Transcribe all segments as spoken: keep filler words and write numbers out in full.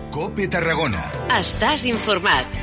COPE Tarragona. Estàs informat.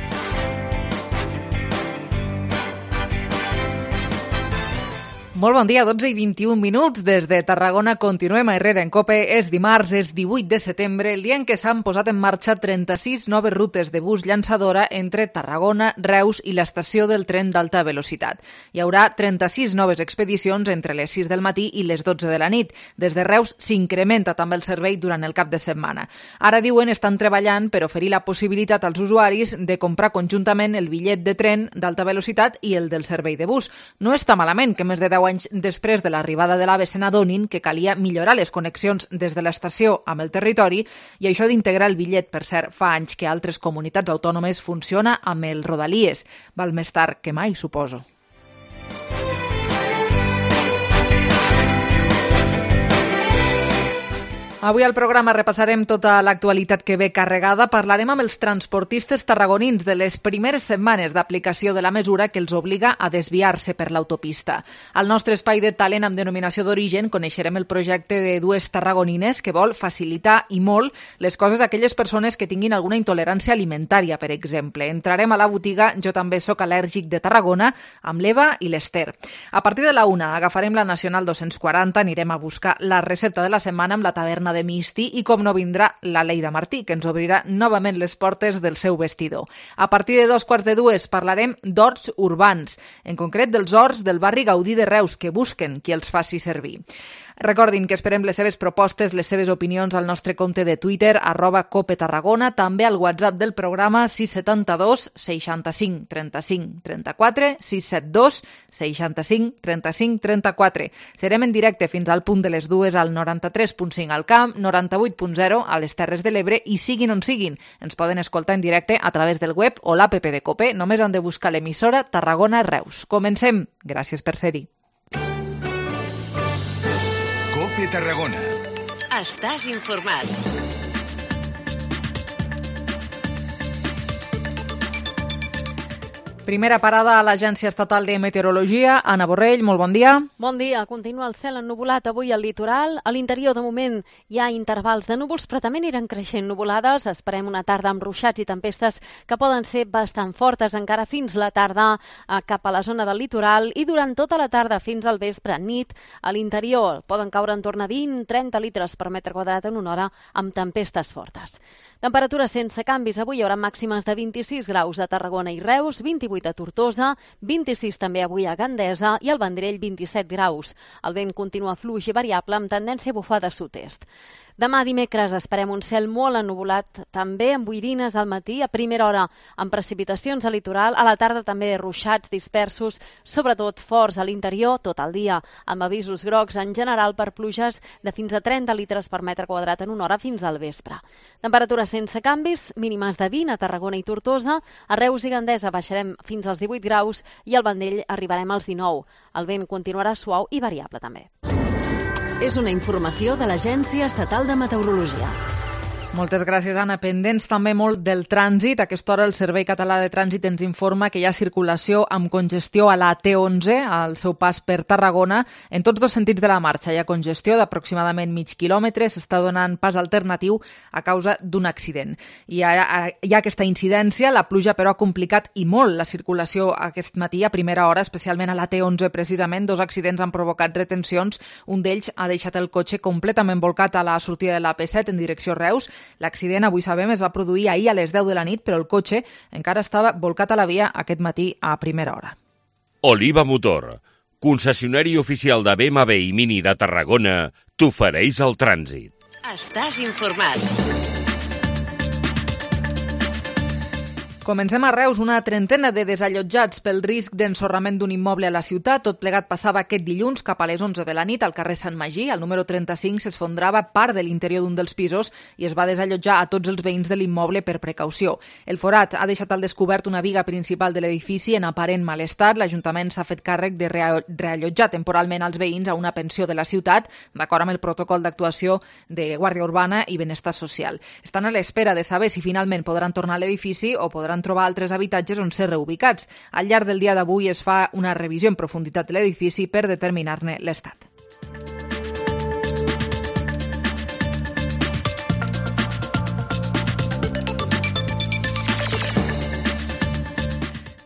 Molt bon dia, dotze i vint-i-un minuts. Des de Tarragona continuem a Herrera en COPE. És dimarts, és divuit de setembre, el dia en què s'han posat en marxa trenta-sis noves rutes de bus llançadora entre Tarragona, Reus i l'estació del tren d'alta velocitat. Hi haurà trenta-sis noves expedicions entre les sis del matí i les dotze de la nit. Des de Reus s'incrementa també el servei durant el cap de setmana. Ara diuen estan treballant per oferir la possibilitat als usuaris de comprar conjuntament el bitllet de tren d'alta velocitat i el del servei de bus. No està malament que més de deu anys després de l'arribada de l'AVE se n'adonin que calia millorar les connexions des de l'estació amb el territori i això d'integrar el bitllet, per cert, fa anys que altres comunitats autònomes funciona amb el Rodalies. Val més tard que mai, suposo. Avui al programa repassarem tota l'actualitat que ve carregada. Parlarem amb els transportistes tarragonins de les primeres setmanes d'aplicació de la mesura que els obliga a desviar-se per l'autopista. Al nostre espai de talent amb denominació d'origen coneixerem el projecte de dues tarragonines que vol facilitar i molt les coses a aquelles persones que tinguin alguna intolerància alimentària, per exemple. Entrarem a la botiga Jo també soc al·lèrgic de Tarragona amb l'Eva i l'Ester. A partir de la una agafarem la Nacional dos-cents quaranta, anirem a buscar la recepta de la setmana amb la taverna de Misti i com no vindrà la Leida Martí, que ens obrirà novament les portes del seu vestidor. A partir de dos quarts de dues parlarem d'horts urbans, en concret dels horts del barri Gaudí de Reus, que busquen qui els faci servir. Recordin que esperem les seves propostes, les seves opinions al nostre compte de Twitter, arroba Cope Tarragona, també al WhatsApp del programa sis set dos, seixanta-cinc, trenta-cinc, trenta-quatre, sis set dos, seixanta-cinc, trenta-cinc, trenta-quatre. Serem en directe fins al punt de les dues al noranta-tres punt cinc al Camp, noranta-vuit punt zero a les Terres de l'Ebre i siguin on siguin. Ens poden escoltar en directe a través del web o l'app de Cope. Només han de buscar l'emissora Tarragona Reus. Comencem. Gràcies per ser-hi. COPE Tarragona. Estàs informat. Primera parada a l'Agència Estatal de Meteorologia. Anna Borrell, molt bon dia. Bon dia. Continua el cel ennuvolat avui al litoral. A l'interior, de moment, hi ha intervals de núvols, però també aniran creixent nuvolades. Esperem una tarda amb ruixats i tempestes que poden ser bastant fortes encara fins la tarda cap a la zona del litoral i durant tota la tarda fins al vespre, nit, a l'interior poden caure en torn a vint a trenta litres per metre quadrat en una hora amb tempestes fortes. Temperatures sense canvis. Avui hi haurà màximes de vint-i-sis graus a Tarragona i Reus, vint-i-vuit a Tortosa, vint-i-sis també avui a Gandesa i al Vendrell vint-i-set graus. El vent continua fluix i variable amb tendència a bufar de sud-est. Demà dimecres esperem un cel molt ennuvolat, també amb boirines al matí, a primera hora amb precipitacions al litoral, a la tarda també ruixats dispersos, sobretot forts a l'interior tot el dia, amb avisos grocs en general per pluges de fins a trenta litres per metre quadrat en una hora fins al vespre. Temperatures sense canvis, mínimes de vint a Tarragona i Tortosa, a Reus i Gandesa baixarem fins als divuit graus i al Vendrell arribarem als dinou. El vent continuarà suau i variable també. És una informació de l'Agència Estatal de Meteorologia. Moltes gràcies, Anna. Pendents també molt del trànsit. A aquesta hora el Servei Català de Trànsit ens informa que hi ha circulació amb congestió a la T onze, al seu pas per Tarragona, en tots dos sentits de la marxa. Hi ha congestió d'aproximadament mig quilòmetre, s'està donant pas alternatiu a causa d'un accident. Hi ha, hi ha aquesta incidència, la pluja però ha complicat i molt la circulació aquest matí a primera hora, especialment a la T onze precisament. Dos accidents han provocat retencions. Un d'ells ha deixat el cotxe completament volcat a la sortida de la P set en direcció Reus. L'accident, avui sabem, es va produir ahir a les deu de la nit, però el cotxe encara estava volcat a la via aquest matí a primera hora. Oliva Motor, concessionari oficial de B M W i Mini de Tarragona, t'ofereix el trànsit. Estàs informat. Comencem a Reus. Una trentena de desallotjats pel risc d'ensorrament d'un immoble a la ciutat. Tot plegat passava aquest dilluns cap a les onze de la nit al carrer Sant Magí. Al número trenta-cinc s'esfondrava part de l'interior d'un dels pisos i es va desallotjar a tots els veïns de l'immoble per precaució. El forat ha deixat al descobert una viga principal de l'edifici en aparent mal estat. L'Ajuntament s'ha fet càrrec de reallotjar temporalment als veïns a una pensió de la ciutat, d'acord amb el protocol d'actuació de Guàrdia Urbana i Benestar Social. Estan a l'espera de saber si finalment podran tornar a l'edifici o podran trobar altres habitatges on ser reubicats. Al llarg del dia d'avui es fa una revisió en profunditat de l'edifici per determinar-ne l'estat.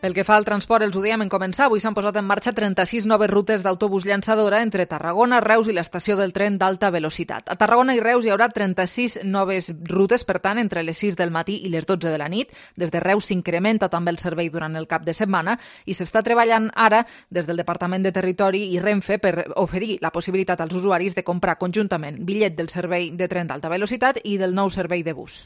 Pel que fa al transport, els ho dèiem en començar. Avui s'han posat en marxa trenta-sis noves rutes d'autobús llançadora entre Tarragona, Reus i l'estació del tren d'alta velocitat. A Tarragona i Reus hi haurà trenta-sis noves rutes, per tant, entre les sis del matí i les dotze de la nit. Des de Reus s'incrementa també el servei durant el cap de setmana i s'està treballant ara des del Departament de Territori i Renfe per oferir la possibilitat als usuaris de comprar conjuntament bitllet del servei de tren d'alta velocitat i del nou servei de bus.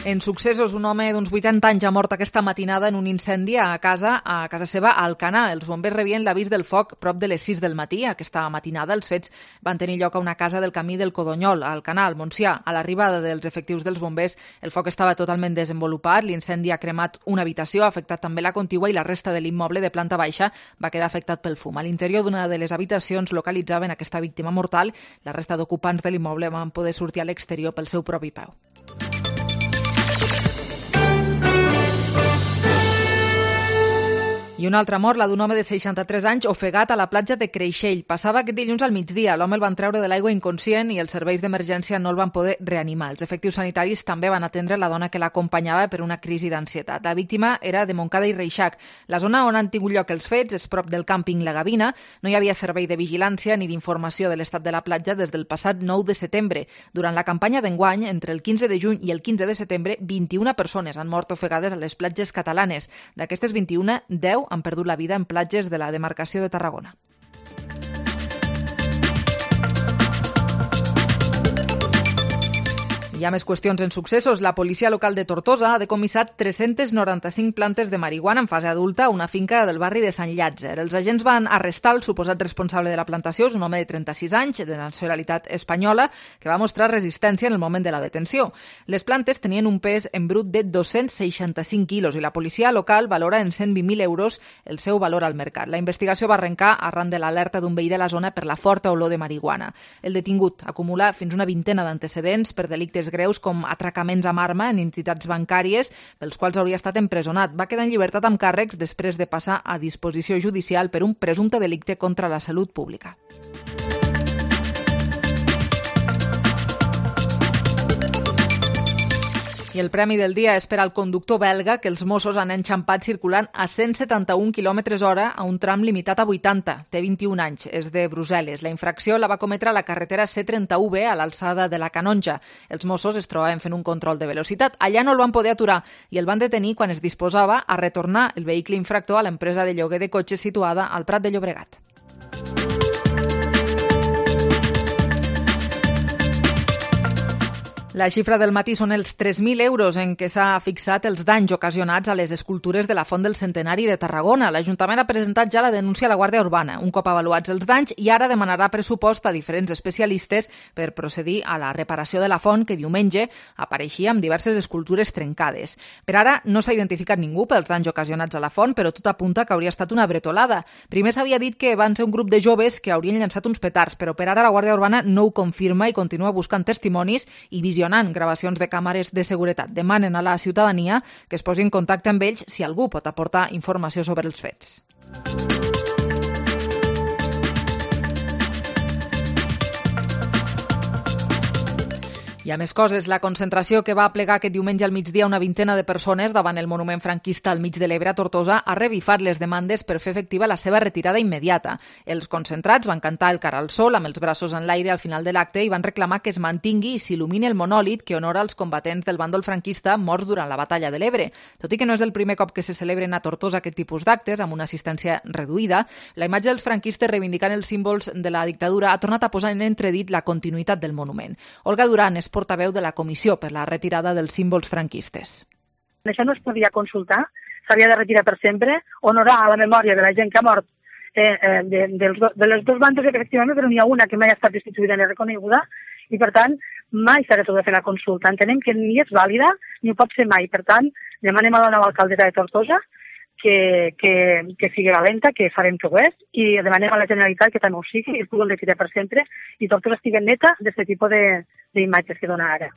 En successos, un home d'uns vuitanta anys ha mort aquesta matinada en un incendi a casa a casa seva a Alcanar. Els bombers rebien l'avís del foc prop de les sis del matí. Aquesta matinada els fets van tenir lloc a una casa del camí del Codonyol, a Alcanar, al Montsià. A l'arribada dels efectius dels bombers, el foc estava totalment desenvolupat. L'incendi ha cremat una habitació, ha afectat també la contigua i la resta de l'immoble de planta baixa va quedar afectat pel fum. A l'interior d'una de les habitacions localitzaven aquesta víctima mortal. La resta d'ocupants de l'immoble van poder sortir a l'exterior pel seu propi peu. I una altra mort, la d'un home de seixanta-tres anys ofegat a la platja de Creixell. Passava aquest dilluns al migdia. L'home el van treure de l'aigua inconscient i els serveis d'emergència no el van poder reanimar. Els efectius sanitaris també van atendre la dona que l'acompanyava per una crisi d'ansietat. La víctima era de Montcada i Reixac. La zona on han tingut lloc els fets és prop del càmping La Gavina. No hi havia servei de vigilància ni d'informació de l'estat de la platja des del passat nou de setembre. Durant la campanya d'enguany, entre el quinze de juny i el quinze de setembre, vint-i-una persones han mort ofegades a les platges catalanes. D'aquestes vint-i-una, deu han perdut la vida en platges de la demarcació de Tarragona. Hi ha més qüestions en successos. La policia local de Tortosa ha decomissat tres-centes noranta-cinc plantes de marihuana en fase adulta a una finca del barri de Sant Llàtzer. Els agents van arrestar el suposat responsable de la plantació, és un home de trenta-sis anys, de nacionalitat espanyola, que va mostrar resistència en el moment de la detenció. Les plantes tenien un pes en brut de dos-cents seixanta-cinc quilos i la policia local valora en cent vint mil euros el seu valor al mercat. La investigació va arrencar arran de l'alerta d'un veí de la zona per la forta olor de marihuana. El detingut acumula fins una vintena d'antecedents per delictes greus com atracaments amb arma en entitats bancàries, pels quals hauria estat empresonat. Va quedar en llibertat amb càrrecs després de passar a disposició judicial per un presumpte delicte contra la salut pública. I el premi del dia és per al conductor belga que els Mossos han enxampat circulant a cent setanta-un quilòmetres hora a un tram limitat a vuitanta. Té vint-i-un anys, és de Brussel·les. La infracció la va cometre a la carretera C trenta-u B a l'alçada de la Canonja. Els Mossos es trobaven fent un control de velocitat. Allà no el van poder aturar i el van detenir quan es disposava a retornar el vehicle infractor a l'empresa de lloguer de cotxes situada al Prat de Llobregat. La xifra del matí són els tres mil euros en què s'ha fixat els danys ocasionats a les escultures de la Font del Centenari de Tarragona. L'Ajuntament ha presentat ja la denúncia a la Guàrdia Urbana, un cop avaluats els danys, i ara demanarà pressupost a diferents especialistes per procedir a la reparació de la font, que diumenge apareixia amb diverses escultures trencades. Per ara no s'ha identificat ningú pels danys ocasionats a la font, però tot apunta que hauria estat una bretolada. Primer s'havia dit que van ser un grup de joves que haurien llançat uns petards, però per ara la Guàrdia Urbana no ho confirma i continua buscant testimonis i visionant gravacions de càmeres de seguretat. Demanen a la ciutadania que es posi en contacte amb ells si algú pot aportar informació sobre els fets. Hi ha més coses. La concentració que va plegar aquest diumenge al migdia una vintena de persones davant el monument franquista al mig de l'Ebre a Tortosa ha revifat les demandes per fer efectiva la seva retirada immediata. Els concentrats van cantar el Cara al Sol amb els braços en l'aire al final de l'acte i van reclamar que es mantingui i s'il·lumini el monòlit que honora els combatents del bàndol franquista morts durant la batalla de l'Ebre. Tot i que no és el primer cop que se celebren a Tortosa aquest tipus d'actes, amb una assistència reduïda, la imatge dels franquistes reivindicant els símbols de la dictadura ha tornat a posar en entredit la continuïtat del monument. Olga Duran és portaveu de la Comissió per la retirada dels símbols franquistes. Això no es podia consultar, s'havia de retirar per sempre, honorar a la memòria de la gent que ha mort eh, eh, de, de, de les dos bandes, efectivament, però n'hi ha una que mai ha estat destituïda ni reconeguda, i per tant mai s'ha de fer la consulta. Entenem que ni és vàlida ni ho pot ser mai. Per tant, demanem a la nova alcaldessa de Tortosa que, que, que sigui valenta, que farem que ho és, i demanem a la Generalitat que també ho sigui i es pugui retirar per sempre i Tortosa estigui neta d'aquest tipus d'imatges que dona ara.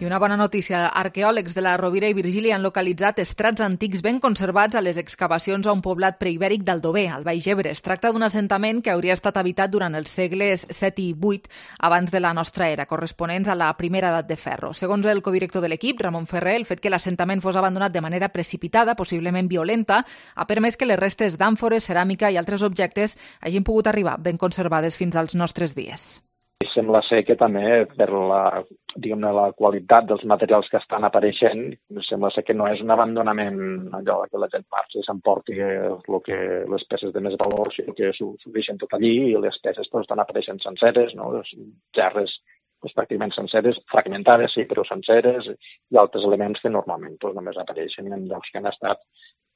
I una bona notícia, arqueòlegs de la Rovira i Virgili han localitzat estrats antics ben conservats a les excavacions a un poblat preibèric d'Aldover, al Baix Ebre. Es tracta d'un assentament que hauria estat habitat durant els segles set i vuit abans de la nostra era, corresponents a la primera edat de ferro. Segons el codirector de l'equip, Ramon Ferrer, el fet que l'assentament fos abandonat de manera precipitada, possiblement violenta, ha permès que les restes d'àmfores, ceràmica i altres objectes hagin pogut arribar ben conservades fins als nostres dies. Sembla ser que també per la, diguem-ne, la qualitat dels materials que estan apareixent, sembla ser que no és un abandonament allò que la gent marxa i s'emporti el que, les peces de més valor, sinó que s'ho deixen tot allí i les peces pues, estan apareixent senceres, no? Les gerres pues, pràcticament senceres, fragmentades, sí, però senceres, i altres elements que normalment pues, només apareixen en llocs que han estat,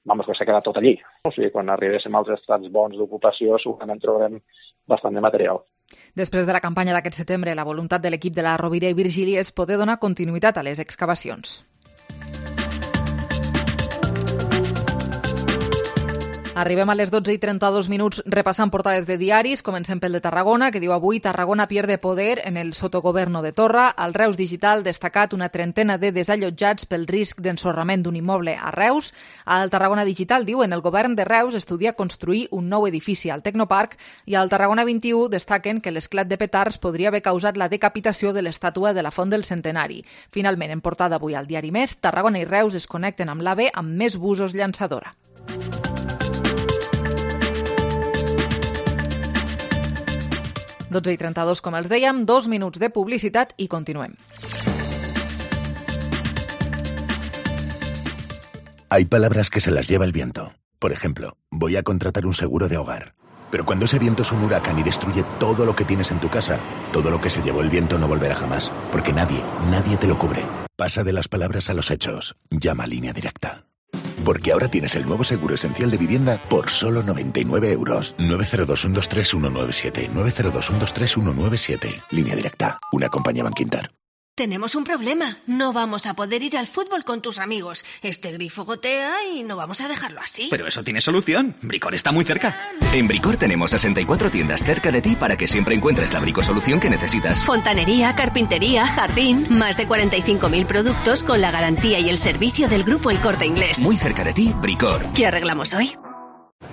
vamos, que s'ha quedat tot allí. O sigui, quan arribéssim als estrats bons d'ocupació, segurament trobarem bastant de material. Després de la campanya d'aquest setembre, la voluntat de l'equip de la Rovira i Virgili és poder donar continuïtat a les excavacions. Arribem a les dotze i trenta-dos minuts repassant portades de diaris. Comencem pel de Tarragona, que diu avui Tarragona pierde poder en el sotogoverno de Torra. Al Reus Digital destacat una trentena de desallotjats pel risc d'ensorrament d'un immoble a Reus. Al Tarragona Digital diuen el govern de Reus estudia construir un nou edifici al Tecnoparc i al Tarragona vint-i-u destaquen que l'esclat de petards podria haver causat la decapitació de l'estàtua de la Font del Centenari. Finalment, en portada avui al diari Més, Tarragona i Reus es connecten amb l'AVE amb més busos llançadora. dotze i trenta-dos, com els dèiem, dos minuts de publicitat i continuem. Hay palabras que se las lleva el viento. Por ejemplo, voy a contratar un seguro de hogar. Pero cuando ese viento es un huracán y destruye todo lo que tienes en tu casa, todo lo que se llevó el viento no volverá jamás, porque nadie, nadie te lo cubre. Pasa de las palabras a los hechos. Llama a Línea Directa. Porque ahora tienes el nuevo seguro esencial de vivienda por solo noventa y nueve euros. nueve cero dos uno dos tres uno nueve siete. nueve cero dos uno dos tres uno nueve siete. Línea Directa. Una compañía Bankinter. Tenemos un problema. No vamos a poder ir al fútbol con tus amigos. Este grifo gotea y no vamos a dejarlo así. Pero eso tiene solución. Bricor está muy cerca. En Bricor tenemos sesenta y cuatro tiendas cerca de ti para que siempre encuentres la bricosolución que necesitas. Fontanería, carpintería, jardín. Más de cuarenta y cinco mil productos con la garantía y el servicio del Grupo El Corte Inglés. Muy cerca de ti, Bricor. ¿Qué arreglamos hoy?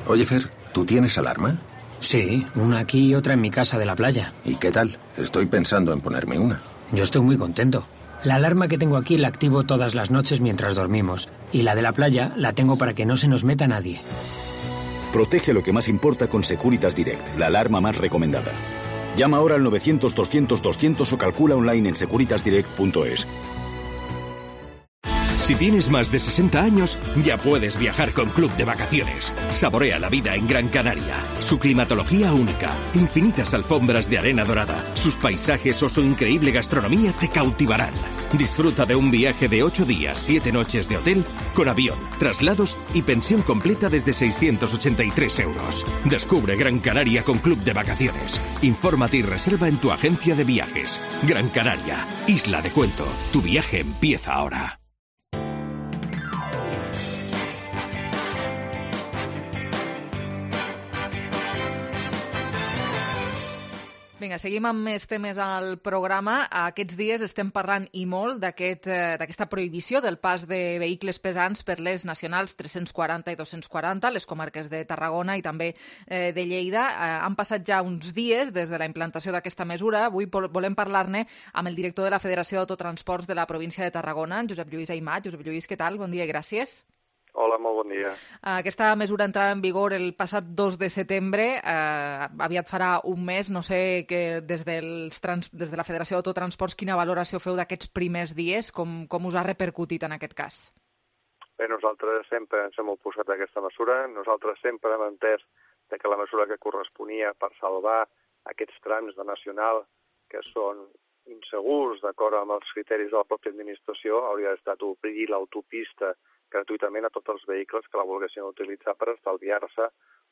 Oye, Fer, ¿tú tienes alarma? Sí, una aquí y otra en mi casa de la playa. ¿Y qué tal? Estoy pensando en ponerme una. Yo estoy muy contento. La alarma que tengo aquí la activo todas las noches mientras dormimos. Y la de la playa la tengo para que no se nos meta nadie. Protege lo que más importa con Securitas Direct, la alarma más recomendada. Llama ahora al novecientos doscientos doscientos o calcula online en securitas direct punto es. Si tienes más de sesenta años, ya puedes viajar con Club de Vacaciones. Saborea la vida en Gran Canaria. Su climatología única, infinitas alfombras de arena dorada, sus paisajes o su increíble gastronomía te cautivarán. Disfruta de un viaje de ocho días, siete noches de hotel, con avión, traslados y pensión completa desde seiscientos ochenta y tres euros. Descubre Gran Canaria con Club de Vacaciones. Infórmate y reserva en tu agencia de viajes. Gran Canaria, isla de cuento. Tu viaje empieza ahora. Vinga, seguim amb més temes al programa. Aquests dies estem parlant i molt d'aquest, eh, d'aquesta prohibició del pas de vehicles pesants per les nacionals tres-cents quaranta i dos-cents quaranta, les comarques de Tarragona i també eh, de Lleida. Eh, han passat ja uns dies des de la implantació d'aquesta mesura. Avui volem parlar-ne amb el director de la Federació d'Autotransports de la província de Tarragona, Josep Lluís Aimat. Josep Lluís, què tal? Bon dia i gràcies. Hola, molt bon dia. Aquesta mesura entrava en vigor el passat dos de setembre, eh, aviat farà un mes. No sé que des, dels trans, des de la Federació d'Autotransports quina valoració feu d'aquests primers dies, com, com us ha repercutit en aquest cas? Bé, nosaltres sempre ens hem oposat a aquesta mesura. Nosaltres sempre hem entès que la mesura que corresponia per salvar aquests trams de nacional que són insegurs d'acord amb els criteris de la pròpia administració hauria estat obrir l'autopista gratuïtament a tots els vehicles que la volguessin utilitzar per estalviar-se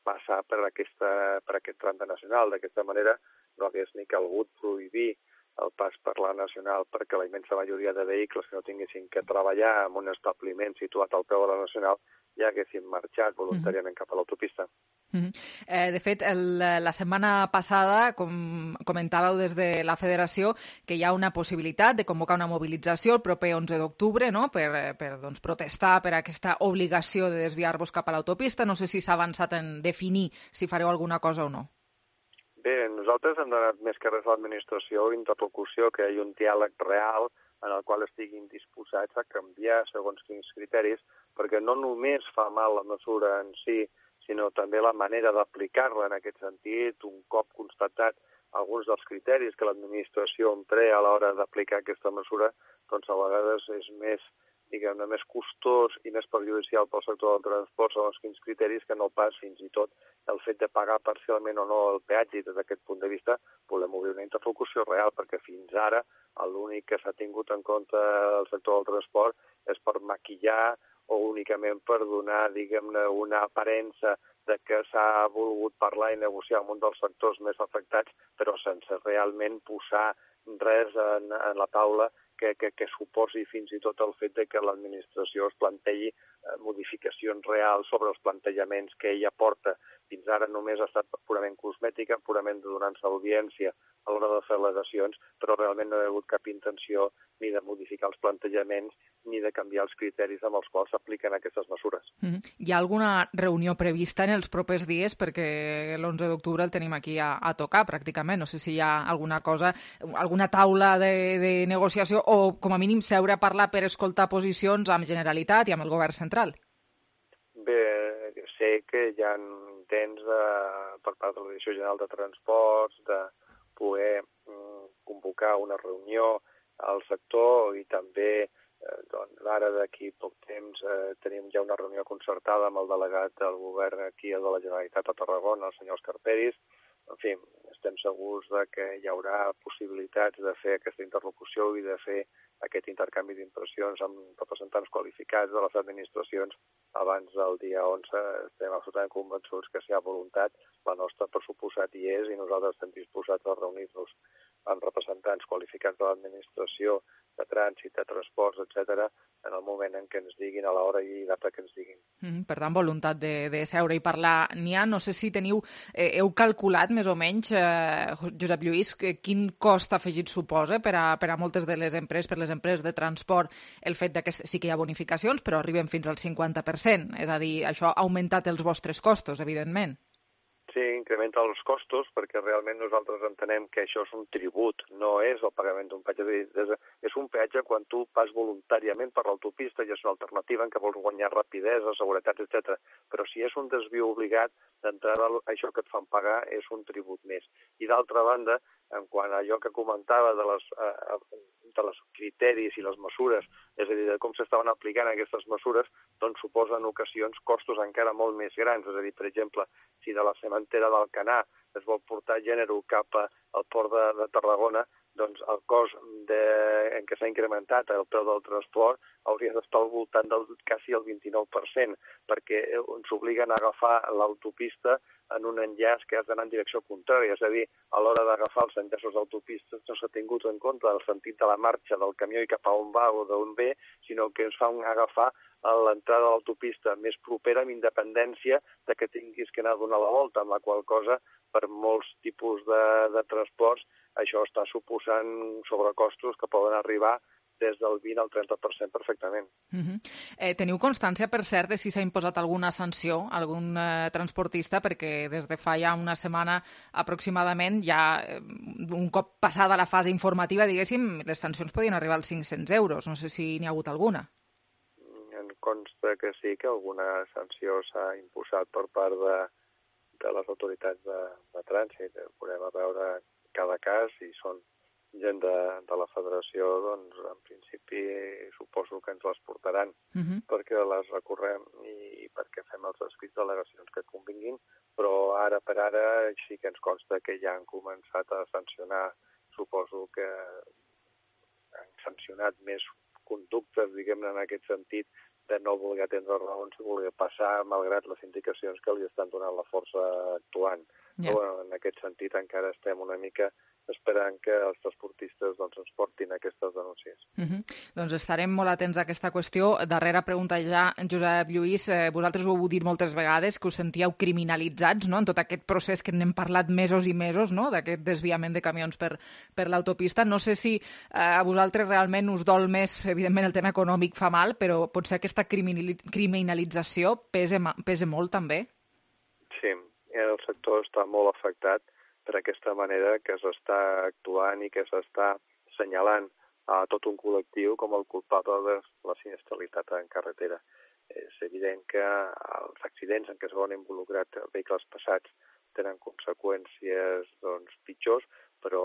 passar per, aquesta, per aquest tram de nacional. D'aquesta manera no hagués ni calgut prohibir el pas per la nacional, perquè la immensa majoria de vehicles que no tinguessin que treballar en un establiment situat al peu de la nacional ja haguessin marxat voluntàriament cap a l'autopista. Mm-hmm. eh, de fet, el, la setmana passada com comentàveu des de la Federació que hi ha una possibilitat de convocar una mobilització el proper onze d'octubre, no? per, per doncs, protestar per aquesta obligació de desviar-vos cap a l'autopista. No sé si s'ha avançat en definir si fareu alguna cosa o no. Bé, nosaltres hem donat més que res a l'administració interlocució, que hi hagi un diàleg real en el qual estiguin disposats a canviar segons quins criteris, perquè no només fa mal la mesura en si, sinó també la manera d'aplicar-la en aquest sentit, un cop constatat alguns dels criteris que l'administració emprea a l'hora d'aplicar aquesta mesura, doncs a vegades és més, diguem-ne, més costós i més perjudicial pel sector del transport segons quins criteris que no pas fins i tot el fet de pagar parcialment o no el peatge. I des d'aquest punt de vista volem obrir una interlocució real, perquè fins ara l'únic que s'ha tingut en compte el sector del transport és per maquillar o únicament per donar, diguem-ne, una aparença de que s'ha volgut parlar i negociar amb un dels sectors més afectats, però sense realment posar res en, en la taula que, que, que suposi fins i tot el fet de que l'administració es plantegi eh, modificacions reals sobre els plantejaments que ella porta. Fins ara només ha estat purament cosmètica, purament donant-se audiència a l'hora de fer al·legacions, però realment no hi ha hagut cap intenció ni de modificar els plantejaments ni de canviar els criteris amb els quals s'apliquen aquestes mesures. Mm-hmm. Hi ha alguna reunió prevista en els propers dies? Perquè l'onze d'octubre el tenim aquí a, a tocar, pràcticament. No sé si hi ha alguna cosa, alguna taula de, de negociació o, com a mínim, seure a parlar per escoltar posicions amb Generalitat i amb el govern central. Bé, sé que hi ha intents de, per part de la Direcció General de Transports de poder mm, convocar una reunió al sector i també eh, doncs, ara d'aquí poc temps eh, tenim ja una reunió concertada amb el delegat del govern aquí de la Generalitat a Tarragona, el senyor Escarperis. En fi, estem segurs de que hi haurà possibilitats de fer aquesta interlocució i de fer aquest intercanvi d'impressions amb representants qualificats de les administracions abans del dia onze. Estem absolutament convençuts que si hi ha voluntat, la nostra per suposat hi és i nosaltres estem disposats a reunir-nos amb representants qualificats de l'administració, de trànsit, de transports, etcètera, en el moment en què ens diguin, a l'hora i data que ens diguin. Mm, per tant, voluntat de, de seure i parlar n'hi ha. No sé si teniu, eh, heu calculat més o menys, eh, Josep Lluís, quin cost afegit suposa per a, per a moltes de les empreses, per les empreses de transport, el fet de que sí que hi ha bonificacions, però arriben fins al cinquanta per cent. És a dir, això ha augmentat els vostres costos, evidentment. Sí, incrementa els costos perquè realment nosaltres entenem que això és un tribut, no és el pagament d'un peatge. És un peatge quan tu pas voluntàriament per l'autopista i és una alternativa en què vols guanyar rapidesa, seguretat, etcètera. Però si és un desviu obligat, d'entrada això que et fan pagar és un tribut més. I d'altra banda, en quant a allò que comentava de les, eh, de les criteris i les mesures, és a dir, de com s'estaven aplicant aquestes mesures, doncs suposa en ocasions costos encara molt més grans. És a dir, per exemple, si de la cementera d'Alcanar es vol portar gènere cap al port de, de Tarragona, doncs el cost de, en què s'ha incrementat el preu del transport hauria d'estar al voltant del quasi el vint-i-nou per cent, perquè ens obliguen a agafar l'autopista en un enllaç que has d'anar en direcció contrària. És a dir, a l'hora d'agafar els enllaços d'autopistes no s'ha tingut en compte el sentit de la marxa del camió i cap a on va o d'on ve, sinó que ens fa agafar a l'entrada de l'autopista més propera amb independència de que tinguis que anar a donar la volta, amb la qual cosa per molts tipus de, de transports això està suposant sobrecostos que poden arribar des del vint al trenta per cent perfectament. Uh-huh. eh, teniu constància, per cert, de si s'ha imposat alguna sanció a algun eh, transportista? Perquè des de fa ja una setmana aproximadament, ja eh, un cop passada la fase informativa, diguéssim, les sancions podien arribar als cinc-cents euros. No sé si n'hi ha hagut alguna. Em consta que sí, que alguna sanció s'ha imposat per part de, de les autoritats de, de trànsit. Podem veure cada cas i són gent de, de la federació, doncs en principi suposo que ens les portaran uh-huh. perquè les recorrem i perquè fem els escrits d'al·legacions que convinguin, però ara per ara sí que ens consta que ja han començat a sancionar, suposo que han sancionat més conductes, diguem-ne, en aquest sentit, de no voler atendre raons i voler passar malgrat les indicacions que li estan donant la força actuant. Yeah. Però en aquest sentit encara estem una mica esperant que els transportistes doncs, ens portin aquestes denúncies. Uh-huh. Doncs estarem molt atents a aquesta qüestió. Darrera pregunta ja, Josep Lluís, eh, vosaltres ho heu dit moltes vegades, que us sentíeu criminalitzats, no?, en tot aquest procés que n'hem parlat mesos i mesos, no?, d'aquest desviament de camions per, per l'autopista. No sé si eh, a vosaltres realment us dol més, evidentment el tema econòmic fa mal, però potser aquesta criminalització pesa, pesa molt també? Sí, el sector està molt afectat per aquesta manera que s'està actuant i que s'està assenyalant a tot un col·lectiu com el culpable de la sinistralitat en carretera. És evident que els accidents en què es veuen involucrats vehicles passats tenen conseqüències doncs, pitjors, però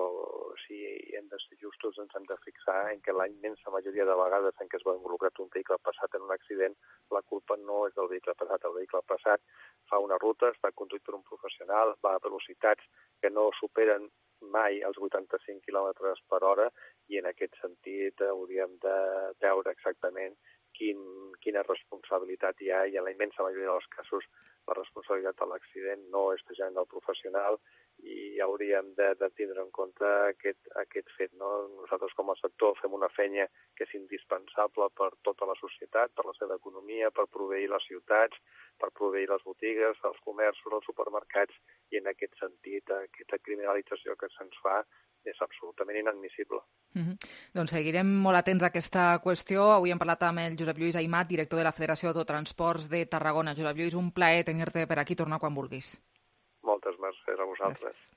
si hem de ser justos ens hem de fixar en que la immensa majoria de vegades en què es va involucrat un vehicle passat en un accident, la culpa no és del vehicle passat. El vehicle passat fa una ruta, està conduït per un professional, va a velocitats que no superen mai els vuitanta-cinc quilòmetres per hora i en aquest sentit hauríem de veure exactament quin, quina responsabilitat hi ha i en la immensa majoria dels casos la responsabilitat de l'accident no és precisament del professional i hauríem de, de tindre en compte aquest, aquest fet. No? Nosaltres com a sector fem una feina que és indispensable per tota la societat, per la seva economia, per proveir les ciutats, per proveir les botigues, els comerços, els supermercats i en aquest sentit aquesta criminalització que se'ns fa és absolutament inadmissible. Mm-hmm. Doncs seguirem molt atents a aquesta qüestió. Avui hem parlat amb el Josep Lluís Aimat, director de la Federació d'Autotransports de Tarragona. Josep Lluís, un plaer tenir-te per aquí, tornar quan vulguis. Moltes mercès a vosaltres. Gràcies.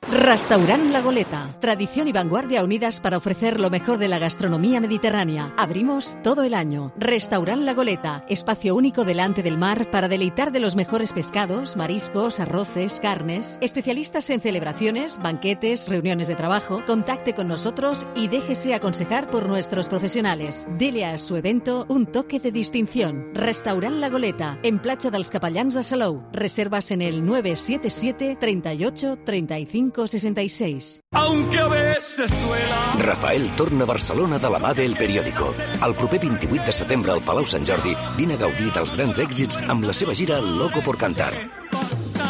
Restaurant La Goleta. Tradición y vanguardia unidas para ofrecer lo mejor de la gastronomía mediterránea. Abrimos todo el año. Restaurant La Goleta. Espacio único delante del mar para deleitar de los mejores pescados, mariscos, arroces, carnes. Especialistas en celebraciones, banquetes, reuniones de trabajo. Contacte con nosotros y déjese aconsejar por nuestros profesionales. Dele a su evento un toque de distinción. Restaurant La Goleta. En Platja dels Capellans de Salou. Reservas en el nueve siete siete, treinta y ocho, treinta y cinco, sesenta y seis. Aunque a veces duela. Rafael torna a Barcelona de la mà del Periódico. El proper vint-i-vuit de setembre al Palau Sant Jordi vine a gaudir dels grans èxits amb la seva gira Loco por Cantar.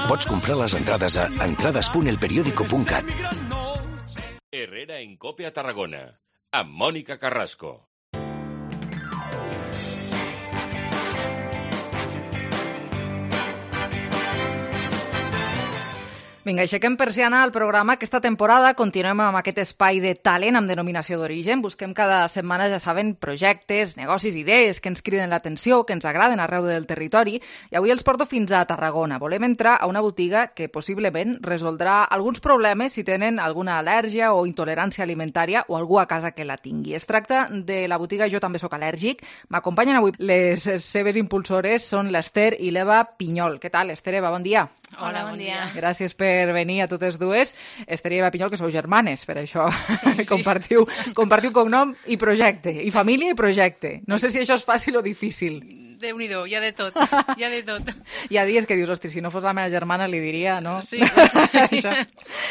Pots comprar les entrades a entrades punt el periódico punt cat. Herrera en Cope a Tarragona, amb Mònica Carrasco. Vinga, aixequem persiana al programa. Aquesta temporada continuem amb aquest espai de talent amb denominació d'origen. Busquem cada setmana, ja saben, projectes, negocis, idees que ens criden l'atenció, que ens agraden arreu del territori. I avui els porto fins a Tarragona. Volem entrar a una botiga que possiblement resoldrà alguns problemes si tenen alguna al·lèrgia o intolerància alimentària o algú a casa que la tingui. Es tracta de la botiga Jo també sóc al·lèrgic. M'acompanyen avui les seves impulsores, són l'Ester i l'Eva Pinyol. Què tal,Ester, Eva? Bon dia. Hola, bon dia. Gràcies per venir a totes dues. Ester i Eva Pinyol, que sou germanes, per això sí, sí. compartiu, compartiu cognom i projecte, i família i projecte. No sé si això és fàcil o difícil. Déu-n'hi-do, hi ha de tot, hi ha de tot. Hi ha dies que dius, hosti, si no fos la meva germana li diria, no? Sí. Això,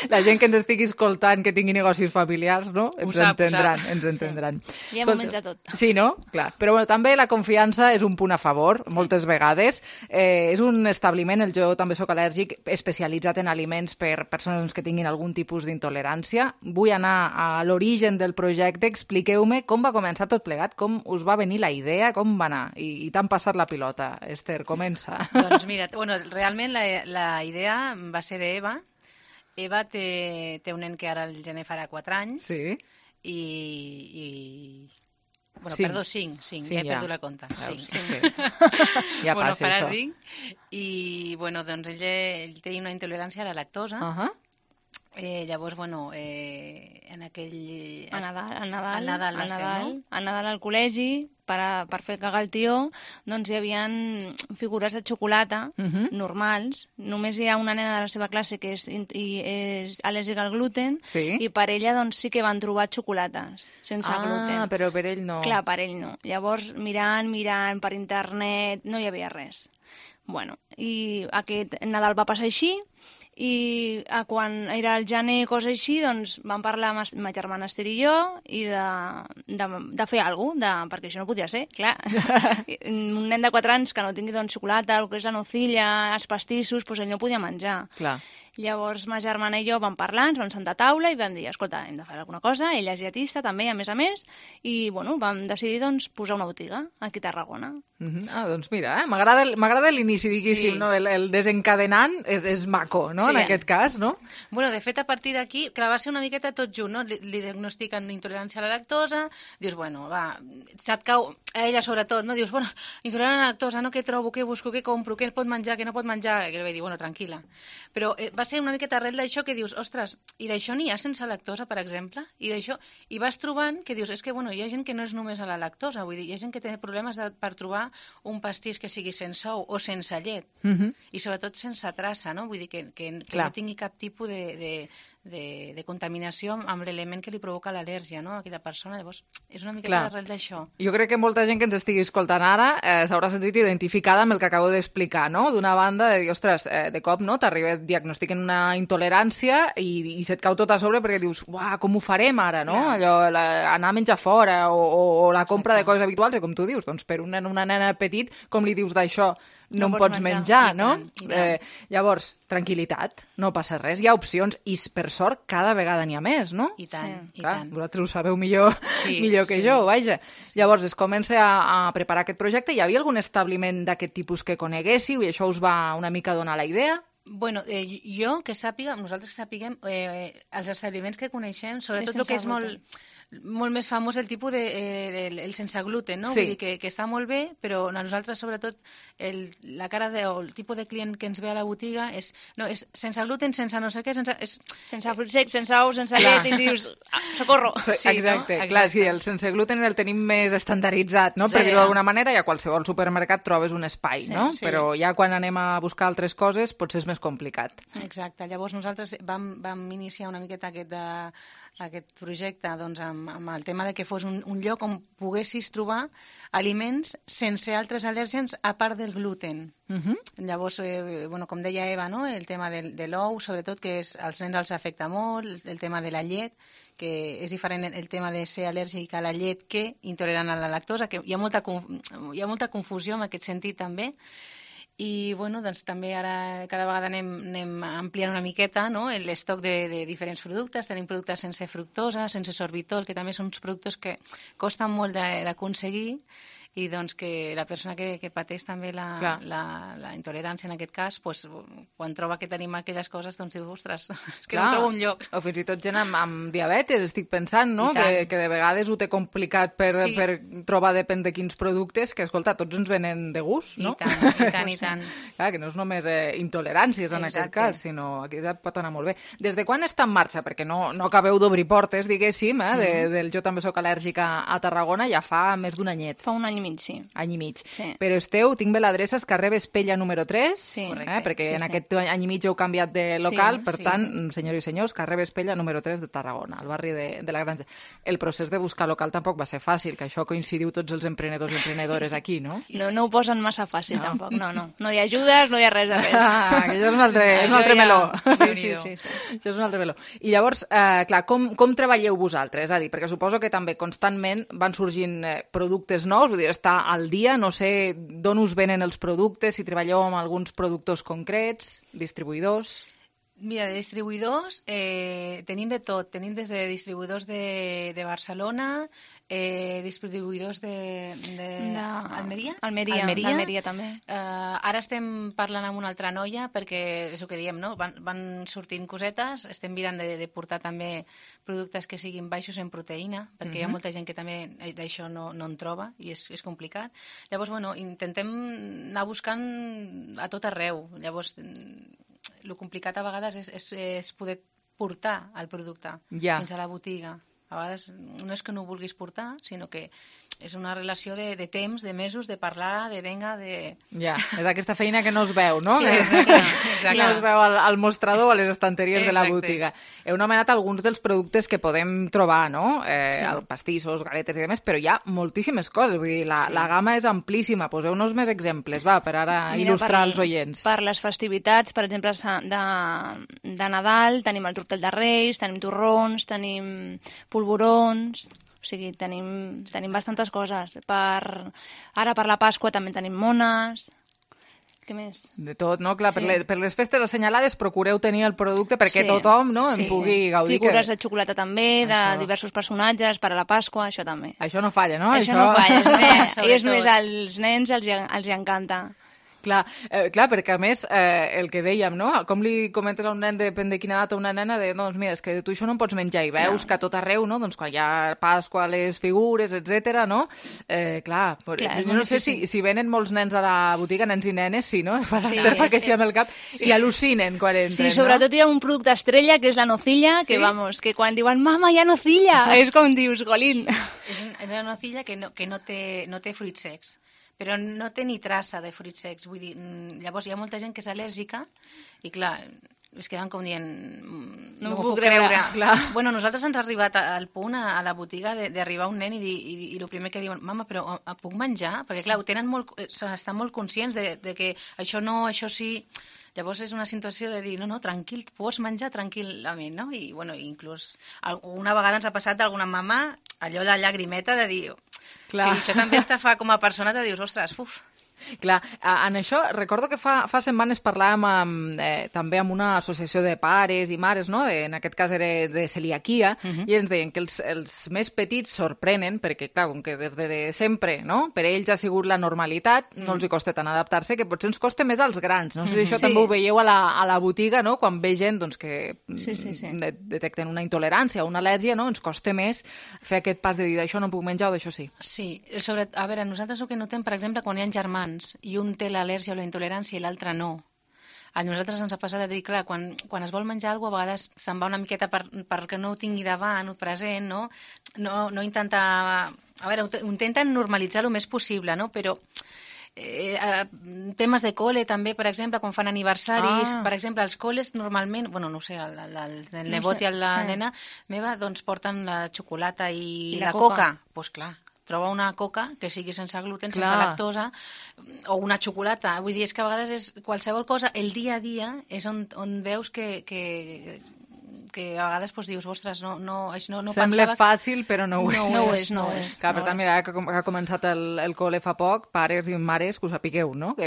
la gent que ens estigui escoltant, que tingui negocis familiars, no? Ens sap, entendran, ens entendran. Sí. Hi ha moments de tot. Sí, no? Clar. Però bueno, també la confiança és un punt a favor, moltes vegades. Eh, és un establiment, el Jo també sóc al·lèrgic, especialitzat en aliments per persones que tinguin algun tipus d'intolerància. Vull anar a l'origen del projecte. Expliqueu-me com va començar tot plegat, com us va venir la idea, com va anar. I, i tant passat la pilota. Esther, comença. Doncs mira, bueno, realment la, la idea va ser d'Eva. Eva té, té un nen que ara el gener farà quatre anys. Sí. I... i... Bueno, cinc. Perdó, cinc, cinc, sí, ja he ja. perdut la compta. Veus, cinc, cinc. Que... ja bueno, passa farà això. cinc. I, bueno, doncs ell, ell té una intolerància a la lactosa. Uh -huh. Eh, llavors, bueno, eh, en aquell... A Nadal, al Nadal, al Nadal, al ser, Nadal, no? al Nadal al col·legi, per, a, per fer cagar el tió, doncs hi havia figures de xocolata uh -huh. normals. Només hi ha una nena de la seva classe que és, i, és al·lèrgica al gluten, sí. i per ella doncs, sí que van trobar xocolates sense ah, gluten. Ah, però per ell no. Clar, per ell no. Llavors, mirant, mirant per internet, no hi havia res. Bueno, i aquest Nadal va passar així, I eh, quan era el gener, cosa així, doncs vam parlar amb ma germana Esther i jo i de, de, de fer alguna cosa, perquè això no podia ser, clar. Un nen de quatre anys que no tingui doncs, xocolata, el que és la nocilla, els pastissos, doncs ell no podia menjar. Clar. Llavors ma germana i jo vam parlar, ens vam sentar a taula i vam dir, escolta, hem de fer alguna cosa, ella és dietista també, a més a més, i bueno, vam decidir doncs, posar una botiga aquí a Tarragona. Uh -huh. Ah, doncs mira, eh? m'agrada l'inici, diguéssim, sí. No? El, el desencadenant és, és maco, no? Sí. En aquest cas, no? Bueno, de fet, a partir d'aquí, clar, va ser una miqueta tot junt, no? Li, li diagnostiquen intolerància a la lactosa, dius, bueno, va, se't cau, a ella sobretot, no? Dius, bueno, intolerant a la lactosa, no? Què trobo, què busco, què compro, què pot menjar, què no pot menjar? I li vaig dir, bueno, tranquil·la. Però eh, va ser una miqueta arrel d'això que dius, ostres, i d'això n'hi ha sense lactosa, per exemple? I d'això, i vas trobant que dius, és que, bueno, hi ha gent que no és només a la lactosa, vull dir, hi ha gent que té problemes de, per trobar un pastís que sigui sense ou o sense llet, uh -huh. i sobretot sense traça, no? Vull dir, que, que, que no tingui cap tipus de... de De, de contaminació amb l'element que li provoca l'al·lèrgia, no?, a aquella persona. Llavors, és una mica l'arrel d'això. Jo crec que molta gent que ens estigui escoltant ara eh, s'haurà sentit identificada amb el que acabo d'explicar, no? D'una banda, de dir, ostres, eh, de cop, no?, t'arriba, diagnostiquen una intolerància i, i se't cau tot a sobre perquè dius, uah, com ho farem ara, no? Clar. Allò, la, anar a menjar fora o, o, o la compra Exacte. de coses habituals, i com tu dius, doncs per un nen, una nena petit, com li dius d'això? No, no en pots menjar, menjar no? Tant, tant. Eh, llavors, tranquil·litat, no passa res, hi ha opcions i per sort cada vegada n'hi ha més, no? I tant, sí. i Clar, tant. Vosaltres ho sabeu millor, sí, millor que sí. jo, vaja. Sí. Llavors es comença a, a preparar aquest projecte. Hi havia algun establiment d'aquest tipus que coneguéssiu i això us va una mica donar la idea? Bueno, eh, jo que sàpiga, nosaltres que sapiguem, eh, els establiments que coneixem, sobretot el que és molt... molt més famós el tipus de eh, el, el sense gluten, no? Sí. Vull dir que, que està molt bé, però a nosaltres sobretot el, la cara de, o el tipus de client que ens ve a la botiga és, no, és sense gluten, sense no sé què, sense, és... sense fruits secs, sense ous, sense llet, i dius, ah, socorro. Sí, exacte, no? Clar, sí, el sense gluten el tenim més estandarditzat, no? Sí. Per dir-ho d'alguna manera, i a qualsevol supermercat trobes un espai, sí, no? Sí. Però ja quan anem a buscar altres coses potser és més complicat. Exacte, llavors nosaltres vam, vam iniciar una miqueta aquest de aquest projecte doncs, amb, amb el tema de que fos un, un lloc on poguessis trobar aliments sense altres al·lèrgens a part del gluten. Uh-huh. Llavors, eh, bueno, com deia Eva, no? El tema de, de l'ou, sobretot, que és, als nens els afecta molt, el, el tema de la llet, que és diferent el tema de ser al·lèrgic a la llet que intolerant a la lactosa, que hi ha molta, hi ha molta confusió en aquest sentit també. I bueno, doncs, també ara cada vegada anem, anem ampliant una miqueta, no? L'estoc de, de diferents productes. Tenim productes sense fructosa, sense sorbitol, que també són uns productes que costen molt d'aconseguir i doncs que la persona que, que pateix també la, la, la intolerància en aquest cas, pues, quan troba que tenim aquelles coses, doncs diu, ostres, és que Clar. no trobo un lloc. O fins i tot gent amb, amb diabetes, estic pensant, no? Que, que de vegades ho té complicat per, sí. per trobar depèn de quins productes, que, escolta, tots ens venen de gust, no? I tant, i tant, i tant. Clar, que no és només eh, intoleràncies en Exacte. aquest cas, sinó aquí pot anar molt bé. Des de quan està en marxa? Perquè no, no acabeu d'obrir portes, diguéssim, eh, de, mm. del Jo també soc al·lèrgica a Tarragona, ja fa més d'un anyet. Fa un any mig, sí. Any i mig. Sí. Però esteu, tinc bé l'adreça, és carrer Vespella número tres, sí, eh, perquè sí, en sí. aquest any i mig heu canviat de local, sí, per sí, tant, sí. senyors i senyors, carrer Vespella número tres de Tarragona, al barri de, de la Granja. El procés de buscar local tampoc va ser fàcil, que això coincidiu tots els emprenedors i emprenedores aquí, no? No, no ho posen massa fàcil, no. tampoc, no, no. No hi ha ajudes, no hi ha res de res. Ah, que això és un altre, és un altre meló. Sí, sí, sí, sí. Això és un altre meló. I llavors, eh, clar, com, com treballeu vosaltres? És a dir, perquè suposo que també constantment van sorgint eh, productes nous, vull dir, està al dia, no sé d'on us venen els productes, si treballeu amb alguns productors concrets, distribuïdors... Mira, de distribuïdors eh, tenim de tot. Tenim des de distribuïdors de, de Barcelona, eh, distribuïdors de, de... de... Almeria? Almeria, Almeria. Almeria també. Eh, ara estem parlant amb una altra noia perquè és el que diem, no? Van, van sortint cosetes, estem mirant de, de portar també productes que siguin baixos en proteïna, perquè uh-huh. hi ha molta gent que també d'això no, no en troba i és, és complicat. Llavors, bueno, intentem anar buscant a tot arreu. Llavors, el complicat a vegades és, és, és poder portar el producte ja. fins a la botiga. A vegades no és que no ho vulguis portar, sinó que és una relació de, de temps, de mesos, de parlar, de venga, de... Ja, és aquesta feina que no es veu, no? Sí, exacte. exacte. No es veu al, al mostrador o a les estanteries Exacte. de la botiga. Heu nomenat alguns dels productes que podem trobar, no? Eh, Sí. el pastissos, galetes i demés, però hi ha moltíssimes coses. Vull dir, la, Sí. la gamma és amplíssima. Poseu-nos més exemples, va, per ara Mira, il·lustrar per, els oients. Per les festivitats, per exemple, de, de Nadal, tenim el tortell de Reis, tenim torrons, tenim polvorons... O sigui, tenim, tenim bastantes coses. Per, ara per la Pasqua també tenim mones... Què més? De tot, no? Clar, Sí. per, les, per les festes assenyalades procureu tenir el producte perquè Sí. tothom no, en Sí, pugui sí. gaudir. Figures que... de xocolata també, de Això. diversos personatges, per a la Pasqua, això també. Això no falla, no? Això, no falla, els nens, Sobretot. ells més als nens els, hi- els hi encanta. Clar, eh, clar, perquè a més, eh, el que dèiem, no? Com li comentes a un nen, depèn de quina edat, a una nena, de, doncs mira, és que tu això no en pots menjar, i veus Clar. que a tot arreu, no? Doncs quan hi ha Pasqua, les figures, etcètera, no? Eh, clar, però, Clar, és jo molt no sé si, difícil. si venen molts nens a la botiga, nens i nenes, sí, no? Fa Sí, l'Ester fa és- que sí amb el cap, sí. i al·lucinen quan entren, Sí, sobretot hi ha un producte estrella, que és la nocilla, que, Sí? vamos, que quan diuen «Mama, hi ha nocilla!» és com dius, golín. És un- una nocilla que no, que no té, no té fruits secs, però no té ni traça de fruits secs. Vull dir, mm, llavors hi ha molta gent que és al·lèrgica i, clar, es queden com dient... mm, No No, m'ho m'ho puc puc creure. creure. Clar. Bueno, nosaltres ens ha arribat a- al punt a, a la botiga de- d'arribar un nen i, dir, i, i el primer que diuen, mama, però eh, puc menjar? Perquè, clar, ho tenen molt, eh, estan molt conscients de, de que això no, això sí... Llavors és una situació de dir, no, no, tranquil, pots menjar tranquil·lament, no? I, bueno, inclús una vegada ens ha passat d'alguna mama allò la llagrimeta de dir... Clar. Sí, això també te fa com a persona, te dius, ostres, uf. Clar, a- en això, recordo que fa, fa setmanes parlàvem amb, eh, també amb una associació de pares i mares, no? De, en aquest cas era de celiaquia, uh -huh. i ens deien que els, els més petits sorprenen, perquè, clar, com que des de sempre, no? Per ells ha sigut la normalitat, uh -huh. no els hi costa tant adaptar-se, que potser ens costa més als grans. No sé si això Sí. també ho veieu a la, a la botiga, no? Quan ve gent doncs, que Sí, sí, sí. de, detecten una intolerància o una al·lèrgia, no? Ens costa més fer aquest pas de dir d'això no puc menjar o d'això sí. Sí, sobre, a veure, nosaltres el que notem, per exemple, quan hi ha germans i un té l'al·lèrgia o la intolerància i l'altre no, a nosaltres ens ha passat de dir, clar, quan, quan es vol menjar alguna cosa, a vegades se'n va una miqueta per, perquè no ho tingui davant o present, no? No, no intenta... A veure, ho, ho intenten normalitzar el més possible, no? Però eh, eh, temes de col·le també, per exemple, quan fan aniversaris, Ah. per exemple, els col·les normalment, bueno, no ho sé, el, el, el, el No nebot sé, i la sí. nena meva, doncs porten la xocolata i, I la, la coca. coca. Doncs pues, clar, troba una coca que sigui sense gluten, Clar. sense lactosa, o una xocolata. Vull dir, és que a vegades és qualsevol cosa, el dia a dia és on, on veus que, que, que a vegades pues, dius, ostres, no, no, no, no Sembla pensava... fàcil, però no ho és. No ho és, no ho és. Clar, per no tant, ho mira, que, com- que ha començat el, el col·le fa poc, pares i mares, que ho sapigueu, no? Que,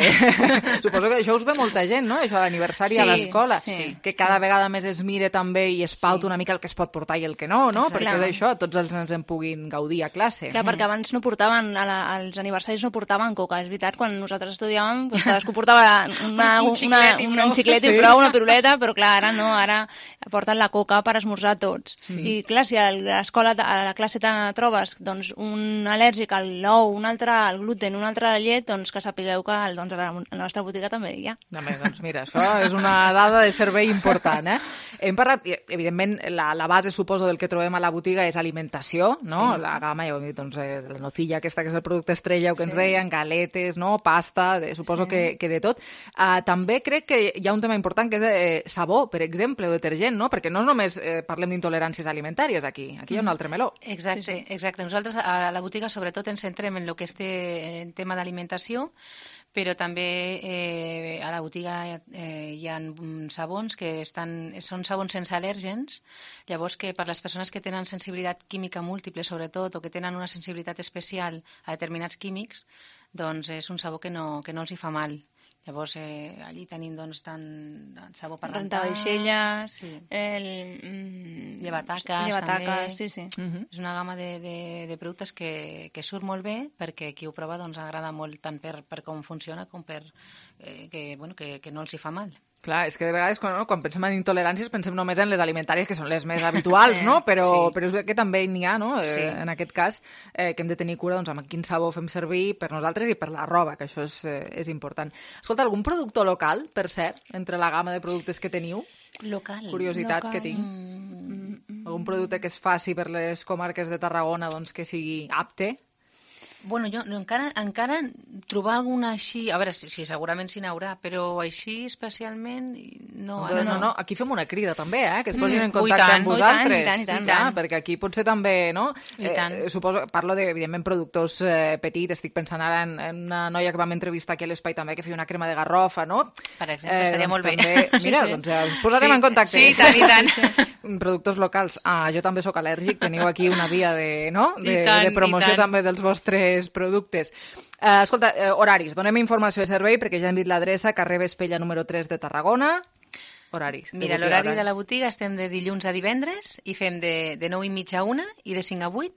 suposo que això us ve molta gent, no? Això, l'aniversari Sí, a l'escola. sí, que cada vegada més es mire també i es pauta Sí. una mica el que es pot portar i el que no, no? Exacte. Perquè d'això tots els nens en puguin gaudir a classe. Clar, perquè abans no portaven, a la, als aniversaris no portaven coca, és veritat, quan nosaltres estudiàvem, doncs cadascú portava una, Un una, xiclet i una, prou. un xiclet i Sí. prou, una piruleta, però clar, ara no, ara porten la coca per esmorzar tots. Sí. I clar, si a l'escola, a la classe te trobes doncs, un al·lèrgic al l'ou, un altre al gluten, un altre a la llet, doncs que sapigueu que doncs, a la a la nostra botiga també hi ha. També, doncs mira, això és una dada de servei important, eh? Hem parlat, i, evidentment, la, la base, suposo, del que trobem a la botiga és alimentació, no? Sí. La gamma, ja ho hem dit, doncs, eh, la nocilla aquesta, que és el producte estrella, que Sí. ens deien, galetes, no? Pasta, de, suposo Sí. que, que de tot. Uh, també crec que hi ha un tema important, que és eh, sabó, per exemple, o detergent, no? Perquè no només eh, parlem d'intoleràncies alimentàries aquí, aquí hi ha un altre meló. Exacte, sí, sí. exacte. Nosaltres a la botiga sobretot ens centrem en el que és té, en tema d'alimentació, però també eh, a la botiga eh, hi ha mm, sabons que estan, són sabons sense al·lèrgens, llavors que per les persones que tenen sensibilitat química múltiple, sobretot, o que tenen una sensibilitat especial a determinats químics, doncs és un sabó que no, que no els hi fa mal. Llavors, eh, allí tenim doncs, tant sabó per rentar... Rentavaixelles, Sí. el... Mm, Llevataques, llevataques, també. sí, sí. Uh -huh. És una gamma de, de, de productes que, que surt molt bé perquè qui ho prova doncs, agrada molt tant per, per com funciona com per eh, que, bueno, que, que no els hi fa mal. Clar, és que de vegades quan, no, quan pensem en intoleràncies pensem només en les alimentàries, que són les més habituals, no? Però, Sí. però és que també n'hi ha, no? Eh, Sí. En aquest cas, eh, que hem de tenir cura doncs, amb quin sabó fem servir per nosaltres i per la roba, que això és, eh, és important. Escolta, algun productor local, per cert, entre la gamma de productes que teniu? Local. Curiositat Local. que tinc. Mm, Algun producte que es faci per les comarques de Tarragona doncs, que sigui apte? Bueno, jo no, encara, encara trobar alguna així... A veure, si, si segurament s'hi n'haurà, però així especialment... No, no, no, no, aquí fem una crida també, eh? Que es posin en Ui, contacte tant, amb vosaltres. i tant, i tant, i Clar, tant. perquè aquí potser també, no? I tant. Eh, suposo, parlo de, evidentment, productors eh, petits, estic pensant ara en, en una noia que vam entrevistar aquí a l'Espai també, que feia una crema de garrofa, no? Per exemple, estaria doncs molt bé. També, mira, Sí, sí. doncs ja us posarem Sí, en contacte. sí, i tant, i tant. Productors locals. Ah, jo també sóc al·lèrgic, teniu aquí una via de, no? de, I tant, de promoció i tant. també dels vostres productes. Uh, escolta, uh, horaris, donem informació de servei perquè ja hem dit l'adreça, carrer Vespella número tres de Tarragona. Horaris. de Mira, botiga, l'horari horari. de la botiga estem de dilluns a divendres i fem de, de nou i mitja a una i de cinc a vuit,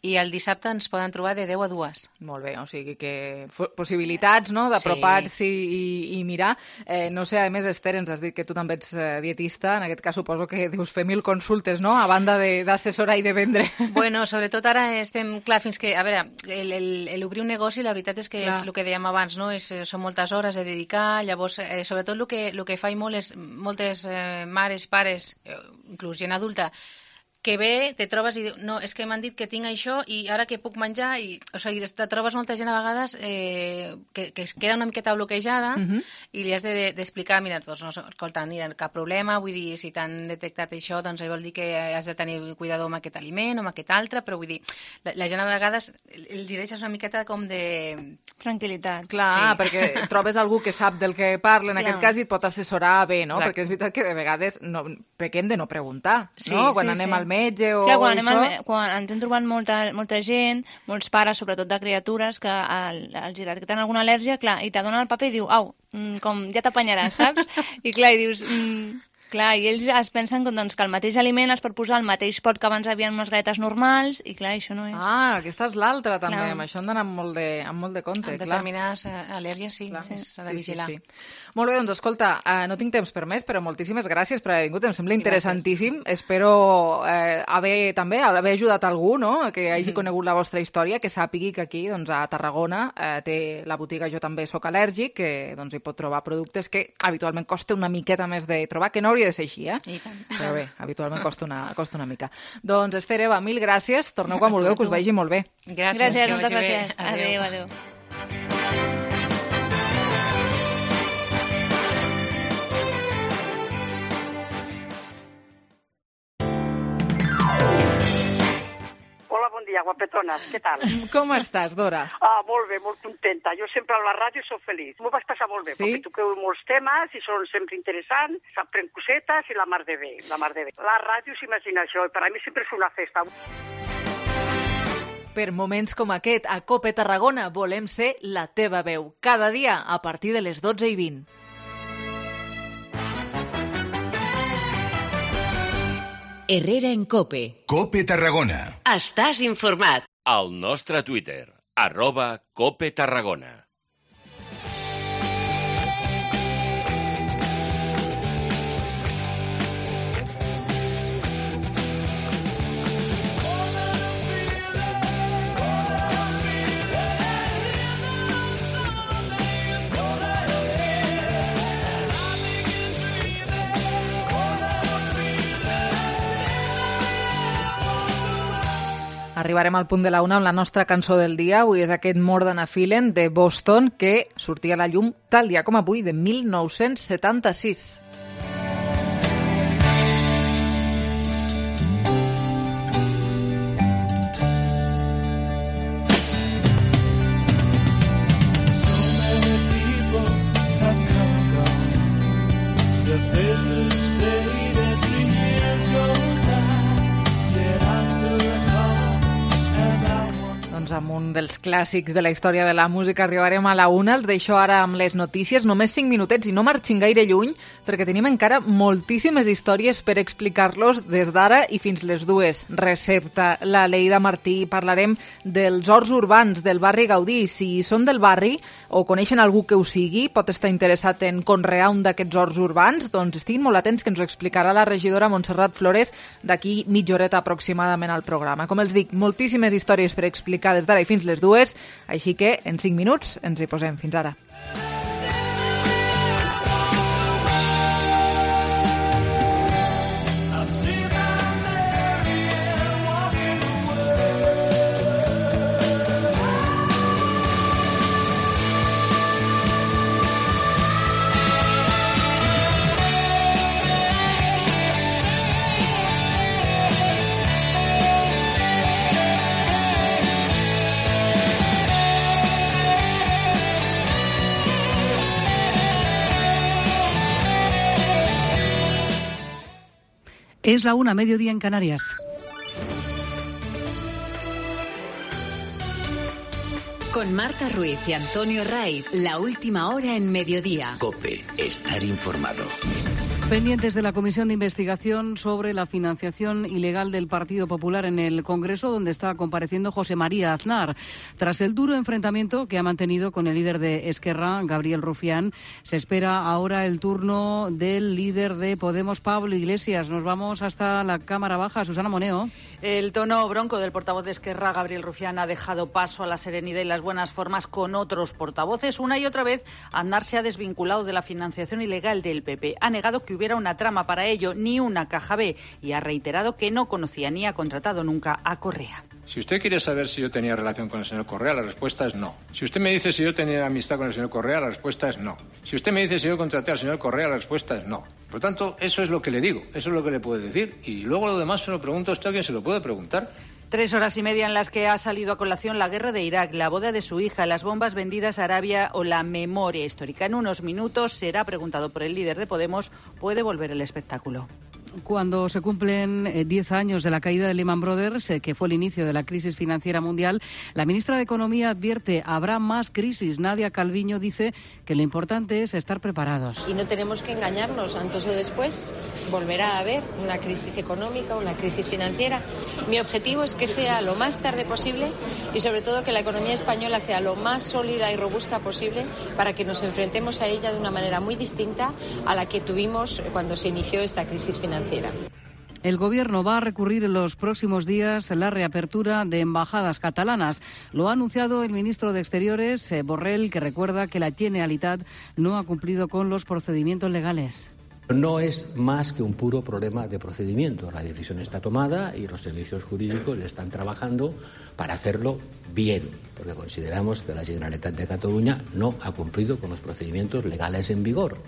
i el dissabte ens poden trobar de deu a dues. Molt bé, o sigui que fo- possibilitats, no?, d'apropar-s'hi i, i mirar. Eh, no sé, a més, Esther, ens has dit que tu també ets eh, dietista, en aquest cas suposo que deus fer mil consultes, no?, a banda de- d'assessorar i de vendre. Bueno, sobretot ara estem, clar, fins que, a veure, el, el, el obrir un negoci, la veritat és que Clar. és el que dèiem abans, no? És, eh, són moltes hores de dedicar, llavors, eh, sobretot el que, el que faig molt és moltes eh, mares, pares, eh, inclús gent adulta, que ve, te trobes i diu, no, és que m'han dit que tinc això i ara que puc menjar, i, o sigui, te trobes molta gent a vegades eh, que, que es queda una miqueta bloquejada Mhm. i li has de- d'explicar, de, mira, doncs, no, escolta, mira, cap problema, vull dir, si t'han detectat això, doncs vol dir que has de tenir cuidado amb aquest aliment o amb aquest altre, però vull dir, la, la gent a vegades els hi deixes una miqueta com de... Tranquil·litat. Clar, Sí. perquè trobes algú que sap del que parla, en Clar. aquest cas, i et pot assessorar bé, no? Exacte. Perquè és veritat que de vegades no, pequem de no preguntar, Sí, no? Quan sí, anem sí. al metge o Clar, quan, anem això... al, me- quan ens hem trobat molta, molta gent, molts pares, sobretot de criatures, que al, els detecten alguna al·lèrgia, clar, i te donen el paper i diu, au, mm, com ja t'apanyaràs, saps? I clar, i dius... Mm, clar, i ells es pensen que, doncs, que el mateix aliment es pot posar al mateix pot que abans havien unes galletes normals, i clar, això no és... Ah, aquesta és l'altra, també. Clar. Amb això hem d'anar amb molt de, amb molt de compte, Amb clar. determinades eh, al·lèrgies, sí, Clar. sí, s'ha de Sí, vigilar. sí, sí. Molt bé, doncs escolta, eh, no tinc temps per més, però moltíssimes gràcies per haver vingut, em sembla interessantíssim. Espero eh, haver també haver ajudat algú, no?, que hagi conegut la vostra història, que sàpigui que aquí, doncs, a Tarragona, eh, té la botiga Jo també sóc al·lèrgic, que doncs, hi pot trobar productes que habitualment costa una miqueta més de trobar, que no hauria de ser així, eh? I tant. Però bé, habitualment costa una, costa una mica. Doncs, Esther, Eva, mil gràcies. Torneu quan vulgueu, que us vagi molt bé. Gràcies, Gràcies, que moltes vagi bé. gràcies. Adéu, adéu. Hola, bon dia, guapetones, què tal? Com estàs, Dora? Ah, molt bé, molt contenta. Jo sempre a la ràdio soc feliç. M'ho vaig passar molt bé, Sí? perquè toqueu molts temes i són sempre interessants, s'aprèn cosetes i la mar de bé, la mar de bé. La ràdio s'imagina això, i per a mi sempre és una festa. Per moments com aquest, a Cope Tarragona volem ser la teva veu. Cada dia a partir de les dotze i vint. Herrera en Cope. Cope Tarragona. Estàs informat. Al nostre Twitter, arroba Cope Tarragona. Arribarem al punt de la una amb la nostra cançó del dia. Avui és aquest More Than a Feeling de Boston, que sortia a la llum tal dia com avui, de mil nou-cents setanta-sis. Doncs amb un dels clàssics de la història de la música arribarem a la una. Els deixo ara amb les notícies, només cinc minutets i no marxin gaire lluny perquè tenim encara moltíssimes històries per explicar-los des d'ara i fins les dues. Recepta, la Leida Martí, parlarem dels horts urbans del barri Gaudí. Si són del barri o coneixen algú que ho sigui, pot estar interessat en conrear un d'aquests horts urbans, doncs estiguin molt atents que ens ho explicarà la regidora Montserrat Flores d'aquí mitja horeta aproximadament al programa. Com els dic, moltíssimes històries per explicar des d'ara i fins les dues, així que en cinc minuts ens hi posem. Fins ara. Es la una, mediodía en Canarias. Con Marta Ruiz y Antonio Raiz, la última hora en mediodía. COPE, estar informado. Pendientes de la Comisión de Investigación sobre la financiación ilegal del Partido Popular en el Congreso, donde está compareciendo José María Aznar. Tras el duro enfrentamiento que ha mantenido con el líder de Esquerra, Gabriel Rufián, se espera ahora el turno del líder de Podemos, Pablo Iglesias. Nos vamos hasta la Cámara Baja. Susana Moneo. El tono bronco del portavoz de Esquerra, Gabriel Rufián, ha dejado paso a la serenidad y las buenas formas con otros portavoces. Una y otra vez, Aznar se ha desvinculado de la financiación ilegal del P P. Ha negado que hubiera una trama para ello, ni una caja B, y ha reiterado que no conocía ni ha contratado nunca a Correa. Si usted quiere saber si yo tenía relación con el señor Correa, la respuesta es no. Si usted me dice si yo tenía amistad con el señor Correa, la respuesta es no. Si usted me dice si yo contraté al señor Correa, la respuesta es no. Por lo tanto, eso es lo que le digo, eso es lo que le puedo decir. Y luego lo demás se lo pregunto a usted, a quien se lo puede preguntar. Tres horas y media en las que ha salido a colación la guerra de Irak, la boda de su hija, las bombas vendidas a Arabia o la memoria histórica. En unos minutos será preguntado por el líder de Podemos, puede volver el espectáculo. Cuando se cumplen diez años de la caída de Lehman Brothers, eh, que fue el inicio de la crisis financiera mundial, la ministra de Economía advierte, habrá más crisis. Nadia Calviño dice que lo importante es estar preparados. Y no tenemos que engañarnos, antes o después volverá a haber una crisis económica, una crisis financiera. Mi objetivo es que sea lo más tarde posible y sobre todo que la economía española sea lo más sólida y robusta posible para que nos enfrentemos a ella de una manera muy distinta a la que tuvimos cuando se inició esta crisis financiera. El Gobierno va a recurrir en los próximos días la reapertura de embajadas catalanas. Lo ha anunciado el ministro de Exteriores, eh, Borrell, que recuerda que la Generalitat no ha cumplido con los procedimientos legales. No es más que un puro problema de procedimiento. La decisión está tomada y los servicios jurídicos están trabajando para hacerlo bien, porque consideramos que la Generalitat de Cataluña no ha cumplido con los procedimientos legales en vigor.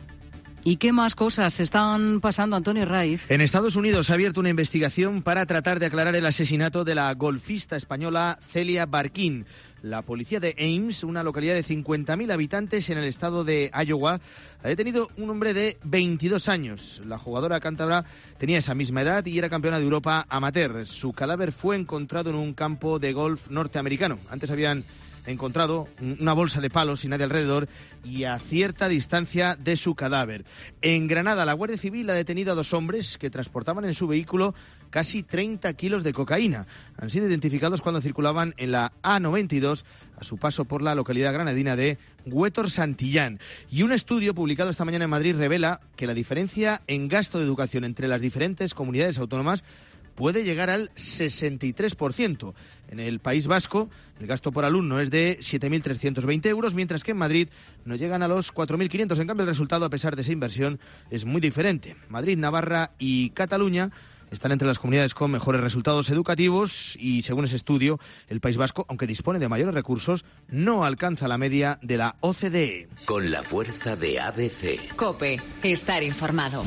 ¿Y qué más cosas están pasando, Antonio Raiz? En Estados Unidos se ha abierto una investigación para tratar de aclarar el asesinato de la golfista española Celia Barquín. La policía de Ames, una localidad de cincuenta mil habitantes en el estado de Iowa, ha detenido un hombre de veintidós años. La jugadora cántabra tenía esa misma edad y era campeona de Europa amateur. Su cadáver fue encontrado en un campo de golf norteamericano. Antes habían encontrado una bolsa de palos sin nadie alrededor y a cierta distancia de su cadáver. En Granada, la Guardia Civil ha detenido a dos hombres que transportaban en su vehículo casi treinta kilos de cocaína. Han sido identificados cuando circulaban en la A noventa y dos a su paso por la localidad granadina de Huétor Santillán. Y un estudio publicado esta mañana en Madrid revela que la diferencia en gasto de educación entre las diferentes comunidades autónomas puede llegar al sesenta y tres por ciento. En el País Vasco, el gasto por alumno es de siete mil trescientos veinte euros, mientras que en Madrid no llegan a los cuatro mil quinientos. En cambio, el resultado, a pesar de esa inversión, es muy diferente. Madrid, Navarra y Cataluña están entre las comunidades con mejores resultados educativos y, según ese estudio, el País Vasco, aunque dispone de mayores recursos, no alcanza la media de la O C D E. Con la fuerza de A B C. COPE, estar informado.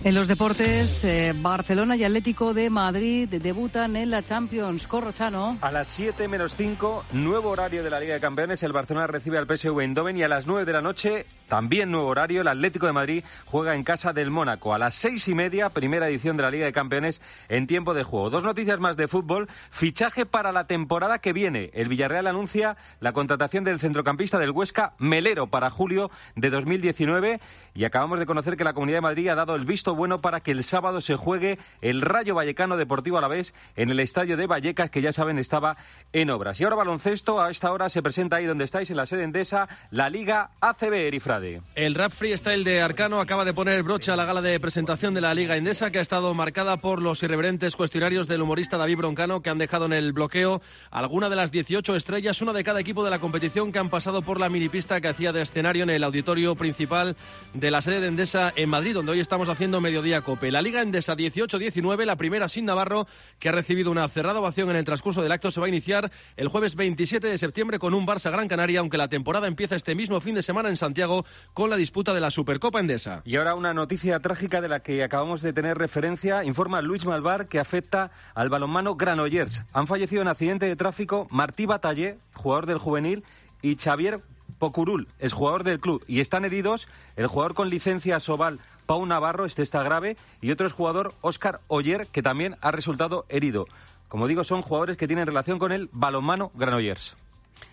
En los deportes, eh, Barcelona y Atlético de Madrid debutan en la Champions. Corrochano. A las siete menos cinco, nuevo horario de la Liga de Campeones. El Barcelona recibe al P S V Eindhoven y a las nueve de la noche, también nuevo horario, el Atlético de Madrid juega en casa del Mónaco. A las seis y media, primera edición de la Liga de Campeones en tiempo de juego. Dos noticias más de fútbol. Fichaje para la temporada que viene. El Villarreal anuncia la contratación del centrocampista del Huesca, Melero, para julio de dos mil diecinueve. Y acabamos de conocer que la Comunidad de Madrid ha dado el visto bueno para que el sábado se juegue el Rayo Vallecano Deportivo Alavés en el estadio de Vallecas, que ya saben estaba en obras. Y ahora baloncesto, a esta hora se presenta ahí donde estáis, en la sede Endesa, la Liga A C B, Erifrade. El Rap Freestyle de Arcano acaba de poner broche a la gala de presentación de la Liga Endesa, que ha estado marcada por los irreverentes cuestionarios del humorista David Broncano, que han dejado en el bloqueo alguna de las dieciocho estrellas, una de cada equipo de la competición, que han pasado por la minipista que hacía de escenario en el auditorio principal de la sede de Endesa en Madrid, donde hoy estamos haciendo Mediodía COPE. La Liga Endesa dieciocho diecinueve, la primera sin Navarro, que ha recibido una cerrada ovación en el transcurso del acto, se va a iniciar el jueves veintisiete de septiembre con un Barça Gran Canaria, aunque la temporada empieza este mismo fin de semana en Santiago con la disputa de la Supercopa Endesa. Y ahora una noticia trágica de la que acabamos de tener referencia. Informa Luis Malvar que afecta al balonmano Granollers. Han fallecido en accidente de tráfico Martí Batallé, jugador del juvenil, y Xavier Pocurul, es jugador del club, y están heridos el jugador con licencia Sobal, Pau Navarro, este está grave, y otro es jugador, Óscar Oller, que también ha resultado herido. Como digo, son jugadores que tienen relación con el balonmano Granollers.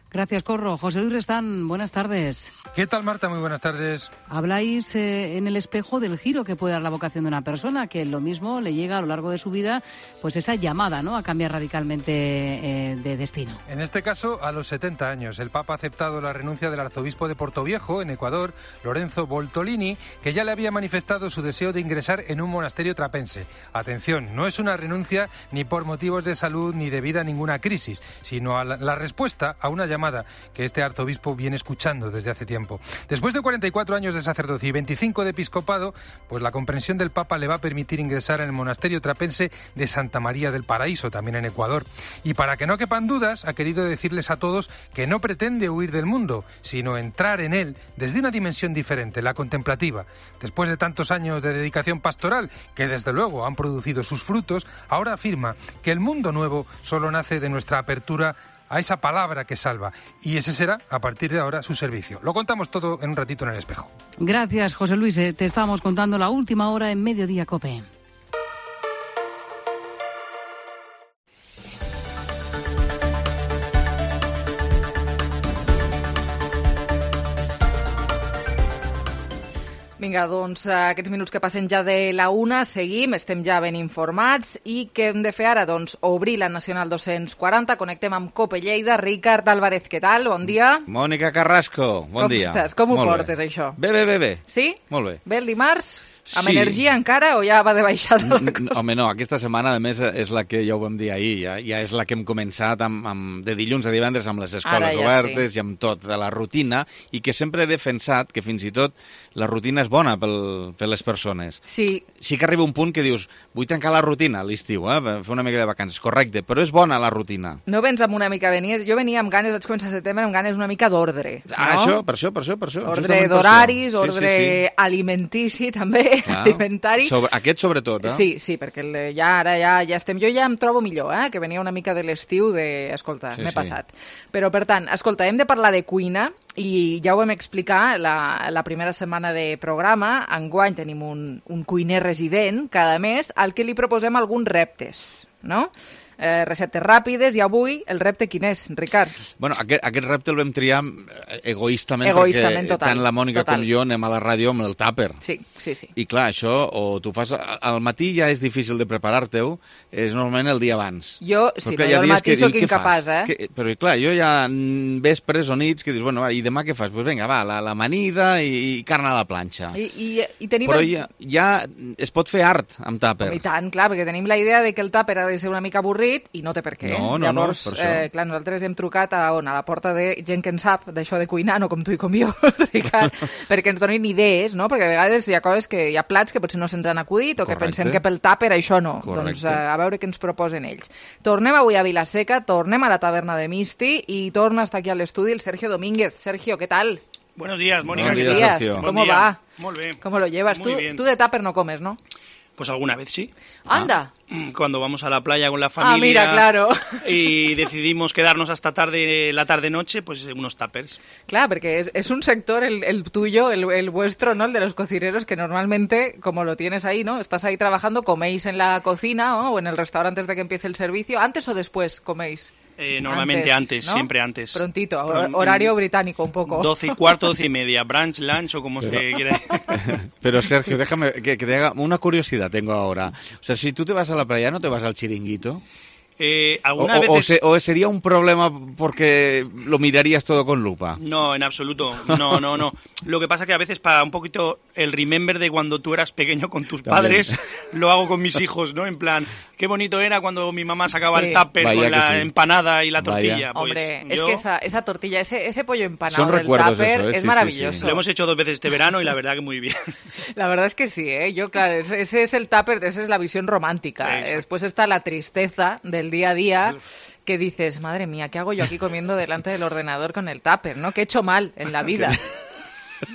Gracias, Corro. José Luis Restán, buenas tardes. ¿Qué tal, Marta? Muy buenas tardes. Habláis eh, en el espejo del giro que puede dar la vocación de una persona, que lo mismo le llega a lo largo de su vida, pues esa llamada, ¿no?, a cambiar radicalmente eh, de destino. En este caso, a los setenta años, el Papa ha aceptado la renuncia del arzobispo de Portoviejo, en Ecuador, Lorenzo Boltolini, que ya le había manifestado su deseo de ingresar en un monasterio trapense. Atención, no es una renuncia ni por motivos de salud ni debido a ninguna crisis, sino a la, la respuesta a una llamada que este arzobispo viene escuchando desde hace tiempo. Después de cuarenta y cuatro años de sacerdocio y veinticinco de episcopado, pues la comprensión del Papa le va a permitir ingresar en el monasterio trapense de Santa María del Paraíso, también en Ecuador. Y para que no quepan dudas, ha querido decirles a todos que no pretende huir del mundo, sino entrar en él desde una dimensión diferente, la contemplativa. Después de tantos años de dedicación pastoral, que desde luego han producido sus frutos, ahora afirma que el mundo nuevo solo nace de nuestra apertura a esa palabra que salva, y ese será, a partir de ahora, su servicio. Lo contamos todo en un ratito en el espejo. Gracias, José Luis. Te estábamos contando la última hora en Mediodía COPE. Vinga, doncs aquests minuts que passen ja de la una, seguim, estem ja ben informats i què hem de fer ara? Doncs obrir la Nacional dos-cents quaranta, connectem amb COPE Lleida. Ricard Álvarez, què tal? Bon dia. Mònica Carrasco, bon Com dia. estàs? Com ho Molt portes, bé. això? Bé, bé, bé, bé. Sí? Molt bé. Bé el dimarts? Amb Sí. energia encara o ja va de baixada la cosa? Home, no, aquesta setmana, a més, és la que ja ho vam dir ahir, ja, ja és la que hem començat amb, amb, de dilluns a divendres amb les escoles ja obertes sí. i amb tot, de la rutina, i que sempre he defensat que fins i tot la rutina és bona pel, per les persones. Sí. Sí que arriba un punt que dius, vull tancar la rutina a l'estiu, eh, fer una mica de vacances, correcte, però és bona la rutina. No vens amb una mica venies... Jo venia amb ganes, vaig començar a setembre amb ganes una mica d'ordre, no? Ah, això, per això, per això, per això. Ordre justament per d'horaris, això. ordre sí, sí, sí. alimentici, també, Clar. alimentari. Sobre, aquest sobretot, eh? Sí, sí, perquè el, ja ara ja, ja estem... Jo ja em trobo millor, eh? Que venia una mica de l'estiu de... Escolta, Sí, m'he sí. passat. Però, per tant, escolta, hem de parlar de cuina i ja ho vam explicar la, la primera setmana de programa. Enguany tenim un, un cuiner resident cada mes al que li proposem alguns reptes, no? Eh, receptes ràpides, i avui el repte quin és, Ricard? Bueno, aquest, aquest repte el vam triar egoistament, Egoistament, perquè total, tant la Mònica total. com jo anem a la ràdio amb el tàper. Sí, sí, sí. I clar, això, o tu fas... Al matí ja és difícil de preparar-te-ho, és normalment el dia abans. Jo, sí, Però clar, però hi ha jo al dies matí que sóc dius, què incapaç, fas? eh? Que, però clar, jo ja mm, vespres o nits que dius, bueno, va, i demà què fas? Doncs pues vinga, va, la, la amanida i, i carn a la planxa. I, i, i tenim Però el... ja, ja es pot fer art amb tàper. I tant, clar, perquè tenim la idea de que el tàper ha de ser una mica avorrit i no té per què. No, no, Llavors, no, per això. eh, clar, nosaltres hem trucat a, on, a la porta de gent que en sap d'això de cuinar, no com tu i com jo, Ricard, perquè ens donin idees, no? Perquè a vegades hi ha coses que hi ha plats que potser no se'ns han acudit o que Correcte. pensem que pel tàper això no. Correcte. Doncs eh, a veure què ens proposen ells. Tornem avui a Vilaseca, tornem a la taverna de Misti i torna a estar aquí a l'estudi el Sergio Domínguez. Sergio, ¿qué tal? Buenos días, Mónica. Buenos ¿qué días. tal? ¿Cómo Buen día. va? Muy bien. ¿Cómo lo llevas? Muy Tú, bien. tú de tàper no comes, ¿no? Pues alguna vez sí. Anda. Cuando vamos a la playa con la familia Ah, mira, claro. y decidimos quedarnos hasta tarde, la tarde-noche, pues unos tuppers. Claro, porque es, es un sector, el, el tuyo, el, el vuestro, ¿no? El de los cocineros, que normalmente, como lo tienes ahí, ¿no? Estás ahí trabajando, coméis en la cocina, ¿no? O en el restaurante antes de que empiece el servicio. ¿Antes o después coméis? Eh, normalmente antes, ¿no? siempre antes. Prontito, Pron- horario británico un poco. Doce y cuarto, doce y media, brunch, lunch o como se quiera. Pero Sergio, déjame que, que te haga una curiosidad tengo ahora. O sea, si tú te vas a la playa, ¿no te vas al chiringuito? Eh, O, algunas o- o veces... se- o sería un problema porque lo mirarías todo con lupa. No, en absoluto. No, no, no. Lo que pasa que a veces para un poquito el remember de cuando tú eras pequeño con tus También. padres, lo hago con mis hijos, ¿no? En plan, qué bonito era cuando mi mamá sacaba Sí. el tupper Vaya con que la sí. empanada y la Vaya. tortilla. Pues Hombre, es yo- que esa, esa tortilla, ese, ese pollo empanado Son del recuerdos tupper eso, ¿eh? es Sí, sí, maravilloso. sí. Lo hemos hecho dos veces este verano y la verdad que muy bien. La verdad es que sí, ¿eh? Yo, claro, ese, ese es el tupper, esa es la visión romántica. Exacto. Después está la tristeza del día a día, que dices, madre mía, ¿qué hago yo aquí comiendo delante del ordenador con el tupper, no? ¿Qué he hecho mal en la vida?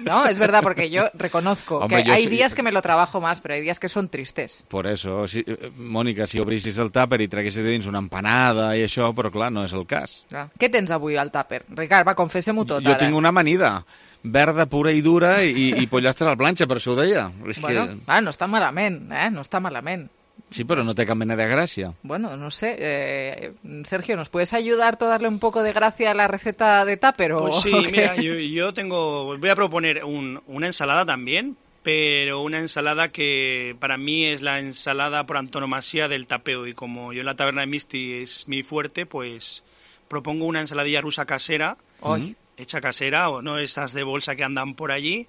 No, es verdad, porque yo reconozco Hombre, que yo hay sí- días que me lo trabajo más, pero hay días que son tristes. Por eso, si, Mònica, si obrissis el tàper i traguessis dins una empanada i això, però clar, no és el cas. Clar. Què tens avui al tàper? Ricard, va, confessa-m'ho tot, Jo ara. tinc una amanida, verda, pura i dura, i, i pollastre a la planxa, per això ho deia. És Bueno, que... ah, no està malament, eh? No està malament. Sí, però no té cap mena de gràcia. Bueno, no sé. Eh, Sergio, ¿nos puedes ayudar tú a darle un poco de gracia a la receta de tupper? O, Pues sí, o qué? mira, yo, yo tengo, voy a proponer un- una ensalada también, pero una ensalada que para mí es la ensalada por antonomasia del tapeo, y como yo en la taberna de Misti es mi fuerte, pues propongo una ensaladilla rusa casera, Ay. hecha casera, o no estas de bolsa que andan por allí,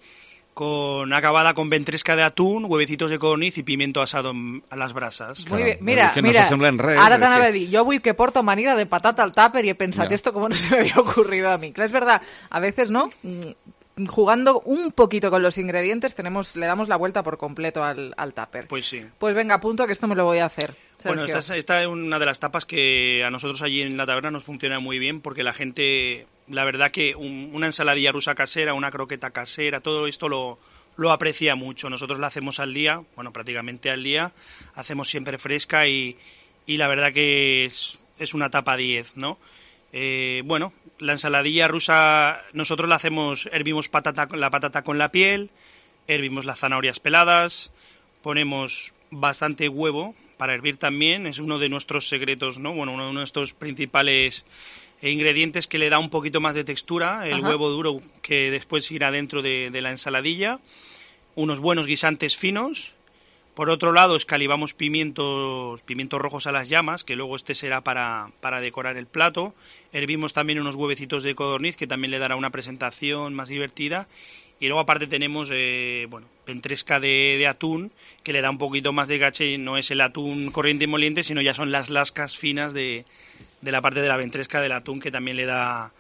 con acabada con ventresca de atún, huevecitos de codorniz y pimiento asado en- a las brasas. Muy bien, mira, que no mira, s'assemblen res, ara perquè- t'anava a dir, jo avui que porto amanida de patata al tupper y he pensado, Ya. esto como no se me había ocurrido a mí. Claro, es verdad, a veces, ¿no? Mm, Jugando un poquito con los ingredientes, tenemos, le damos la vuelta por completo al, al tupper. Pues sí. Pues venga, apunto que esto me lo voy a hacer. Bueno, Sergio. esta es, esta es una de las tapas que a nosotros allí en la taberna nos funciona muy bien, porque la gente, la verdad que un- una ensaladilla rusa casera, una croqueta casera, todo esto lo, lo aprecia mucho. Nosotros la hacemos al día, bueno, prácticamente al día, hacemos siempre fresca y, y la verdad que es, es una tapa diez, ¿no? Eh, bueno, la ensaladilla rusa nosotros la hacemos, hervimos patata, la patata con la piel, hervimos las zanahorias peladas, ponemos bastante huevo para hervir también, es uno de nuestros secretos, ¿no? Bueno, uno de nuestros principales eh, ingredientes que le da un poquito más de textura, el Ajá. huevo duro que después irá dentro de, de la ensaladilla, unos buenos guisantes finos. Por otro lado, escalivamos pimientos, pimientos rojos a las llamas, que luego este será para, para decorar el plato. Hervimos también unos huevecitos de codorniz, que también le dará una presentación más divertida. Y luego aparte tenemos, eh, bueno, ventresca de, de atún, que le da un poquito más de gache. No es el atún corriente y moliente, sino ya son las lascas finas de, de la parte de la ventresca del atún, que también le da,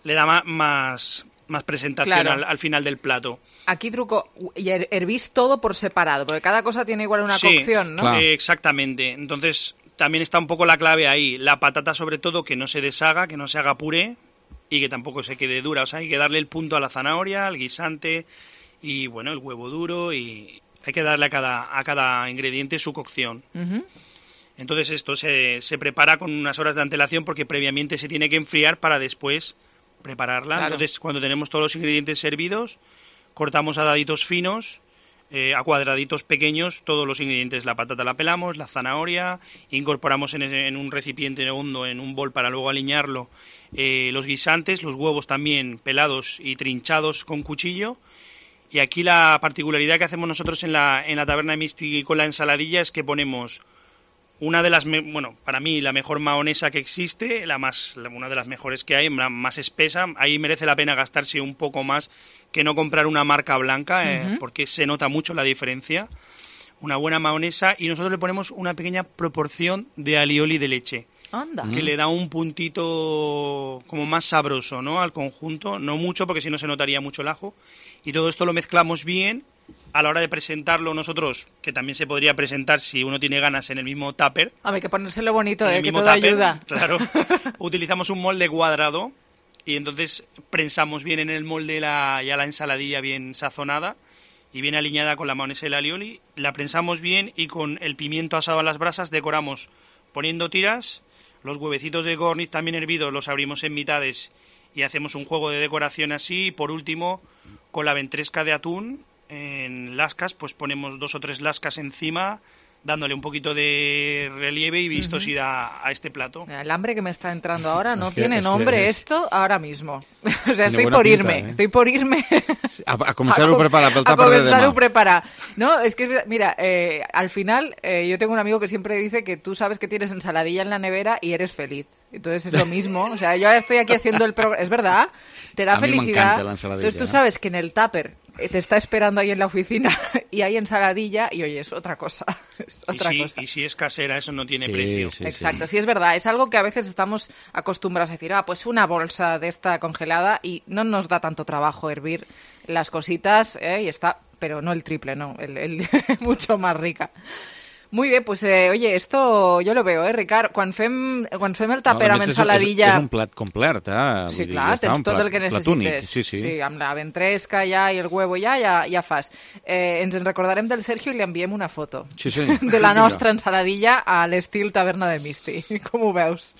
le da ma- más, más presentación Claro. al, al final del plato. Aquí truco, y her- hervís todo por separado, porque cada cosa tiene igual una Sí, cocción, ¿no? eh, exactamente. Entonces, también está un poco la clave ahí. La patata, sobre todo, que no se deshaga, que no se haga puré y que tampoco se quede dura. O sea, hay que darle el punto a la zanahoria, al guisante y, bueno, el huevo duro, y hay que darle a cada, a cada ingrediente su cocción. Ujú. Entonces, esto se, se prepara con unas horas de antelación porque previamente se tiene que enfriar para después prepararla. Claro. Entonces, cuando tenemos todos los ingredientes servidos, cortamos a daditos finos, eh, a cuadraditos pequeños, todos los ingredientes. La patata la pelamos, la zanahoria, incorporamos en, ese- en un recipiente hondo, en un bol para luego aliñarlo, eh, los guisantes, los huevos también pelados y trinchados con cuchillo. Y aquí la particularidad que hacemos nosotros en la, en la taberna de Misti con la ensaladilla es que ponemos una de las, me- bueno, para mí la mejor mahonesa que existe, la más, la- una de las mejores que hay, la más espesa. Ahí merece la pena gastarse un poco más que no comprar una marca blanca, eh, Ujú. porque se nota mucho la diferencia. Una buena mahonesa, y nosotros le ponemos una pequeña proporción de alioli de leche, Anda. que le da un puntito como más sabroso, ¿no?, al conjunto. No mucho, porque si no se notaría mucho el ajo. Y todo esto lo mezclamos bien. A la hora de presentarlo nosotros, que también se podría presentar si uno tiene ganas en el mismo tupper, A ver, que ponérselo bonito, en eh, el que mismo todo tupper, ayuda. claro, utilizamos un molde cuadrado y entonces prensamos bien en el molde la, ya la ensaladilla bien sazonada y bien alineada con la mayonesa y el alioli, la prensamos bien y con el pimiento asado a las brasas decoramos poniendo tiras, los huevecitos de codorniz también hervidos los abrimos en mitades y hacemos un juego de decoración así, y por último con la ventresca de atún en lascas, pues ponemos dos o tres lascas encima, dándole un poquito de relieve y vistosidad a este plato. El hambre que me está entrando ahora no Es que- tiene es que nombre es- esto ahora mismo. O sea, Tiene estoy buena por pinta, irme, eh? estoy por irme. A, a començar-ho co- a preparar pel a tàper de comenzar demà. a preparar. No, es que, es verdad, mira, eh, al final eh, yo tengo un amigo que siempre dice que tú sabes que tienes ensaladilla en la nevera y eres feliz. Entonces es lo mismo. O sea, yo ahora estoy aquí haciendo el programa. Es verdad, te da A mí me felicidad. encanta la ensaladilla, Entonces tú ¿eh? sabes que en el tupper eh, te está esperando ahí en la oficina y hay ensaladilla y oye, es otra cosa. Es Y otra si, cosa. y si es casera, eso no tiene Sí, precio. sí, Exacto, sí es verdad, es algo que a veces estamos acostumbrados a decir, ah, pues una bolsa de esta congelada y no nos da tanto trabajo hervir las cositas, ¿eh? Y está, pero no el triple, no, el, el mucho más rica. Muy bien, pues eh, oye, esto yo lo veo, eh, Ricard? Quan fem, quan fem el tàper no, amb ensaladilla... És, és un plat complet, eh? Sí, Vull clar, dir, tens tot plat, el que necessites. Sí, sí. sí, amb la ventresca ja i el huevo ja, ja, ja fas. Eh, ens en recordarem del Sergio i li enviem una foto sí, sí. de la nostra ensaladilla a l'estil taverna de Misti. Com ho veus?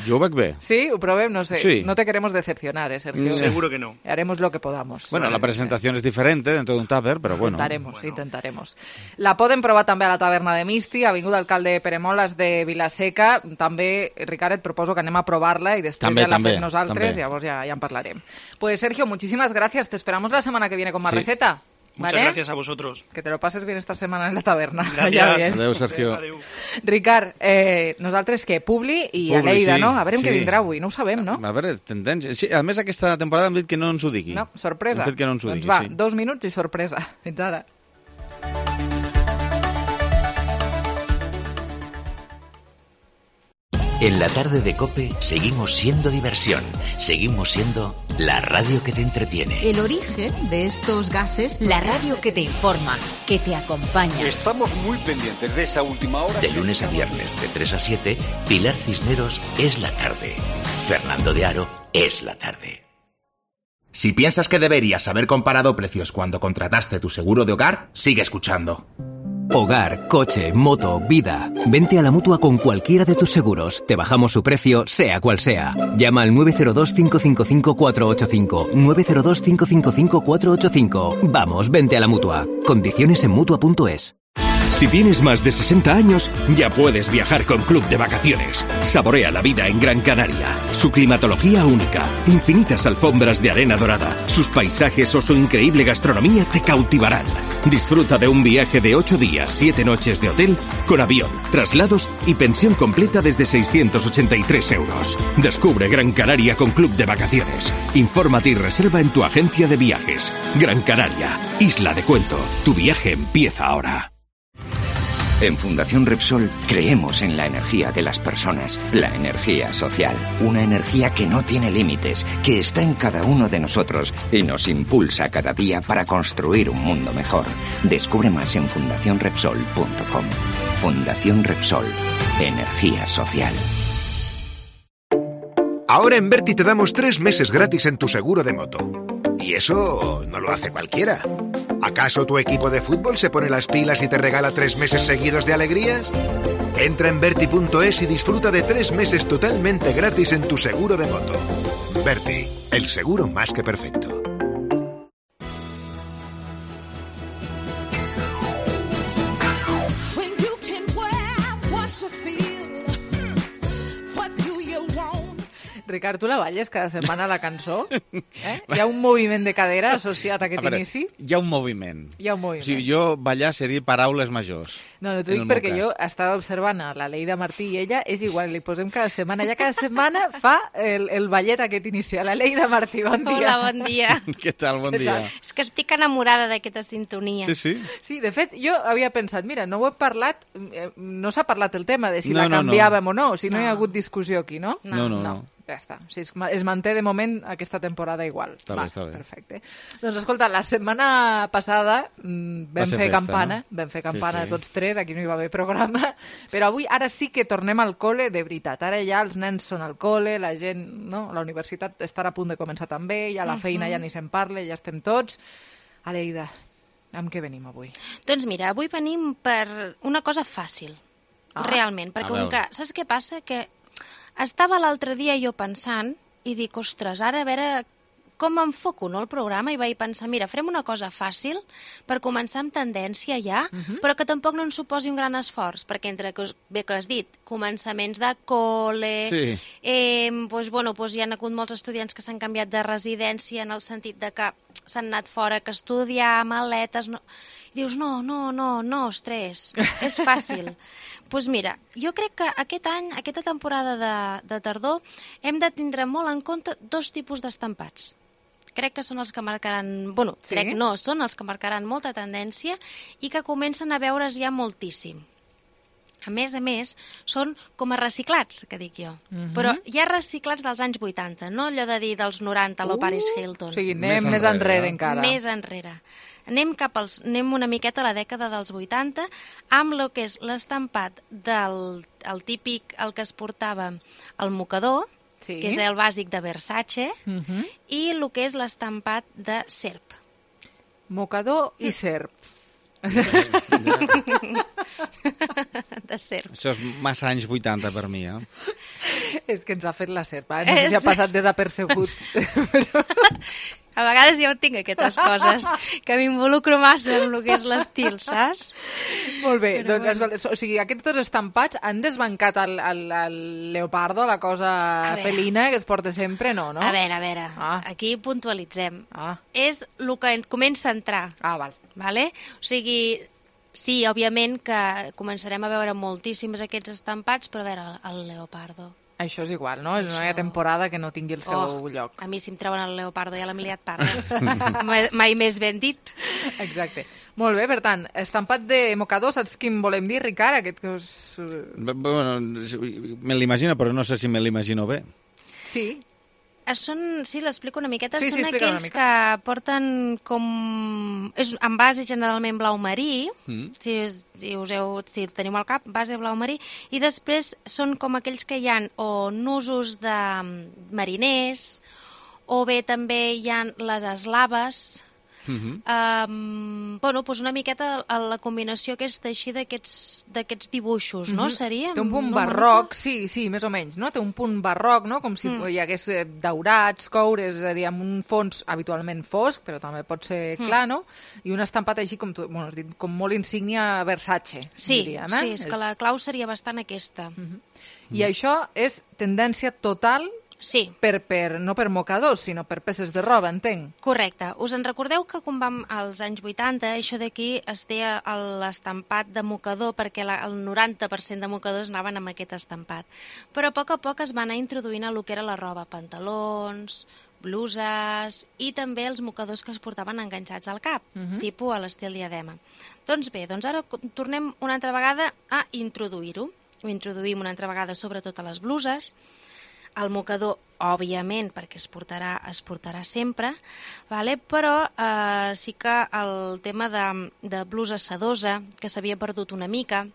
Jo ho veig bé. Sí? Ho provem? No sé. Sí. No te queremos decepcionar, ¿eh, Sergio? Seguro que no. Haremos lo que podamos. Bueno, la presentación es diferente dentro de un tupper, pero bueno. Intentaremos, bueno. intentaremos. La poden provar també a la taverna de Misti, Avinguda Alcalde Pere Moles de Vilaseca. També, Ricard, et proposo que anem a provar-la i després també, ja la també, fem nosaltres, també. llavors ja, ja en parlarem. Pues Sergio, muchísimas gracias. Te esperamos la semana que viene con más sí. receta. Muchas ¿Vale? gracias a vosotros. Que te lo pases bien esta semana en la taverna. Gracias. Adéu, Sergio. Adéu. Ricard, eh, nosaltres què? Publi i Publi, Aleida, sí, no? A veure sí. què vindrà avui, no ho sabem, no? A veure, tendència. Sí, a més, aquesta temporada hem dit que no ens ho digui. No, sorpresa. Hem fet que no ens ho doncs digui, va, sí. dos minuts i sorpresa. Fins ara. En la tarde de COPE seguimos siendo diversión, seguimos siendo la radio que te entretiene. El origen de estos gases, la radio que te informa, que te acompaña. Estamos muy pendientes de esa última hora. De lunes a viernes, de tres a siete, Pilar Cisneros es la tarde. Fernando de Aro es la tarde. Si piensas que deberías haber comparado precios cuando contrataste tu seguro de hogar, sigue escuchando. Hogar, coche, moto, vida. Vente a la Mutua con cualquiera de tus seguros. Te bajamos su precio, sea cual sea. Llama al nueve cero dos, cinco cinco cinco, cuatro ocho cinco. nueve cero dos, cinco cinco cinco, cuatro ocho cinco. Vamos, vente a la Mutua. Condiciones en Mutua punto es. Si tienes más de sesenta años, ya puedes viajar con Club de Vacaciones. Saborea la vida en Gran Canaria. Su climatología única, infinitas alfombras de arena dorada, sus paisajes o su increíble gastronomía te cautivarán. Disfruta de un viaje de ocho días, siete noches de hotel, con avión, traslados y pensión completa desde seiscientos ochenta y tres euros. Descubre Gran Canaria con Club de Vacaciones. Infórmate y reserva en tu agencia de viajes. Gran Canaria, Isla de Cuento. Tu viaje empieza ahora. En Fundación Repsol creemos en la energía de las personas, la energía social, una energía que no tiene límites, que está en cada uno de nosotros y nos impulsa cada día para construir un mundo mejor. Descubre más en fundación repsol punto com. Fundación Repsol, energía social. Ahora en Berti te damos tres meses gratis en tu seguro de moto. Y eso no lo hace cualquiera. ¿Acaso tu equipo de fútbol se pone las pilas y te regala tres meses seguidos de alegrías? Entra en Berti punto es y disfruta de tres meses totalmente gratis en tu seguro de moto. Berti, el seguro más que perfecto. Ricard, tu la balles cada setmana la cançó? Eh? Hi ha un moviment de cadera associat a aquest a veure, inici? Hi ha un moviment. Hi ha un moviment. Si jo ballar seria paraules majors. No, no t'ho dic perquè jo estava observant a la Leida Martí i ella és igual, li posem cada setmana. Ja cada setmana fa el, el ballet aquest inicial. La Leida Martí, bon dia. Hola, bon dia. Què tal, bon dia. És que estic enamorada d'aquesta sintonia. Sí, sí. Sí, de fet, jo havia pensat, mira, no ho hem parlat, no s'ha parlat el tema de si no, la no, canviàvem no. o no, si no, no hi ha hagut discussió aquí, no? No, no, no. no. Ja està. O sigui, es manté de moment aquesta temporada igual. Està Va, bé, està bé. Perfecte. Doncs escolta, la setmana passada mm, vam fer festa, campana, no? vam fer campana sí, sí. tots tres, aquí no hi va haver programa, però avui ara sí que tornem al col·le de veritat. Ara ja els nens són al col·le, la gent, no? La universitat estarà a punt de començar també, ja la feina uh -huh. ja ni se'n parla, ja estem tots. Aleida, amb què venim avui? Doncs mira, avui venim per una cosa fàcil, ah, realment, perquè com que, saps què passa? Que estava l'altre dia jo pensant i dic, ostres, ara a veure com enfoco no, el programa, i vaig pensar, mira, farem una cosa fàcil per començar amb tendència ja, uh -huh. però que tampoc no ens suposi un gran esforç, perquè entre que, bé que has dit, començaments de col·le, sí. eh, doncs, bueno, doncs hi ha hagut molts estudiants que s'han canviat de residència en el sentit de que s'han anat fora que estudiar, maletes... No... I dius, no, no, no, no, ostres, és fàcil. Doncs pues mira, jo crec que aquest any, aquesta temporada de, de tardor, hem de tindre molt en compte dos tipus d'estampats. Crec que són els que marcaran... Bueno, sí? crec no, són els que marcaran molta tendència i que comencen a veure's ja moltíssim. a més a més, són com a reciclats, que dic jo. Mhm. Però hi ha reciclats dels anys vuitanta, no allò de dir dels noranta, lo Uh, Paris Hilton. o sigui, anem més enrere, enrere encara. Més enrere. Anem cap als, anem una miqueta a la dècada dels vuitanta, amb el que és l'estampat del el típic, el que es portava el mocador, sí. que és el bàsic de Versace, Mhm. i el que és l'estampat de serp. Mocador i serp. De serp. Això és massa anys vuitanta per mi, eh? És que ens ha fet la serp, eh? No sé si ha passat desapercebut. A vegades jo tinc aquestes coses, que m'involucro massa en el que és l'estil, saps? Molt bé, Però doncs, bueno. escolta, o sigui, aquests dos estampats han desbancat el, el, el leopardo, la cosa veure. felina que es porta sempre, no, no? A veure, a veure, Ah. aquí puntualitzem. Ah. És el que comença a entrar. Ah, val. Vale? O sigui, sí, òbviament que començarem a veure moltíssims aquests estampats, però a veure, el, el leopardo. Això és igual, no? Això... No hi ha temporada que no tingui el seu Oh, lloc. a mi si em treuen el leopardo ja l'hem liat parda. mai, mai més ben dit. Exacte. Molt bé, per tant, estampat de mocador, saps quin volem dir, Ricard? Aquest que us... Bueno, me l'imagino, però no sé si me l'imagino bé. Sí. Són, sí, l'explico una miqueta, Sí, sí, són explica una aquells mica. que porten com... És en base generalment blau marí, Mm. si, us, si, us heu, si el teniu al cap, base blau marí, i després són com aquells que hi ha o nusos de mariners, o bé també hi ha les eslaves, Mhm. um, bueno, doncs una miqueta la combinació aquesta així d'aquests d'aquests dibuixos, no? Mhm. Seria? Té un punt no, una barroc, sí, sí, més o menys, no? Té un punt barroc, no? Com si Mm. hi hagués eh, daurats, coures, és a dir, amb un fons habitualment fosc, però també pot ser Mm. clar, no? I un estampat així com, tu, bueno, has dit, com molt insígnia Versace, Sí, diríem, eh? sí, és que la clau seria bastant aquesta. I això és tendència total sí. per, per, no per mocadors, sinó per peces de roba, entenc. Correcte. Us en recordeu que quan vam als anys vuitanta, això d'aquí es deia l'estampat de mocador perquè la, el noranta per cent de mocadors anaven amb aquest estampat. Però a poc a poc es va anar introduint a lo que era la roba, pantalons, bluses i també els mocadors que es portaven enganxats al cap, Mhm. tipus a l'estil diadema. Doncs bé, doncs ara tornem una altra vegada a introduir-ho. Ho introduïm una altra vegada sobretot a les bluses. El mocador, òbviament, perquè es portarà, es portarà sempre, vale? Però eh, sí que el tema de, de blusa sedosa, que s'havia perdut una mica,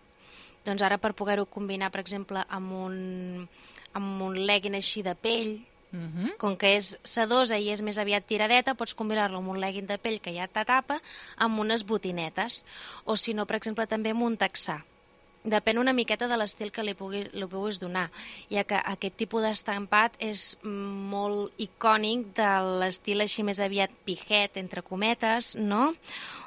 doncs ara per poder-ho combinar, per exemple, amb un, amb un legging així de pell, Mhm. com que és sedosa i és més aviat tiradeta, pots combinar-lo amb un legging de pell que ja t'atapa, amb unes botinetes. O si no, per exemple, també amb un texà. Depèn una miqueta de l'estil que li, pugui, li puguis donar, ja que aquest tipus d'estampat és molt icònic de l'estil així més aviat pijet, entre cometes, no?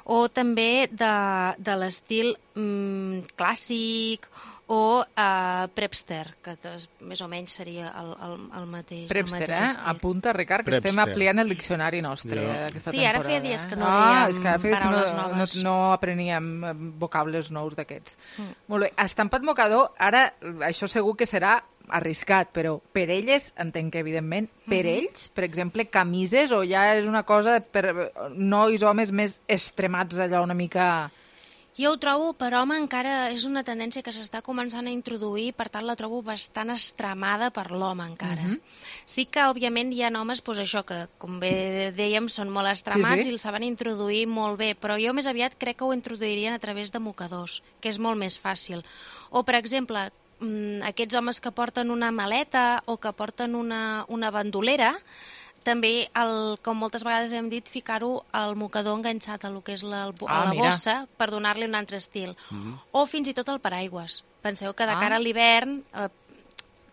O també de, de l'estil mm, clàssic o uh, prepster, que tos, més o menys seria el, el, el mateix. Prepster, el mateix eh? estil. Apunta, Ricard, que Prepster. estem ampliant el diccionari nostre Jo. eh, aquesta Sí, ara feia temporada. dies eh? que no ah, dèiem és que ara feia dies que paraules no, no, noves. no apreníem eh, vocables nous d'aquests. Mm. Molt bé, estampat mocador, ara això segur que serà arriscat, però per elles, entenc que evidentment, per Mhm. ells, per exemple, camises, o ja és una cosa per nois, homes més extremats, allò una mica... Jo ho trobo, per home encara és una tendència que s'està començant a introduir, per tant la trobo bastant extremada per l'home encara. Mhm. Sí que, òbviament, hi ha homes, doncs això, que com bé dèiem, són molt extremats Sí, sí. i el saben introduir molt bé, però jo més aviat crec que ho introduirien a través de mocadors, que és molt més fàcil. O, per exemple, mm, aquests homes que porten una maleta o que porten una, una bandolera, també, el, com moltes vegades hem dit, ficar-ho al mocador enganxat a lo que és la, a Ah, la mira. bossa per donar-li un altre estil. Mhm. O fins i tot el paraigües. Penseu que de Ah. cara a l'hivern, eh,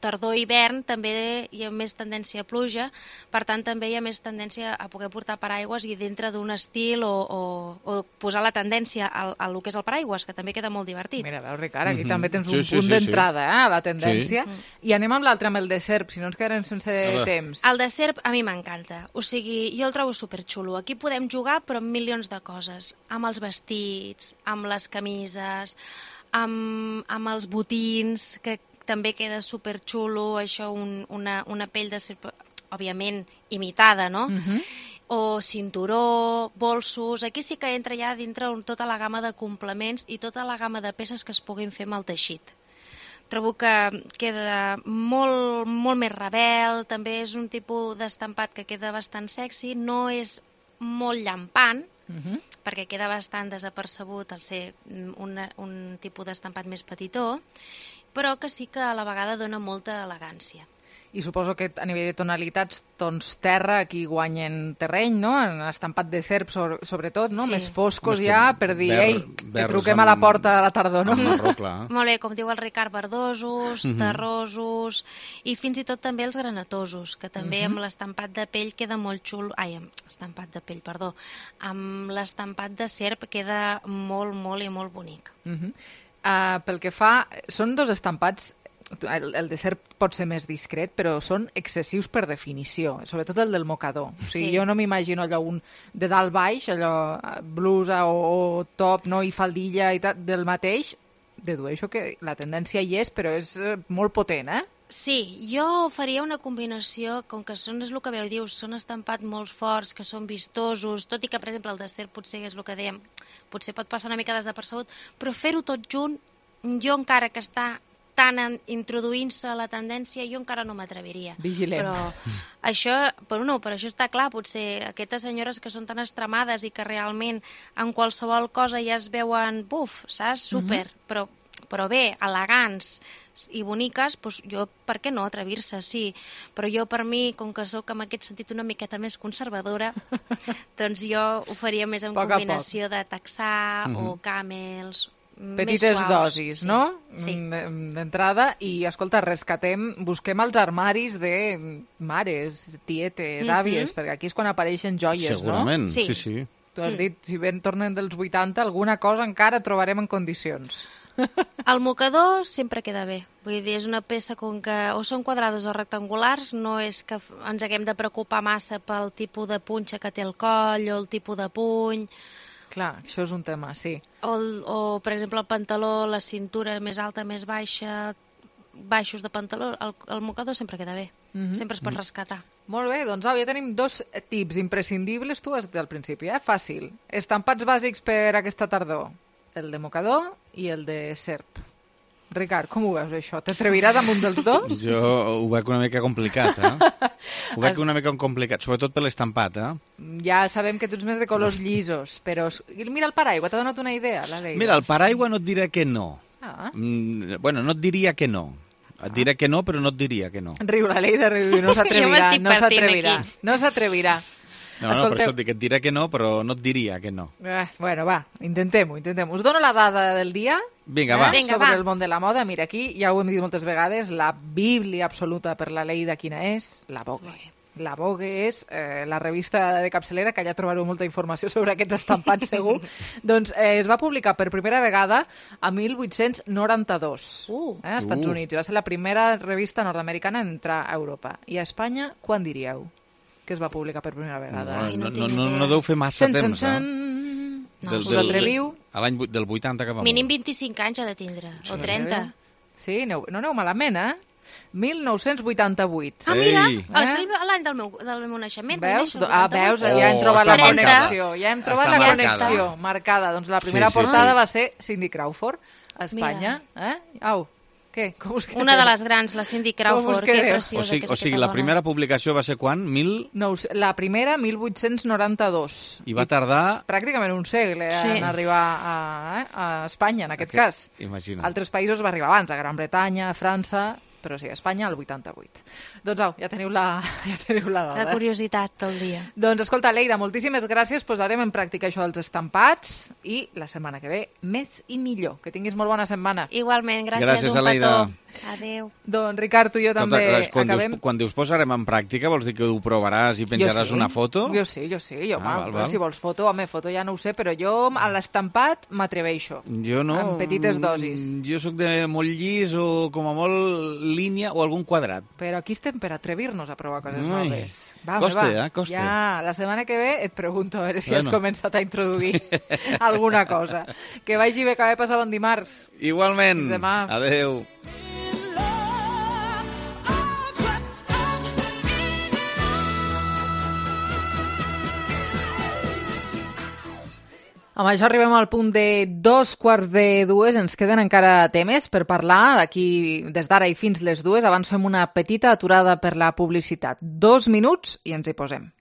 tardor i hivern, també hi ha més tendència a pluja, per tant també hi ha més tendència a poder portar paraigües i dintre d'un estil o, o, o posar la tendència a, a lo que és el paraigües, que també queda molt divertit. Mira, veus, Ricard, aquí Mhm. també tens Sí, un sí, punt sí, d'entrada, sí. eh, a la tendència. Sí. I anem amb l'altre, amb el de serp, si no ens quedarem sense veure. temps. El de serp a mi m'encanta, o sigui, jo el trobo superxulo. Aquí podem jugar però amb milions de coses, amb els vestits, amb les camises, amb, amb els botins, que també queda superxulo, això, un, una, una pell de serp, òbviament imitada, no? Mhm. o cinturó, bolsos... Aquí sí que entra ja dintre tota la gamma de complements i tota la gamma de peces que es puguin fer amb el teixit. Trobo que queda molt, molt més rebel, també és un tipus d'estampat que queda bastant sexy, no és molt llampant, uh-huh. perquè queda bastant desapercebut al ser una, un tipus d'estampat més petitó, però que sí que a la vegada dona molta elegància. I suposo que a nivell de tonalitats, tons terra aquí guanyen terreny, no? En estampat de serp, sobre, sobretot, no? Sí. Més foscos ja, per dir, ver, ei, que truquem amb, a la porta a la tardor, no? Marró, clar. Molt bé, com diu el Ricard, verdosos, uh-huh. terrosos, i fins i tot també els granatosos, que també uh-huh. amb l'estampat de pell queda molt xulo. Ai, amb estampat de pell, perdó. Amb l'estampat de serp queda molt, molt i molt bonic. Uh-huh. uh, pel que fa... Són dos estampats. El, el de serp pot ser més discret, però són excessius per definició, sobretot el del mocador. O sigui, sí. Jo no m'imagino allò un de dalt baix, allò blusa o, o top, no, i faldilla i tal, del mateix. Dedueixo que la tendència hi és, però és molt potent, eh? Sí, jo faria una combinació, com que són, és el que veu, dius, són estampats molt forts, que són vistosos, tot i que, per exemple, el de serp potser és el que dèiem, potser pot passar una mica desapercebut, però fer-ho tot junt, jo encara que està tant introduint-se a la tendència, jo encara no m'atreviria. Vigilem. Però això, però no, per això està clar, potser aquestes senyores que són tan extremades i que realment en qualsevol cosa ja es veuen, buf, saps? Super, uh-huh. però, però bé, elegants i boniques, doncs jo, per què no atrevir-se, sí. Però jo, per mi, com que sóc en aquest sentit una miqueta més conservadora, doncs jo ho faria més en poc combinació de texà uh-huh. o camels, petites dosis, sí. no? Sí. D'entrada, i escolta, rescatem, busquem els armaris de mares, tietes, mm-hmm. àvies, perquè aquí és quan apareixen joies, segurament, no? sí, sí. sí. Tu has dit, si ben tornen dels vuitanta, alguna cosa encara trobarem en condicions. El mocador sempre queda bé. Vull dir, és una peça com que o són quadrados o rectangulars, no és que ens haguem de preocupar massa pel tipus de punxa que té el coll o el tipus de puny. Clar, això és un tema, sí. O, o, per exemple, el pantaló, la cintura més alta, més baixa, baixos de pantaló, el, el mocador sempre queda bé. Mm-hmm. Sempre es pot rescatar. Molt bé, doncs au, ja tenim dos tips imprescindibles, tu has dit al principi, eh? Fàcil. Estampats bàsics per aquesta tardor. El de mocador i el de serp. Ricard, com ho veus, això? T'atreviràs damunt dels dos? Jo ho veig una mica complicat, eh? Ho veig una mica complicat, sobretot per l'estampat, eh? Ja sabem que tu ets més de colors llisos, però... Mira el paraigua, t'ha donat una idea, la Leida. Mira, el paraigua no et diré que no. Ah. Mm, bueno, no et diria que no. Et diré que no, però no et diria que no. Riu, la Leida riu, no s'atrevirà, no s'atrevirà. No s'atrevirà. No, no, per això et dic, et diré que no, però no et diria que no. Eh, bueno, va, intentem-ho, intentem-ho. Us dono la dada del dia. Vinga, va. Eh, Vinga, sobre va. El món de la moda. Mira, aquí ja ho hem dit moltes vegades, la bíblia absoluta per la Leida, quina és? La Vogue. La Vogue és eh, la revista de capçalera, que allà trobareu molta informació sobre aquests estampats, segur. Doncs eh, es va publicar per primera vegada a mil vuit-cents noranta-dos uh. eh, als Estats uh. Units. Va ser la primera revista nord-americana en entrar a Europa. I a Espanya, quan diríeu que es va publicar per primera vegada? No, no, no, no, no deu fer massa sen, temps, sen, sen. eh? No, us atreviu? A l'any del vuitanta que va mínim vint-i-cinc anys ha de tindre, sí, o trenta. Sí, no, no aneu malament, eh? mil nou-cents vuitanta-vuit. Ah, mira, eh? l'any del meu, del meu naixement. Veus? Ah, veus, ja hem trobat oh, la connexió. Ja hem trobat Està la marcada. connexió marcada. Doncs la primera sí, sí, portada sí. va ser Cindy Crawford, a Espanya. Mira. Eh? Au. Què? Com us Una de les grans, la Cindy Crawford, que preciosa. O sigui, o sigui la primera publicació va ser quan? Mil... No, la primera, mil vuit-cents noranta-dos. I va tardar... Pràcticament un segle sí. en arribar a, a Espanya, en aquest, aquest cas. Imagina. Altres països va arribar abans, a Gran Bretanya, a França... però sí, a Espanya el vuitanta-vuit. Doncs au, ja teniu la, ja teniu la dada. La curiositat del dia. Doncs escolta, Leida, moltíssimes gràcies. Posarem en pràctica això dels estampats i la setmana que ve més i millor. Que tinguis molt bona setmana. Igualment, gràcies, gràcies un Leida. petó. Adéu. Doncs Ricard, tu i jo també Escolta, quan acabem... Dius, quan dius posarem en pràctica, vols dir que ho provaràs i penjaràs sí. una foto? Jo sí, jo sí. Jo, ah, mal, val, val. Si vols foto, home, foto ja no ho sé, però jo a l'estampat m'atreveixo. Jo no. En petites dosis. Jo sóc de molt llis o com a molt línia o algun quadrat. Però aquí estem per atrevir-nos a provar coses Ai, noves. Va, costa, va. eh? Costa. Ja, la setmana que ve et pregunto a veure si bueno. has començat a introduir alguna cosa. Que vagi bé, que vagi passar bon dimarts. Igualment. Fins demà. Adéu. Amb això arribem al punt de dos quarts de dues. Ens queden encara temes per parlar d'aquí des d'ara i fins les dues. Abans fem una petita aturada per la publicitat. Dos minuts i ens hi posem.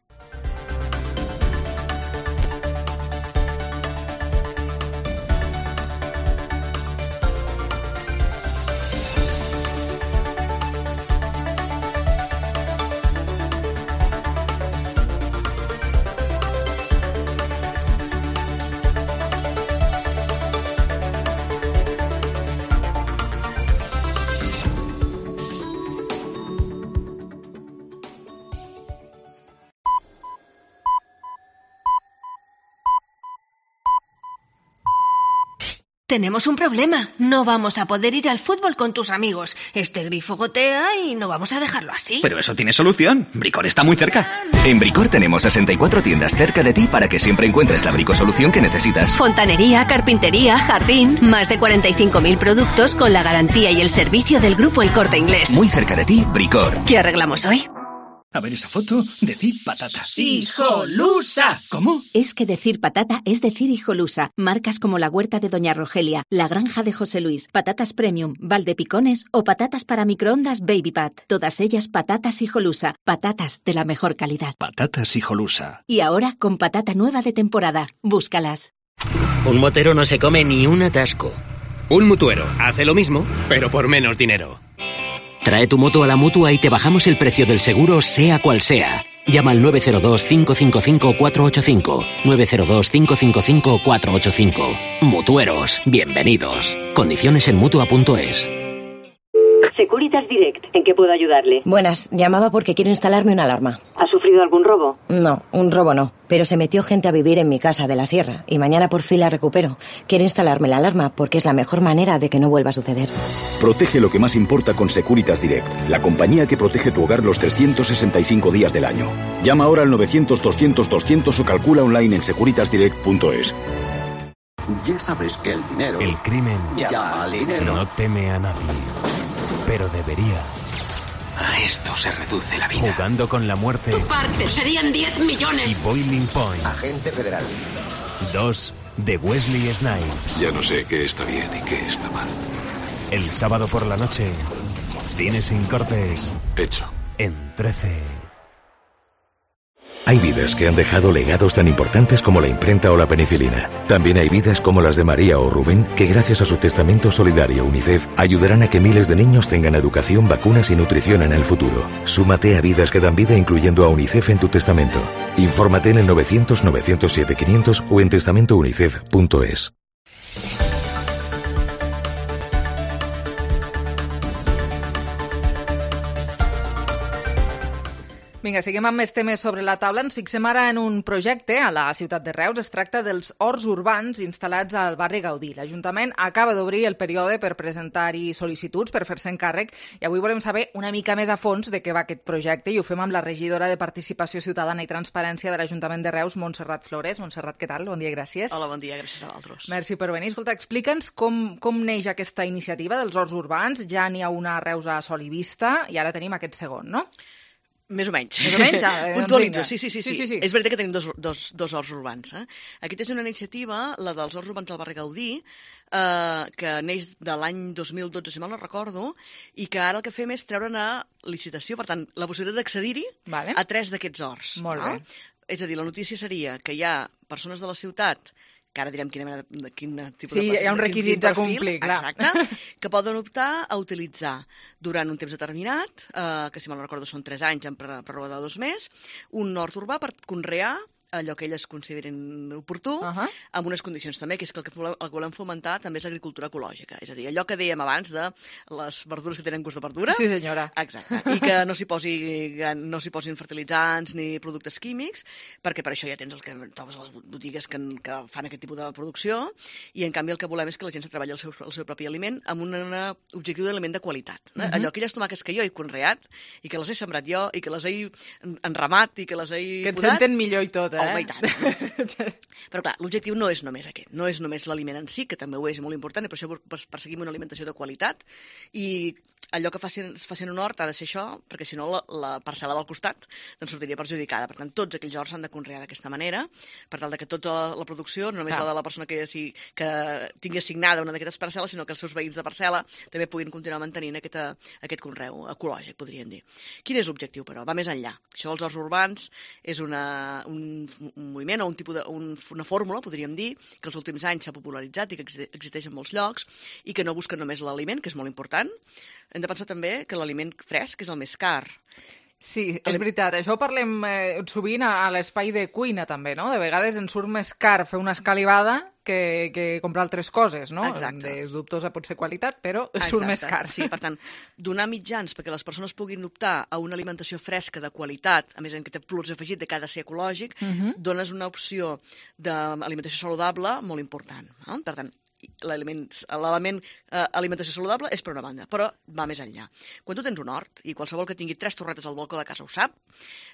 Tenemos un problema. No vamos a poder ir al fútbol con tus amigos. Este grifo gotea y no vamos a dejarlo así. Pero eso tiene solución. Bricor está muy cerca. En Bricor tenemos sesenta y cuatro tiendas cerca de ti para que siempre encuentres la bricosolución que necesitas. Fontanería, carpintería, jardín... Más de cuarenta y cinco mil productos con la garantía y el servicio del Grupo El Corte Inglés. Muy cerca de ti, Bricor. ¿Qué arreglamos hoy? A ver esa foto, decir patata. ¡Hijolusa! ¿Cómo? Es que decir patata es decir hijolusa. Marcas como la huerta de Doña Rogelia, la granja de José Luis, patatas premium, Valdepicones o patatas para microondas Baby Pat. Todas ellas patatas hijolusa. Patatas de la mejor calidad. Patatas hijolusa. Y ahora con patata nueva de temporada. Búscalas. Un motero no se come ni un atasco. Un mutuero hace lo mismo, pero por menos dinero. Trae tu moto a la Mutua y te bajamos el precio del seguro sea cual sea. Llama al nueve cero dos, cinco cinco cinco, cuatro ocho cinco. nueve cero dos, cinco cinco cinco, cuatro ocho cinco. Mutueros, bienvenidos. Condiciones en Mutua punto es. Securitas Direct, ¿en qué puedo ayudarle? Buenas, llamaba porque quiero instalarme una alarma. ¿Ha sufrido algún robo? No, un robo no, pero se metió gente a vivir en mi casa de la sierra y mañana por fin la recupero. Quiero instalarme la alarma porque es la mejor manera de que no vuelva a suceder. Protege lo que más importa con Securitas Direct, la compañía que protege tu hogar los trescientos sesenta y cinco días del año. Llama ahora al novecientos, doscientos, doscientos o calcula online en securitas direct punto es. Ya sabes que el dinero... El crimen llama al dinero. No teme a nadie, pero debería. A esto se reduce la vida. Jugando con la muerte. Tu parte serían diez millones. Y Boiling Point. Agente federal. Dos de Wesley Snipes. Ya no sé qué está bien y qué está mal. El sábado por la noche, Cine sin cortes. Hecho. En trece. Hay vidas que han dejado legados tan importantes como la imprenta o la penicilina. También hay vidas como las de María o Rubén que gracias a su testamento solidario UNICEF ayudarán a que miles de niños tengan educación, vacunas y nutrición en el futuro. Súmate a vidas que dan vida incluyendo a UNICEF en tu testamento. Infórmate en el novecientos, novecientos siete, quinientos o en testamento unicef punto es. Vinga, seguim amb més temes sobre la taula. Ens fixem ara en un projecte a la ciutat de Reus. Es tracta dels horts urbans instal·lats al barri Gaudí. L'Ajuntament acaba d'obrir el període per presentar-hi sol·licituds, per fer-se'n càrrec, i avui volem saber una mica més a fons de què va aquest projecte i ho fem amb la regidora de Participació Ciutadana i Transparència de l'Ajuntament de Reus, Montserrat Flores. Montserrat, què tal? Bon dia i gràcies. Hola, bon dia, gràcies a vosaltres. Merci per venir. Escolta, explica'ns com, com neix aquesta iniciativa dels horts urbans. Ja n'hi ha una a Reus a Sol i Vista i ara tenim aquest segon, no? Més o menys. Més o menys, ja. Puntualitzo, sí sí sí, sí, sí, sí, sí. És veritat que tenim dos, dos, dos horts urbans. Eh? Aquesta és una iniciativa, la dels horts urbans del barri Gaudí, eh, que neix de l'any dos mil dotze, si mal no recordo, i que ara el que fem és treure'n a licitació, per tant, la possibilitat d'accedir-hi vale. a tres d'aquests horts. Molt no? bé. És a dir, la notícia seria que hi ha persones de la ciutat que ara direm quina mena de, quin tipus sí, de... Sí, hi ha un requisit a complir, clar. Exacte, que poden optar a utilitzar durant un temps determinat, eh, que si mal no recordo són tres anys en pròrroga de dos més, un hort urbà per conrear allò que elles considerin oportú, uh -huh. amb unes condicions també, que és que el que volem, el que volem fomentar també és l'agricultura ecològica, és a dir, allò que dèiem abans de les verdures que tenen gust de verdura. Sí, senyora. Exacte, i que no s'hi posi, no s'hi posin fertilitzants ni productes químics, perquè per això ja tens el que trobes a les botigues que, que fan aquest tipus de producció, i en canvi el que volem és que la gent se treballi el seu, el seu propi aliment amb un objectiu d'aliment de qualitat. Uh -huh. Allò, aquelles tomàquets que jo he conreat, i que les he sembrat jo, i que les he enramat, i que les he que et podat, senten millor i tot, tot, eh? Home, i tant. Però clar, l'objectiu no és només aquest, no és només l'aliment en si, que també ho és molt important, i per això perseguim una alimentació de qualitat, i allò que facin, es faci en un hort ha de ser això, perquè si no la, la parcel·la del costat doncs sortiria perjudicada. Per tant, tots aquells horts s'han de conrear d'aquesta manera, per tal de que tota la, la producció, no només clar. la de la persona que, si, que tingui assignada una d'aquestes parcel·les, sinó que els seus veïns de parcel·la també puguin continuar mantenint aquesta, aquest conreu ecològic, podríem dir. Quin és l'objectiu, però? Va més enllà. Això dels horts urbans és una, un, un moviment o un tipus de, un, una fórmula, podríem dir, que els últims anys s'ha popularitzat i que existeix en molts llocs i que no busca només l'aliment, que és molt important. Hem de pensar també que l'aliment fresc és el més car. Sí, és veritat. Això ho parlem eh, sovint a, a l'espai de cuina, també, no? De vegades ens surt més car fer una escalivada que, que comprar altres coses, no? Exacte. De dubtosa pot ser qualitat, però Exacte. surt més car. Sí, per tant, donar mitjans perquè les persones puguin optar a una alimentació fresca de qualitat, a més en què té plus afegit de que ha de ser ecològic, uh-huh. dones una opció d'alimentació saludable molt important. No? Per tant, l'element eh, alimentació saludable és per una banda, però va més enllà. Quan tu tens un hort, i qualsevol que tingui tres torretes al balcó de casa ho sap,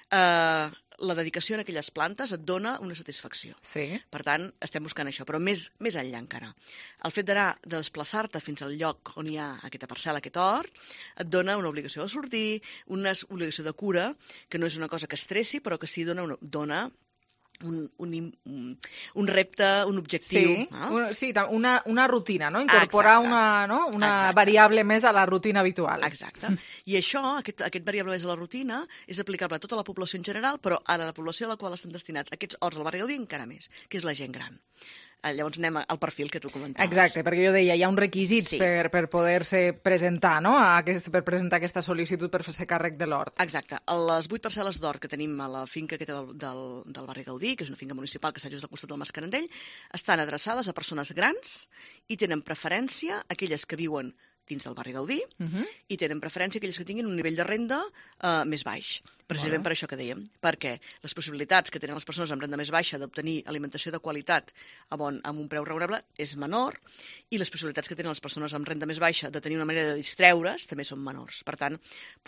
eh, la dedicació en aquelles plantes et dona una satisfacció. Sí. Per tant, estem buscant això, però més, més enllà encara. El fet d'anar, de desplaçar-te fins al lloc on hi ha aquesta parcel·la, aquest hort, et dona una obligació de sortir, una obligació de cura, que no és una cosa que estressi, però que sí dona, una, dona Un, un, un repte, un objectiu. Sí, no? un, sí una, una rutina, no? Incorporar Exacte. una, no? una Exacte. variable més a la rutina habitual. Exacte. I això, aquest, aquest variable més a la rutina, és aplicable a tota la població en general, però a la població a la qual estan destinats aquests horts al barri Gaudí encara més, que és la gent gran. Llavors anem al perfil que tu comentaves. Exacte, perquè jo deia, hi ha uns requisits sí. per, per poder-se presentar, no? Aquest, per presentar aquesta sol·licitud per fer-se càrrec de l'hort. Exacte. Les vuit parcel·les d'hort que tenim a la finca aquesta del, del, del barri Gaudí, que és una finca municipal que està just al costat del Mascarandell, estan adreçades a persones grans i tenen preferència aquelles que viuen dins del barri Gaudí, uh-huh. i tenen preferència aquelles que tinguin un nivell de renda uh, més baix. Precisament bueno. per això que dèiem, perquè les possibilitats que tenen les persones amb renda més baixa d'obtenir alimentació de qualitat a bon, amb un preu raonable és menor, i les possibilitats que tenen les persones amb renda més baixa de tenir una manera de distreure's també són menors. Per tant,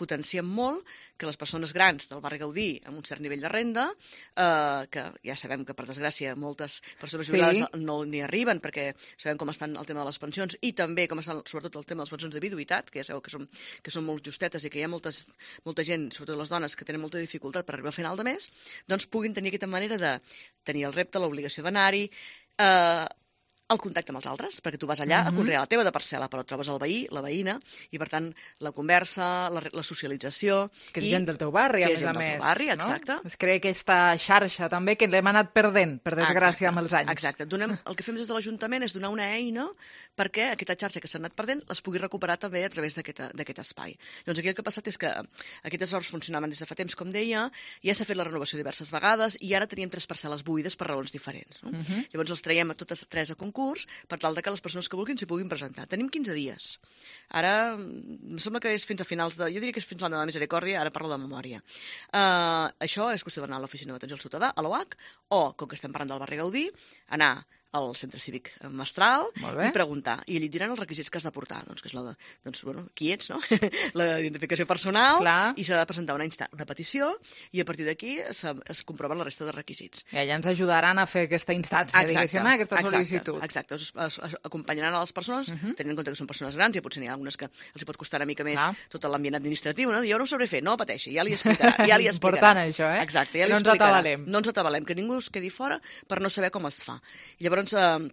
potenciem molt que les persones grans del barri Gaudí amb un cert nivell de renda, eh, que ja sabem que per desgràcia moltes persones jubilades sí. no n'hi arriben perquè sabem com estan el tema de les pensions i també com estan sobretot el tema de les pensions de viduïtat, que ja sabeu que són, que són molt justetes i que hi ha moltes, molta gent, sobretot les dones, que tenen molta dificultat per arribar al final de mes, doncs puguin tenir aquesta manera de tenir el repte, l'obligació d'anar-hi, eh, el contacte amb els altres, perquè tu vas allà uh-huh. a conrear la teva de parcel·la, però trobes el veí, la veïna, i per tant la conversa, la, la socialització... Que és gent del teu barri, a més a més. Que és gent del teu barri, exacte. No? Es crea aquesta xarxa també que l'hem anat perdent, per desgràcia, exacte, amb els anys. Exacte. Donem, el que fem des de l'Ajuntament és donar una eina perquè aquesta xarxa que s'ha anat perdent les pugui recuperar també a través d'aquest espai. Doncs aquí el que ha passat és que aquests horts funcionaven des de fa temps, com deia, ja s'ha fet la renovació diverses vegades i ara teníem tres parcel·les buides per raons diferents. No? Uh-huh. Llavors els traiem a totes tres a concurs per tal de que les persones que vulguin s'hi puguin presentar. Tenim quinze dies. Ara, em sembla que és fins a finals de... Jo diria que és fins a l'any de la Misericòrdia, ara parlo de memòria. Uh, això és qüestió d'anar a l'Oficina d'Atenció al Ciutadà, a l'O H, o, com que estem parlant del barri Gaudí, anar al centre cívic Mestral i preguntar. I allí et diran els requisits que has de portar. Doncs, que és la de, doncs, bueno, qui ets, no? La identificació personal. Clar. I s'ha de presentar una, insta una petició i a partir d'aquí es comproven la resta de requisits. I allà ens ajudaran a fer aquesta instància, diguéssim, aquesta sol·licitud. Exacte. Es, es, es acompanyaran a les persones, uh -huh. tenint en compte que són persones grans, i potser n'hi ha algunes que els hi pot costar una mica més Clar. tot l'ambient administratiu, no? Jo no ho sabré fer, no pateixi, ja li explicarà. Ja li explicarà. Important, això, eh? Exacte, ja li no explicarà. ens atabalem. No ens atabalem, que ningú es quedi fora per no saber com es fa. I llavors, eh,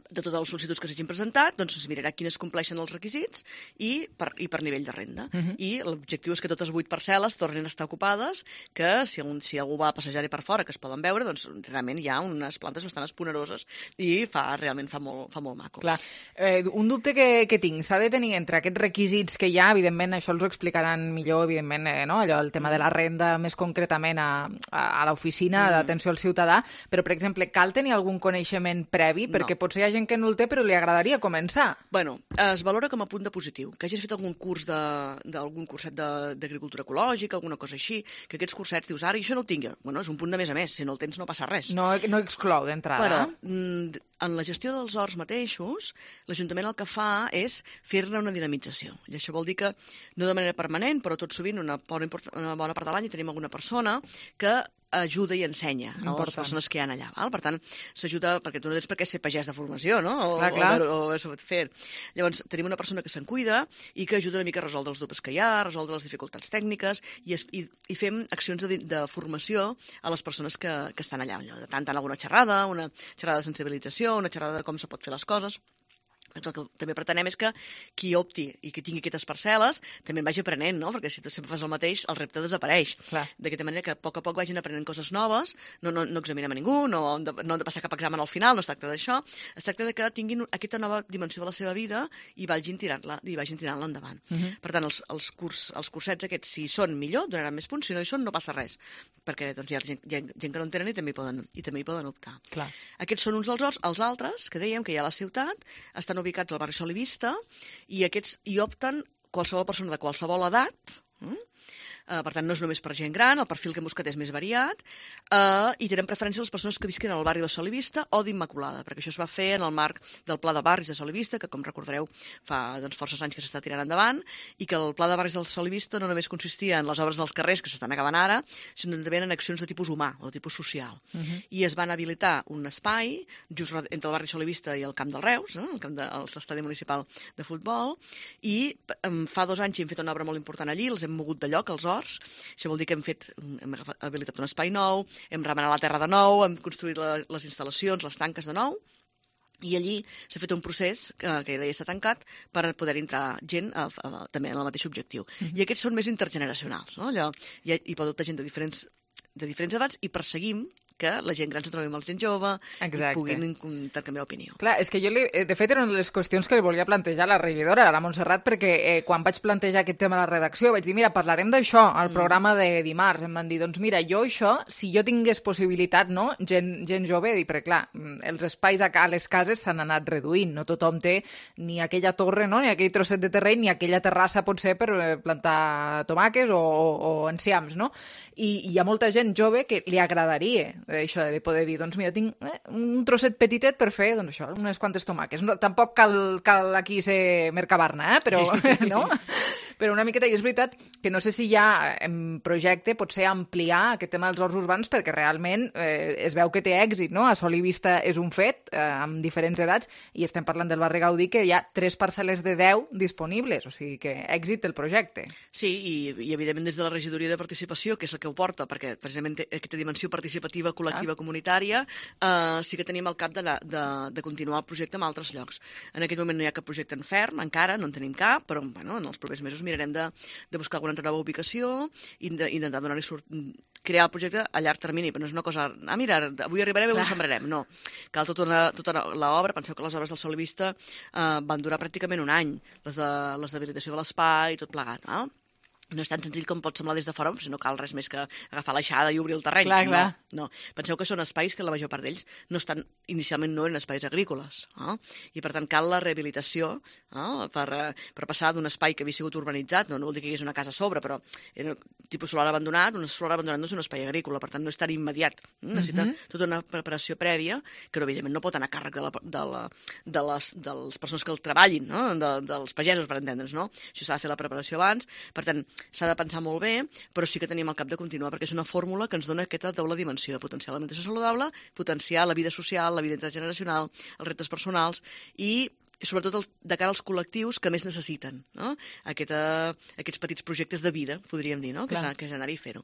de totes les sol·licituds que s'hagin presentat, doncs es mirarà quines compleixen els requisits i per, i per nivell de renda. Uh-huh. I l'objectiu és que totes vuit parcel·les tornin a estar ocupades, que si, un, si algú va a passejar-hi per fora, que es poden veure, doncs realment hi ha unes plantes bastant esponeroses i fa, realment fa molt, fa molt maco. Clar. Eh, un dubte que, que tinc, s'ha de tenir entre aquests requisits que hi ha, evidentment això els ho explicaran millor, evidentment, eh, no? Allò, el tema de la renda més concretament a, a, a l'oficina mm. d'atenció al ciutadà, però, per exemple, cal tenir algun coneixement previ, perquè no. potser hi ha gent que no el té però li agradaria començar. Bueno, es valora com a punt de positiu. Que hagis fet algun curs d'algun curset d'agricultura ecològica, alguna cosa així, que aquests cursets dius, ara això no ho tingui. Bueno, és un punt de més a més, si no el tens no passa res. No, no exclou d'entrada. Però en la gestió dels horts mateixos, l'Ajuntament el que fa és fer-ne una dinamització. I això vol dir que, no de manera permanent, però tot sovint, una bona, una bona part de l'any, tenim alguna persona que ajuda i ensenya a les persones que hi ha allà. Val? Per tant, s'ajuda, perquè tu no tens per què ser pagès de formació, no? O, clar, clar. o, o, o fer. Llavors, tenim una persona que se'n cuida i que ajuda una mica a resoldre els dubtes que hi ha, a resoldre les dificultats tècniques i, es, i, i fem accions de, de formació a les persones que, que estan allà. Tant, tant alguna xerrada, una xerrada de sensibilització, una xerrada de com se pot fer les coses. El que també pretenem és que qui opti i qui tingui aquestes parcel·les també en vagi aprenent, no? Perquè si tu sempre fas el mateix, el repte desapareix. D'aquesta manera que a poc a poc vagin aprenent coses noves, no, no, no examinem a ningú, no han, de, no han de passar cap examen al final, no es tracta d'això, es tracta de que tinguin aquesta nova dimensió de la seva vida i vagin tirant-la i vagin tirant-la endavant. Uh -huh. Per tant, els, els, curs, els cursets aquests, si són millor, donaran més punts, si no hi són, no passa res, perquè doncs, hi ha gent, hi ha gent que no en tenen i també hi poden, i també hi poden optar. Clar. Aquests són uns dels horts, els altres, que dèiem que hi ha a la ciutat, estan ubicats al barri Solivista i aquests hi opten qualsevol persona de qualsevol edat. Mm? Uh, per tant, no és només per gent gran, el perfil que hem buscat és més variat, uh, i tenen preferència les persones que visquen al barri de Solivista o d'Immaculada, perquè això es va fer en el marc del Pla de Barris de Solivista, que, com recordareu, fa doncs, forces anys que s'està tirant endavant, i que el Pla de Barris del Solivista no només consistia en les obres dels carrers que s'estan acabant ara, sinó també en accions de tipus humà o de tipus social. Uh-huh. I es van habilitar un espai just entre el barri Solivista i el Camp del Reus, no? el camp de l'estadi municipal de futbol, i um, fa dos anys hem fet una obra molt important allí, els hem mogut de lloc, els horts. Això vol dir que hem fet, hem habilitat un espai nou, hem remenat la terra de nou, hem construït la, les instal·lacions, les tanques de nou, i allí s'ha fet un procés que, que ja està tancat per poder entrar gent a, a, a, també en el mateix objectiu. Mm-hmm. I aquests són més intergeneracionals, no? Allò, hi, hi pot optar gent de diferents, de diferents edats i perseguim que la gent gran se trobi amb la gent jove Exacte. I puguin intercanviar opinió. Clar, és que jo, li, de fet, era una de les qüestions que li volia plantejar a la regidora, a la Montserrat, perquè eh, quan vaig plantejar aquest tema a la redacció vaig dir, mira, parlarem d'això al mm. programa de dimarts. Em van dir, doncs mira, jo això, si jo tingués possibilitat, no, gent, gent jove, dir, perquè clar, els espais a les cases s'han anat reduint, no tothom té ni aquella torre, no, ni aquell trosset de terreny, ni aquella terrassa potser per plantar tomàquets o, o, o enciams, no? I, i hi ha molta gent jove que li agradaria això de poder dir, doncs mira, tinc eh, un trosset petitet per fer, doncs això, unes quantes tomàquets. No, tampoc cal, cal aquí ser Mercabarna, eh? Però, no? Però una miqueta, i és veritat que no sé si hi ha en projecte potser ampliar aquest tema dels horts urbans perquè realment eh, es veu que té èxit, no? A Sol i Vista és un fet, eh, amb diferents edats, i estem parlant del barri Gaudí, que hi ha tres parcel·les de deu disponibles, o sigui que èxit el projecte. Sí, i, i evidentment des de la regidoria de participació, que és el que ho porta, perquè precisament té aquesta dimensió participativa col·lectiva ah. comunitària, eh, sí que tenim al cap de, la, de, de continuar el projecte en altres llocs. En aquest moment no hi ha cap projecte en ferm, encara, no en tenim cap, però bueno, en els propers mesos mirarem de, de buscar alguna altra nova ubicació i d'intentar donar-li sort, crear el projecte a llarg termini, però no és una cosa, ah, mira, avui arribarem i avui sembrarem, no. Cal tota, una, tota l'obra, penseu que les obres del Sol i Vista eh, van durar pràcticament un any, les de les d'habilitació de l'espai i tot plegat, no? No és tan senzill com pot semblar des de fora, però no cal res més que agafar l'aixada i obrir el terreny. Clar, clar. No, no. Penseu que són espais que la major part d'ells no estan, inicialment no eren espais agrícoles, eh? I per tant cal la rehabilitació eh? per, per passar d'un espai que havia sigut urbanitzat, no, no vol dir que hi hagués una casa a sobre, però era tipus solar abandonat, un solar abandonat no és un espai agrícola, per tant no és tan immediat. Necessita uh-huh. tota una preparació prèvia que evidentment no pot anar a càrrec de, la, de, la, de, les, de les persones que el treballin, no? de, dels pagesos, per entendre's, no? Això s'ha de fer la preparació abans, per tant s'ha de pensar molt bé, però sí que tenim al cap de continuar, perquè és una fórmula que ens dona aquesta doble dimensió, potenciar l'alimentació saludable, potenciar la vida social, la vida intergeneracional, els reptes personals i sobretot el, de cara als col·lectius que més necessiten, no? Aquesta, aquests petits projectes de vida, podríem dir, no? que, és, que és anar-hi i fer-ho.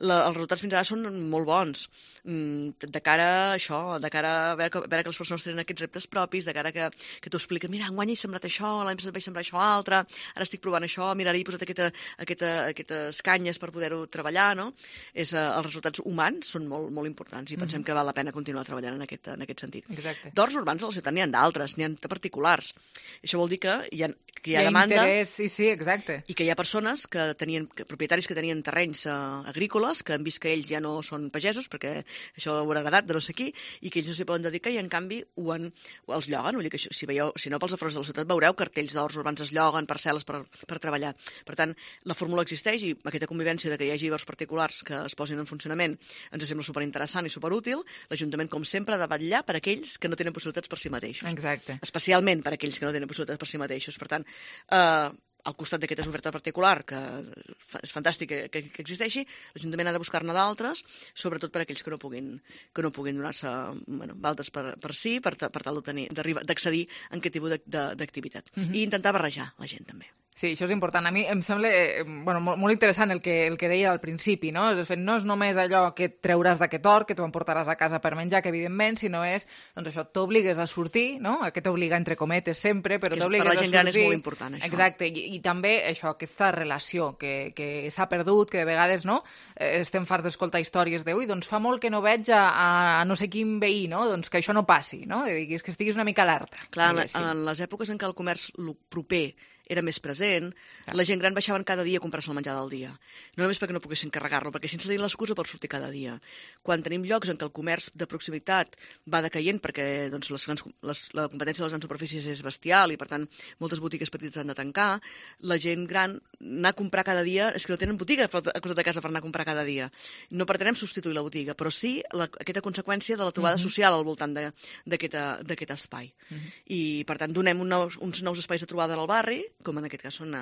La, els resultats fins ara són molt bons. De cara a això, de cara a veure que, a veure que les persones tenen aquests reptes propis, de cara que, que t'ho expliquen, mira, enguany he sembrat això, l'any passat vaig sembrar això altre, ara estic provant això, mira, ara he posat aquesta, aquesta, aquestes canyes per poder-ho treballar, no? És, uh, els resultats humans són molt, molt importants i pensem mm-hmm. que val la pena continuar treballant en aquest, en aquest sentit. Exacte. D'horts urbans a la ciutat n'hi ha d'altres, n'hi ha de particulars. Això vol dir que hi ha, que hi ha, hi ha demanda interès, sí, sí, exacte. I que hi ha persones, que tenien, que, propietaris que tenien terrenys uh, agrícoles, que han vist que ells ja no són pagesos, perquè això ho haurà heredat de no sé qui, i que ells no s'hi poden dedicar i en canvi ho han, ho els lloguen. Vull dir que això, si, veieu, si no pels afores de la ciutat veureu cartells d'horts urbans es lloguen, parcel·les per, per treballar. Per tant, la fórmula existeix i aquesta convivència de que hi hagi horts particulars que es posin en funcionament ens sembla superinteressant i superútil. L'Ajuntament, com sempre, ha de vetllar per aquells que no tenen possibilitats per si mateixos. Exacte. Especialment per aquells que no tenen possibilitats per si mateixos. Per tant, eh, al costat d'aquesta oferta particular, que és fantàstic que, que, que existeixi, l'Ajuntament ha de buscar-ne d'altres, sobretot per a aquells que no puguin, que no puguin donar-se bueno, d'altres per, per si, per, per tal d'accedir a aquest tipus d'activitat. Mm-hmm. I intentar barrejar la gent, també. Sí, això és important. A mi em sembla eh, bueno, molt, molt interessant el que, el que deia al principi, no? De fet, no és només allò que et treuràs d'aquest or, que tu emportaràs a casa per menjar, que evidentment, sinó és, doncs això, t'obligues a sortir, no? Que t'obliga entre cometes sempre, però t'obligues a sortir. Per la gent gran és molt important, això. Exacte, i, i també això, aquesta relació que, que s'ha perdut, que de vegades, no? Eh, estem farts d'escoltar històries de, ui, doncs fa molt que no veig a, a no sé quin veí, no? Doncs que això no passi, no? Que diguis que estiguis una mica alerta. Clar, en, en les èpoques en què el comerç proper era més present, ah. la gent gran baixaven cada dia a comprar-se el menjar del dia. No només perquè no poguessin carregar-lo, perquè sense tenir l'excusa per sortir cada dia. Quan tenim llocs en què el comerç de proximitat va decaient perquè doncs, les grans, les, la competència de les grans superfícies és bestial i, per tant, moltes botigues petites han de tancar, la gent gran anar a comprar cada dia, és que no tenen botiga a costat de casa per anar a comprar cada dia. No pretenem substituir la botiga, però sí la, aquesta conseqüència de la trobada uh-huh. social al voltant d'aquest espai. Uh-huh. I, per tant, donem un nous, uns nous espais de trobada en el barri, com en aquest cas són,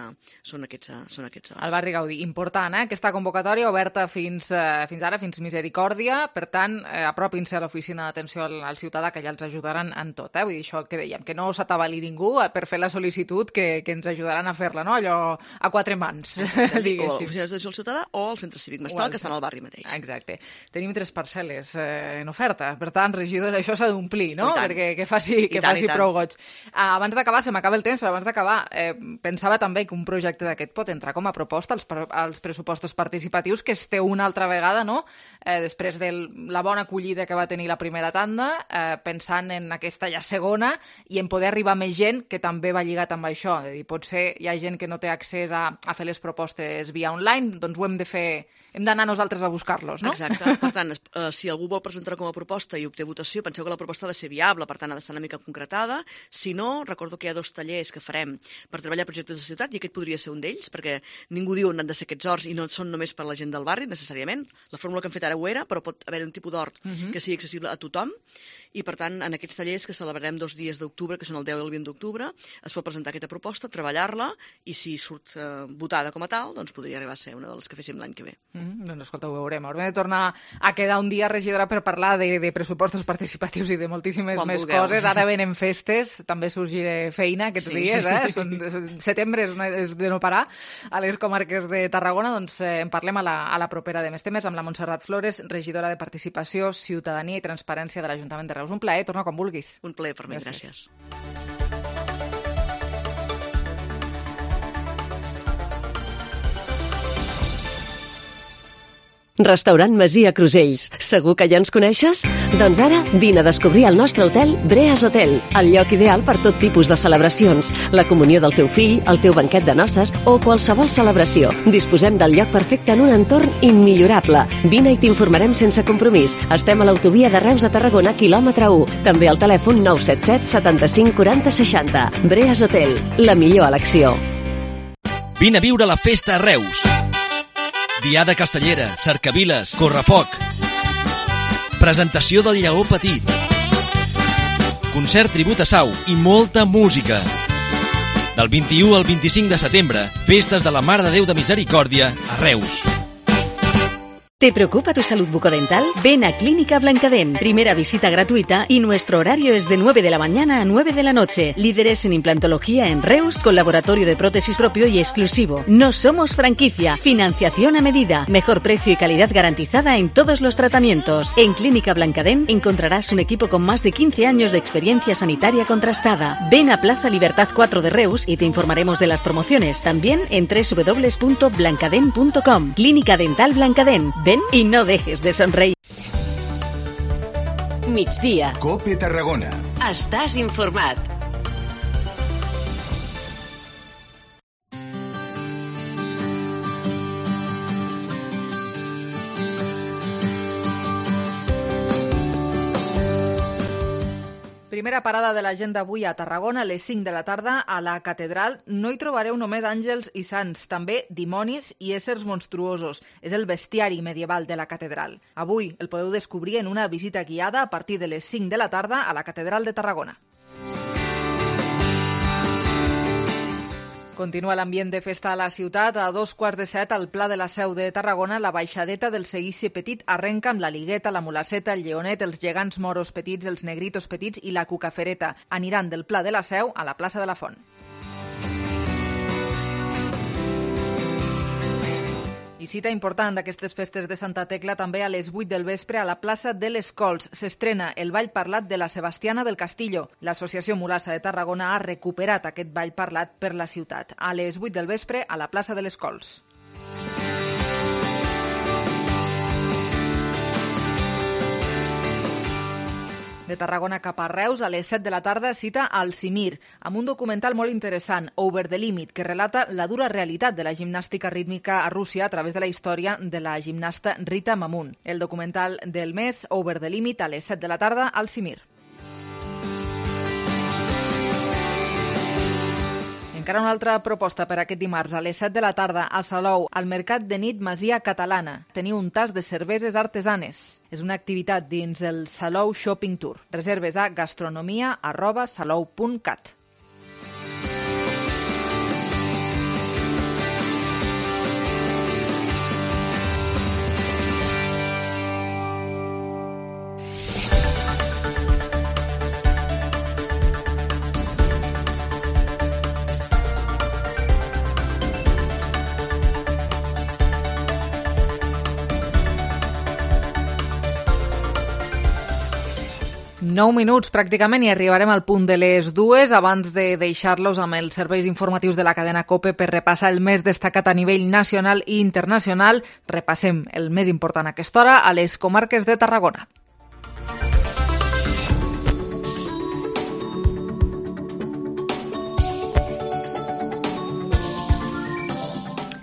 són aquests són aquests El barri Gaudí, important, eh? Aquesta convocatòria oberta fins, eh, fins ara, fins misericòrdia, per tant, eh, apropin-se a l'oficina d'atenció al, al ciutadà, que ja els ajudaran en tot, eh? Vull dir, això que dèiem, que no s'atabali ningú per fer la sol·licitud, que, que ens ajudaran a fer-la, no? Allò a quatre mans, diguéssim. O l'oficina d'atenció al ciutadà o el centre cívic Mestal, que estan al barri mateix. Exacte. Tenim tres parcel·les eh, en oferta, per tant, regidor, això s'ha d'omplir, no? Perquè que faci, que faci prou goig. Ah, abans d'acabar, se m'acaba el temps, però abans d'acabar, eh, pensava també que un projecte d'aquest pot entrar com a proposta als, als pressupostos participatius, que es té una altra vegada, no? Eh, després de la bona acollida que va tenir la primera tanda, eh, pensant en aquesta ja segona i en poder arribar a més gent, que també va lligat amb això. És a dir, potser hi ha gent que no té accés a, a fer les propostes via online, doncs ho hem de fer, hem d'anar nosaltres a buscar-los, no? Exacte. Per tant, eh, si algú vol presentar com a proposta i obté votació, penseu que la proposta ha de ser viable, per tant ha d'estar una mica concretada. Si no, recordo que hi ha dos tallers que farem per treballar projectes de ciutat, i aquest podria ser un d'ells, perquè ningú diu on han de ser aquests horts i no són només per la gent del barri, necessàriament. La fórmula que hem fet ara ho era, però pot haver un tipus d'hort uh-huh. que sigui accessible a tothom, i per tant, en aquests tallers que celebrarem dos dies d'octubre, que són el deu i el vint d'octubre, es pot presentar aquesta proposta, treballar-la, i si surt eh, votada com a tal, doncs podria arribar a ser una de les que féssim l'any que ve. Uh-huh. Doncs escolta, ho veurem. Haurem de tornar a quedar un dia, regidora, per parlar de, de pressupostos participatius i de moltíssimes Quan més vulgueu. Coses. Ara venen festes, també sorgirà feina aquests sí. dies, eh? Són, setembre és, una, és de no parar a les comarques de Tarragona, doncs eh, en parlem a la, a la propera de més temes amb la Montserrat Flores, regidora de Participació, Ciutadania i Transparència de l'Ajuntament de Reus. Un plaer, torna quan vulguis. Un plaer per mi, gràcies. gràcies. Restaurant Masia Crusells. Segur que ja ens coneixes? Doncs ara vine a descobrir el nostre hotel Breas Hotel, el lloc ideal per tot tipus de celebracions, la comunió del teu fill, el teu banquet de noces o qualsevol celebració. Disposem del lloc perfecte en un entorn immillorable. Vine i t'informarem sense compromís. Estem a l'autovia de Reus a Tarragona, quilòmetre u. També al telèfon nou set set setanta-cinc quaranta seixanta. Breas Hotel, la millor elecció. Vine a viure la festa a Reus. Diada Castellera, Cercaviles, Correfoc. Presentació del Lleó Petit. Concert tribut a Sau i molta música. Del vint-i-u al vint-i-cinc de setembre, festes de la Mare de Déu de Misericòrdia a Reus. ¿Te preocupa tu salud bucodental? Ven a Clínica Blancadent. Primera visita gratuita y nuestro horario es de nueve de la mañana a nueve de la noche. Líderes en implantología en Reus, con laboratorio de prótesis propio y exclusivo. No somos franquicia. Financiación a medida. Mejor precio y calidad garantizada en todos los tratamientos. En Clínica Blancadent encontrarás un equipo con más de quince años de experiencia sanitaria contrastada. Ven a Plaza Libertad cuatro de Reus y te informaremos de las promociones. También en doble u doble u doble u punto blancadent punto com. Clínica Dental Blancadent. Ven y no dejes de sonreír. Migdia. COPE Tarragona. Estàs informat. Primera parada de l'agenda avui a Tarragona, a les cinc de la tarda, a la Catedral. No hi trobareu només àngels i sants, també dimonis i éssers monstruosos. És el bestiari medieval de la Catedral. Avui el podeu descobrir en una visita guiada a partir de les cinc de la tarda a la Catedral de Tarragona. Continua l'ambient de festa a la ciutat. A dos quarts de set, al Pla de la Seu de Tarragona, la baixadeta del Seguici Petit arrenca amb la Ligueta, la Mulaceta, el Lleonet, els gegants moros petits, els negritos petits i la Cucafereta. Aniran del Pla de la Seu a la plaça de la Font. I cita important d'aquestes festes de Santa Tecla també a les vuit del vespre a la plaça de les Cols. S'estrena el ball parlat de la Sebastiana del Castillo. L'Associació Mulassa de Tarragona ha recuperat aquest ball parlat per la ciutat. A les vuit del vespre a la plaça de les Cols. De Tarragona cap a Reus, a les set de la tarda, cita al Cimir, amb un documental molt interessant, Over the Limit, que relata la dura realitat de la gimnàstica rítmica a Rússia a través de la història de la gimnasta Rita Mamun. El documental del mes, Over the Limit, a les set de la tarda, al Cimir. Encara una altra proposta per aquest dimarts a les set de la tarda a Salou, al Mercat de Nit Masia Catalana. Teniu un tas de cerveses artesanes. És una activitat dins el Salou Shopping Tour. Reserves a gastronomia arroba salou punt cat. Nou minuts pràcticament i arribarem al punt de les dues abans de deixar-los amb els serveis informatius de la cadena COPE per repassar el més destacat a nivell nacional i internacional. Repassem el més important a aquesta hora a les comarques de Tarragona.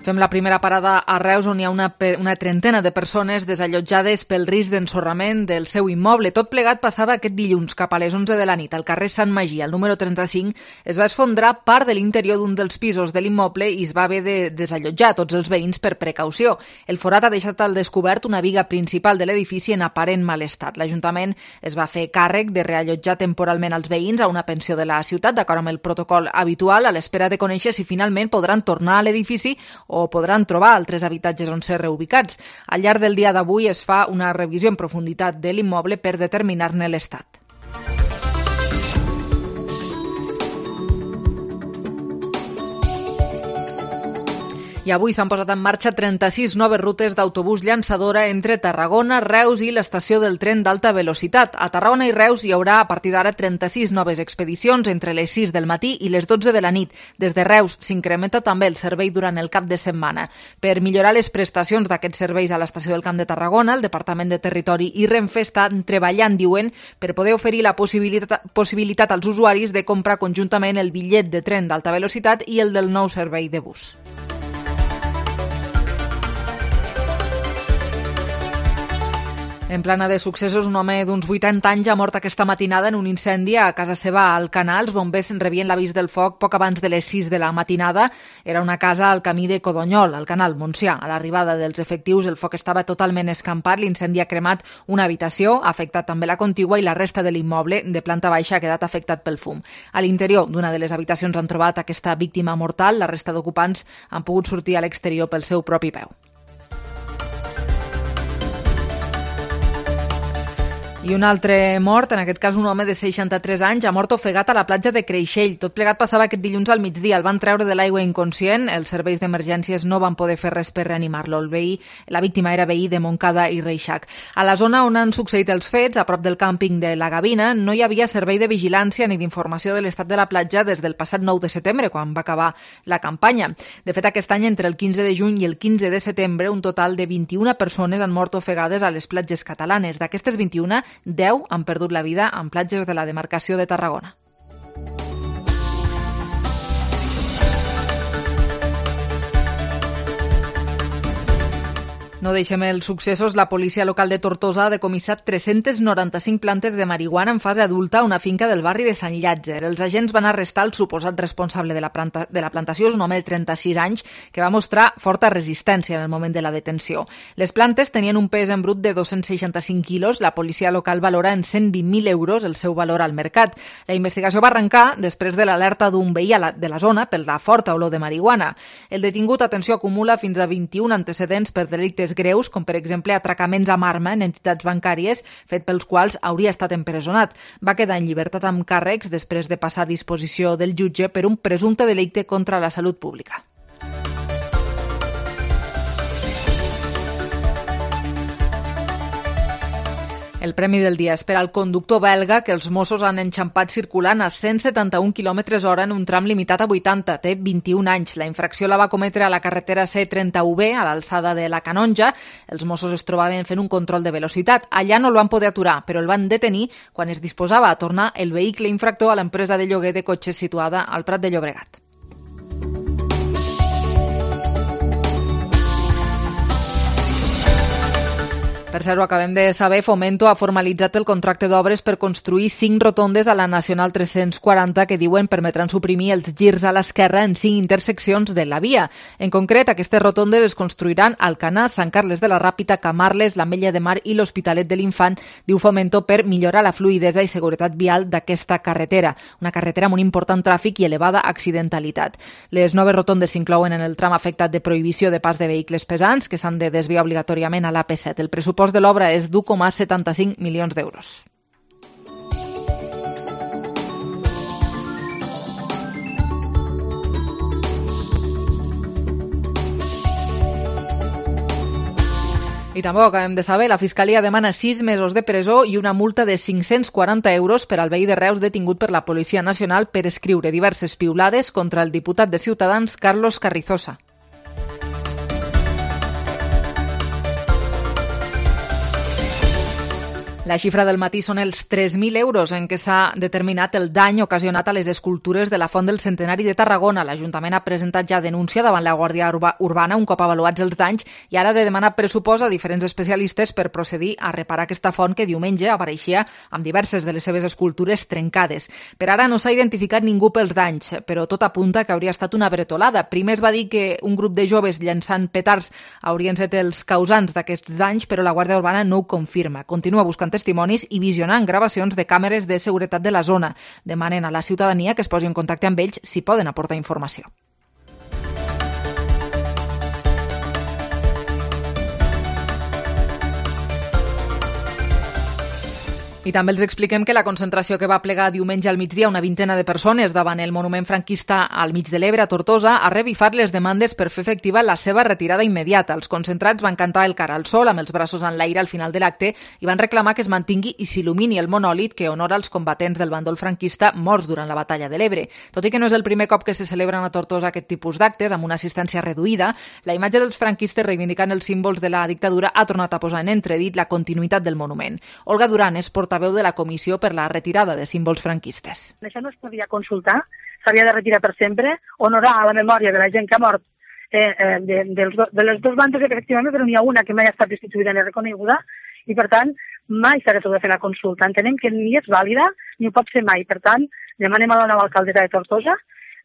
Fem la primera parada a Reus, on hi ha una, una trentena de persones desallotjades pel risc d'ensorrament del seu immoble. Tot plegat passava aquest dilluns cap a les onze de la nit. Al carrer Sant Magí, al número trenta-cinc, es va esfondrar part de l'interior d'un dels pisos de l'immoble i es va haver de desallotjar tots els veïns per precaució. El forat ha deixat al descobert una viga principal de l'edifici en aparent mal estat. L'Ajuntament es va fer càrrec de reallotjar temporalment els veïns a una pensió de la ciutat, d'acord amb el protocol habitual, a l'espera de conèixer si finalment podran tornar a l'edifici o podran trobar altres habitatges on ser reubicats. Al llarg del dia d'avui es fa una revisió en profunditat de l'immoble per determinar-ne l'estat. I avui s'han posat en marxa trenta-sis noves rutes d'autobús llançadora entre Tarragona, Reus i l'estació del tren d'alta velocitat. A Tarragona i Reus hi haurà a partir d'ara trenta-sis noves expedicions entre les sis del matí i les dotze de la nit. Des de Reus s'incrementa també el servei durant el cap de setmana. Per millorar les prestacions d'aquests serveis a l'estació del Camp de Tarragona, el Departament de Territori i Renfe estan treballant, diuen, per poder oferir la possibilitat, possibilitat als usuaris de comprar conjuntament el bitllet de tren d'alta velocitat i el del nou servei de bus. En plana de successos, un home d'uns vuitanta anys ha mort aquesta matinada en un incendi a casa seva al Canal. Els bombers rebien l'avís del foc poc abans de les sis de la matinada. Era una casa al camí de Codonyol, al Canal Montsià. A l'arribada dels efectius, el foc estava totalment escampat. L'incendi ha cremat una habitació, ha afectat també la contigua i la resta de l'immoble de planta baixa ha quedat afectat pel fum. A l'interior d'una de les habitacions han trobat aquesta víctima mortal. La resta d'ocupants han pogut sortir a l'exterior pel seu propi peu. I un altre mort, en aquest cas un home de seixanta-tres anys, ha mort ofegat a la platja de Creixell. Tot plegat passava aquest dilluns al migdia. El van treure de l'aigua inconscient. Els serveis d'emergències no van poder fer res per reanimar-lo. El veí, la víctima era veí de Montcada i Reixac. A la zona on han succeït els fets, a prop del càmping de la Gavina, no hi havia servei de vigilància ni d'informació de l'estat de la platja des del passat nou de setembre, quan va acabar la campanya. De fet, aquest any, entre el quinze de juny i el quinze de setembre, un total de vint-i-una persones han mort ofegades a les platges catalanes. D'aquestes vint-i-una, deu han perdut la vida en platges de la demarcació de Tarragona. No deixem els successos. La policia local de Tortosa ha decomissat tres-centes noranta-cinc plantes de marihuana en fase adulta a una finca del barri de Sant Llàtzer. Els agents van arrestar el suposat responsable de la, planta, de la plantació, és un home de trenta-sis anys, que va mostrar forta resistència en el moment de la detenció. Les plantes tenien un pes en brut de dos-cents seixanta-cinc quilos. La policia local valora en cent vint mil euros el seu valor al mercat. La investigació va arrencar després de l'alerta d'un veí de la zona per la forta olor de marihuana. El detingut, atenció, acumula fins a vint-i-un antecedents per delictes greus, com per exemple atracaments amb arma en entitats bancàries, fet pels quals hauria estat empresonat. Va quedar en llibertat amb càrrecs després de passar a disposició del jutge per un presumpte delicte contra la salut pública. El premi del dia és per al conductor belga que els Mossos han enxampat circulant a cent setanta-un quilòmetres hora en un tram limitat a vuitanta. Té vint-i-un anys. La infracció la va cometre a la carretera C trenta-u B, a l'alçada de la Canonja. Els Mossos es trobaven fent un control de velocitat. Allà no el van poder aturar, però el van detenir quan es disposava a tornar el vehicle infractor a l'empresa de lloguer de cotxes situada al Prat de Llobregat. Per cert, ho acabem de saber, Fomento ha formalitzat el contracte d'obres per construir cinc rotondes a la Nacional tres-cents quaranta que diuen permetran suprimir els girs a l'esquerra en cinc interseccions de la via. En concret, aquestes rotondes es construiran a Alcanar, Sant Carles de la Ràpita, Camarles, l'Ametlla de Mar i l'Hospitalet de l'Infant, diu Fomento, per millorar la fluïdesa i seguretat vial d'aquesta carretera, una carretera amb un important tràfic i elevada accidentalitat. Les noves rotondes s'inclouen en el tram afectat de prohibició de pas de vehicles pesants, que s'han de desviar obligatòriament a l'A P set. El pressupost de l'obra és d'u coma setanta-cinc milions d'euros. I també ho acabem de saber, la Fiscalia demana sis mesos de presó i una multa de cinc-cents quaranta euros per al veí de Reus detingut per la Policia Nacional per escriure diverses piulades contra el diputat de Ciutadans, Carlos Carrizosa. La xifra del matí són els tres mil euros en què s'ha determinat el dany ocasionat a les escultures de la Font del Centenari de Tarragona. L'Ajuntament ha presentat ja denúncia davant la Guàrdia Urbana un cop avaluats els danys i ara ha de demanar pressupost a diferents especialistes per procedir a reparar aquesta font que diumenge apareixia amb diverses de les seves escultures trencades. Per ara no s'ha identificat ningú pels danys, però tot apunta que hauria estat una bretolada. Primer es va dir que un grup de joves llançant petards haurien estat els causants d'aquests danys, però la Guàrdia Urbana no ho confirma. Continua buscant testimonis i visionant gravacions de càmeres de seguretat de la zona. Demanen a la ciutadania que es posi en contacte amb ells si poden aportar informació. I també els expliquem que la concentració que va plegar diumenge al migdia una vintena de persones davant el monument franquista al mig de l'Ebre, a Tortosa, ha revifat les demandes per fer efectiva la seva retirada immediata. Els concentrats van cantar el cara al sol amb els braços en l'aire al final de l'acte i van reclamar que es mantingui i s'il·lumini el monòlit que honora els combatents del bàndol franquista morts durant la batalla de l'Ebre. Tot i que no és el primer cop que se celebren a Tortosa aquest tipus d'actes, amb una assistència reduïda, la imatge dels franquistes reivindicant els símbols de la dictadura ha tornat a posar en entredit la continuïtat del monument. Olga Duran és portaveu veu de la Comissió per la retirada de símbols franquistes. Això no es podia consultar, s'havia de retirar per sempre, honorar la memòria de la gent que ha mort eh, eh, de, dels do, de les dues bandes, efectivament, però n'hi ha una que mai ha estat destituïda ni reconeguda, i per tant mai s'ha de fer la consulta. Entenem que ni és vàlida ni ho pot ser mai. Per tant, demanem a la nova alcaldessa de Tortosa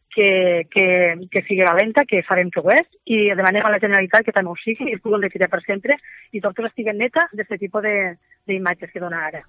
que, que, que sigui valenta, que farem que ho és, i demanem a la Generalitat que també ho sigui i es pugui retirar per sempre i Tortosa estigui neta d'aquest tipus d'imatges que dona ara.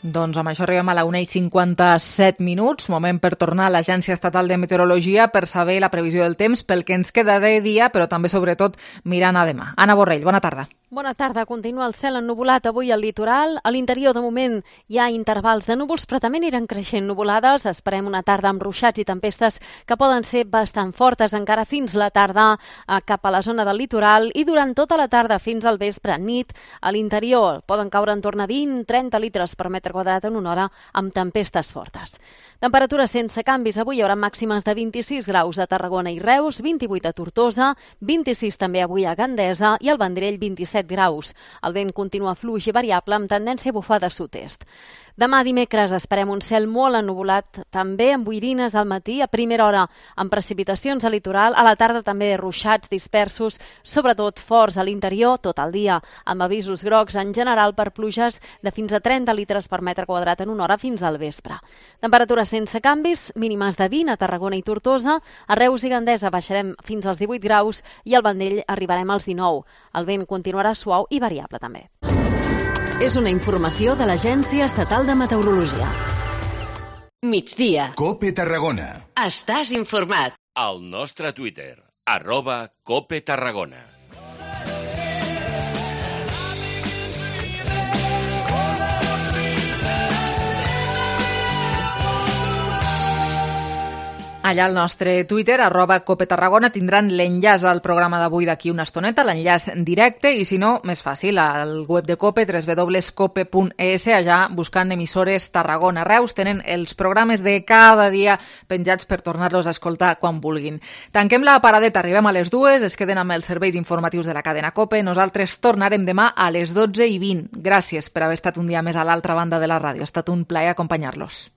Doncs amb això arribem a la una i cinquanta-set minuts, moment per tornar a l'Agència Estatal de Meteorologia per saber la previsió del temps pel que ens queda de dia, però també, sobretot, mirant a demà. Anna Borrell, bona tarda. Bona tarda. Continua el cel ennuvolat avui al litoral. A l'interior, de moment, hi ha intervals de núvols, però també aniran creixent nuvolades. Esperem una tarda amb ruixats i tempestes que poden ser bastant fortes encara fins la tarda cap a la zona del litoral i durant tota la tarda fins al vespre, nit, a l'interior. Poden caure en torn a vint a trenta litres per metre quadrat en una hora amb tempestes fortes. Temperatures sense canvis. Avui hi haurà màximes de vint-i-sis graus a Tarragona i Reus, vint-i-vuit a Tortosa, vint-i-sis també avui a Gandesa i al Vendrell vint-i-set graus. El vent continua fluix i variable amb tendència a bufar de sud-est. Demà dimecres esperem un cel molt ennuvolat, també amb boirines al matí, a primera hora amb precipitacions al litoral, a la tarda també ruixats dispersos, sobretot forts a l'interior tot el dia, amb avisos grocs en general per pluges de fins a trenta litres per metre quadrat en una hora fins al vespre. Temperatures sense canvis, mínimes de vint a Tarragona i Tortosa, a Reus i Gandesa baixarem fins als divuit graus i al Vendrell arribarem als dinou. El vent continuarà suau i variable també. És una informació de l'Agència Estatal de Meteorologia. Migdia. Cope Tarragona. Estàs informat. Al nostre Twitter, arroba Cope Tarragona. Allà al nostre Twitter, arroba Cope Tarragona, tindran l'enllaç al programa d'avui d'aquí una estoneta, l'enllaç directe, i si no, més fàcil, al web de Cope, w w w punt cope punt e s, allà buscant emissores Tarragona. Reus tenen els programes de cada dia penjats per tornar-los a escoltar quan vulguin. Tanquem la paradeta, arribem a les dues, es queden amb els serveis informatius de la cadena Cope. Nosaltres tornarem demà a les dotze i vint. Gràcies per haver estat un dia més a l'altra banda de la ràdio. Ha estat un plaer acompanyar-los.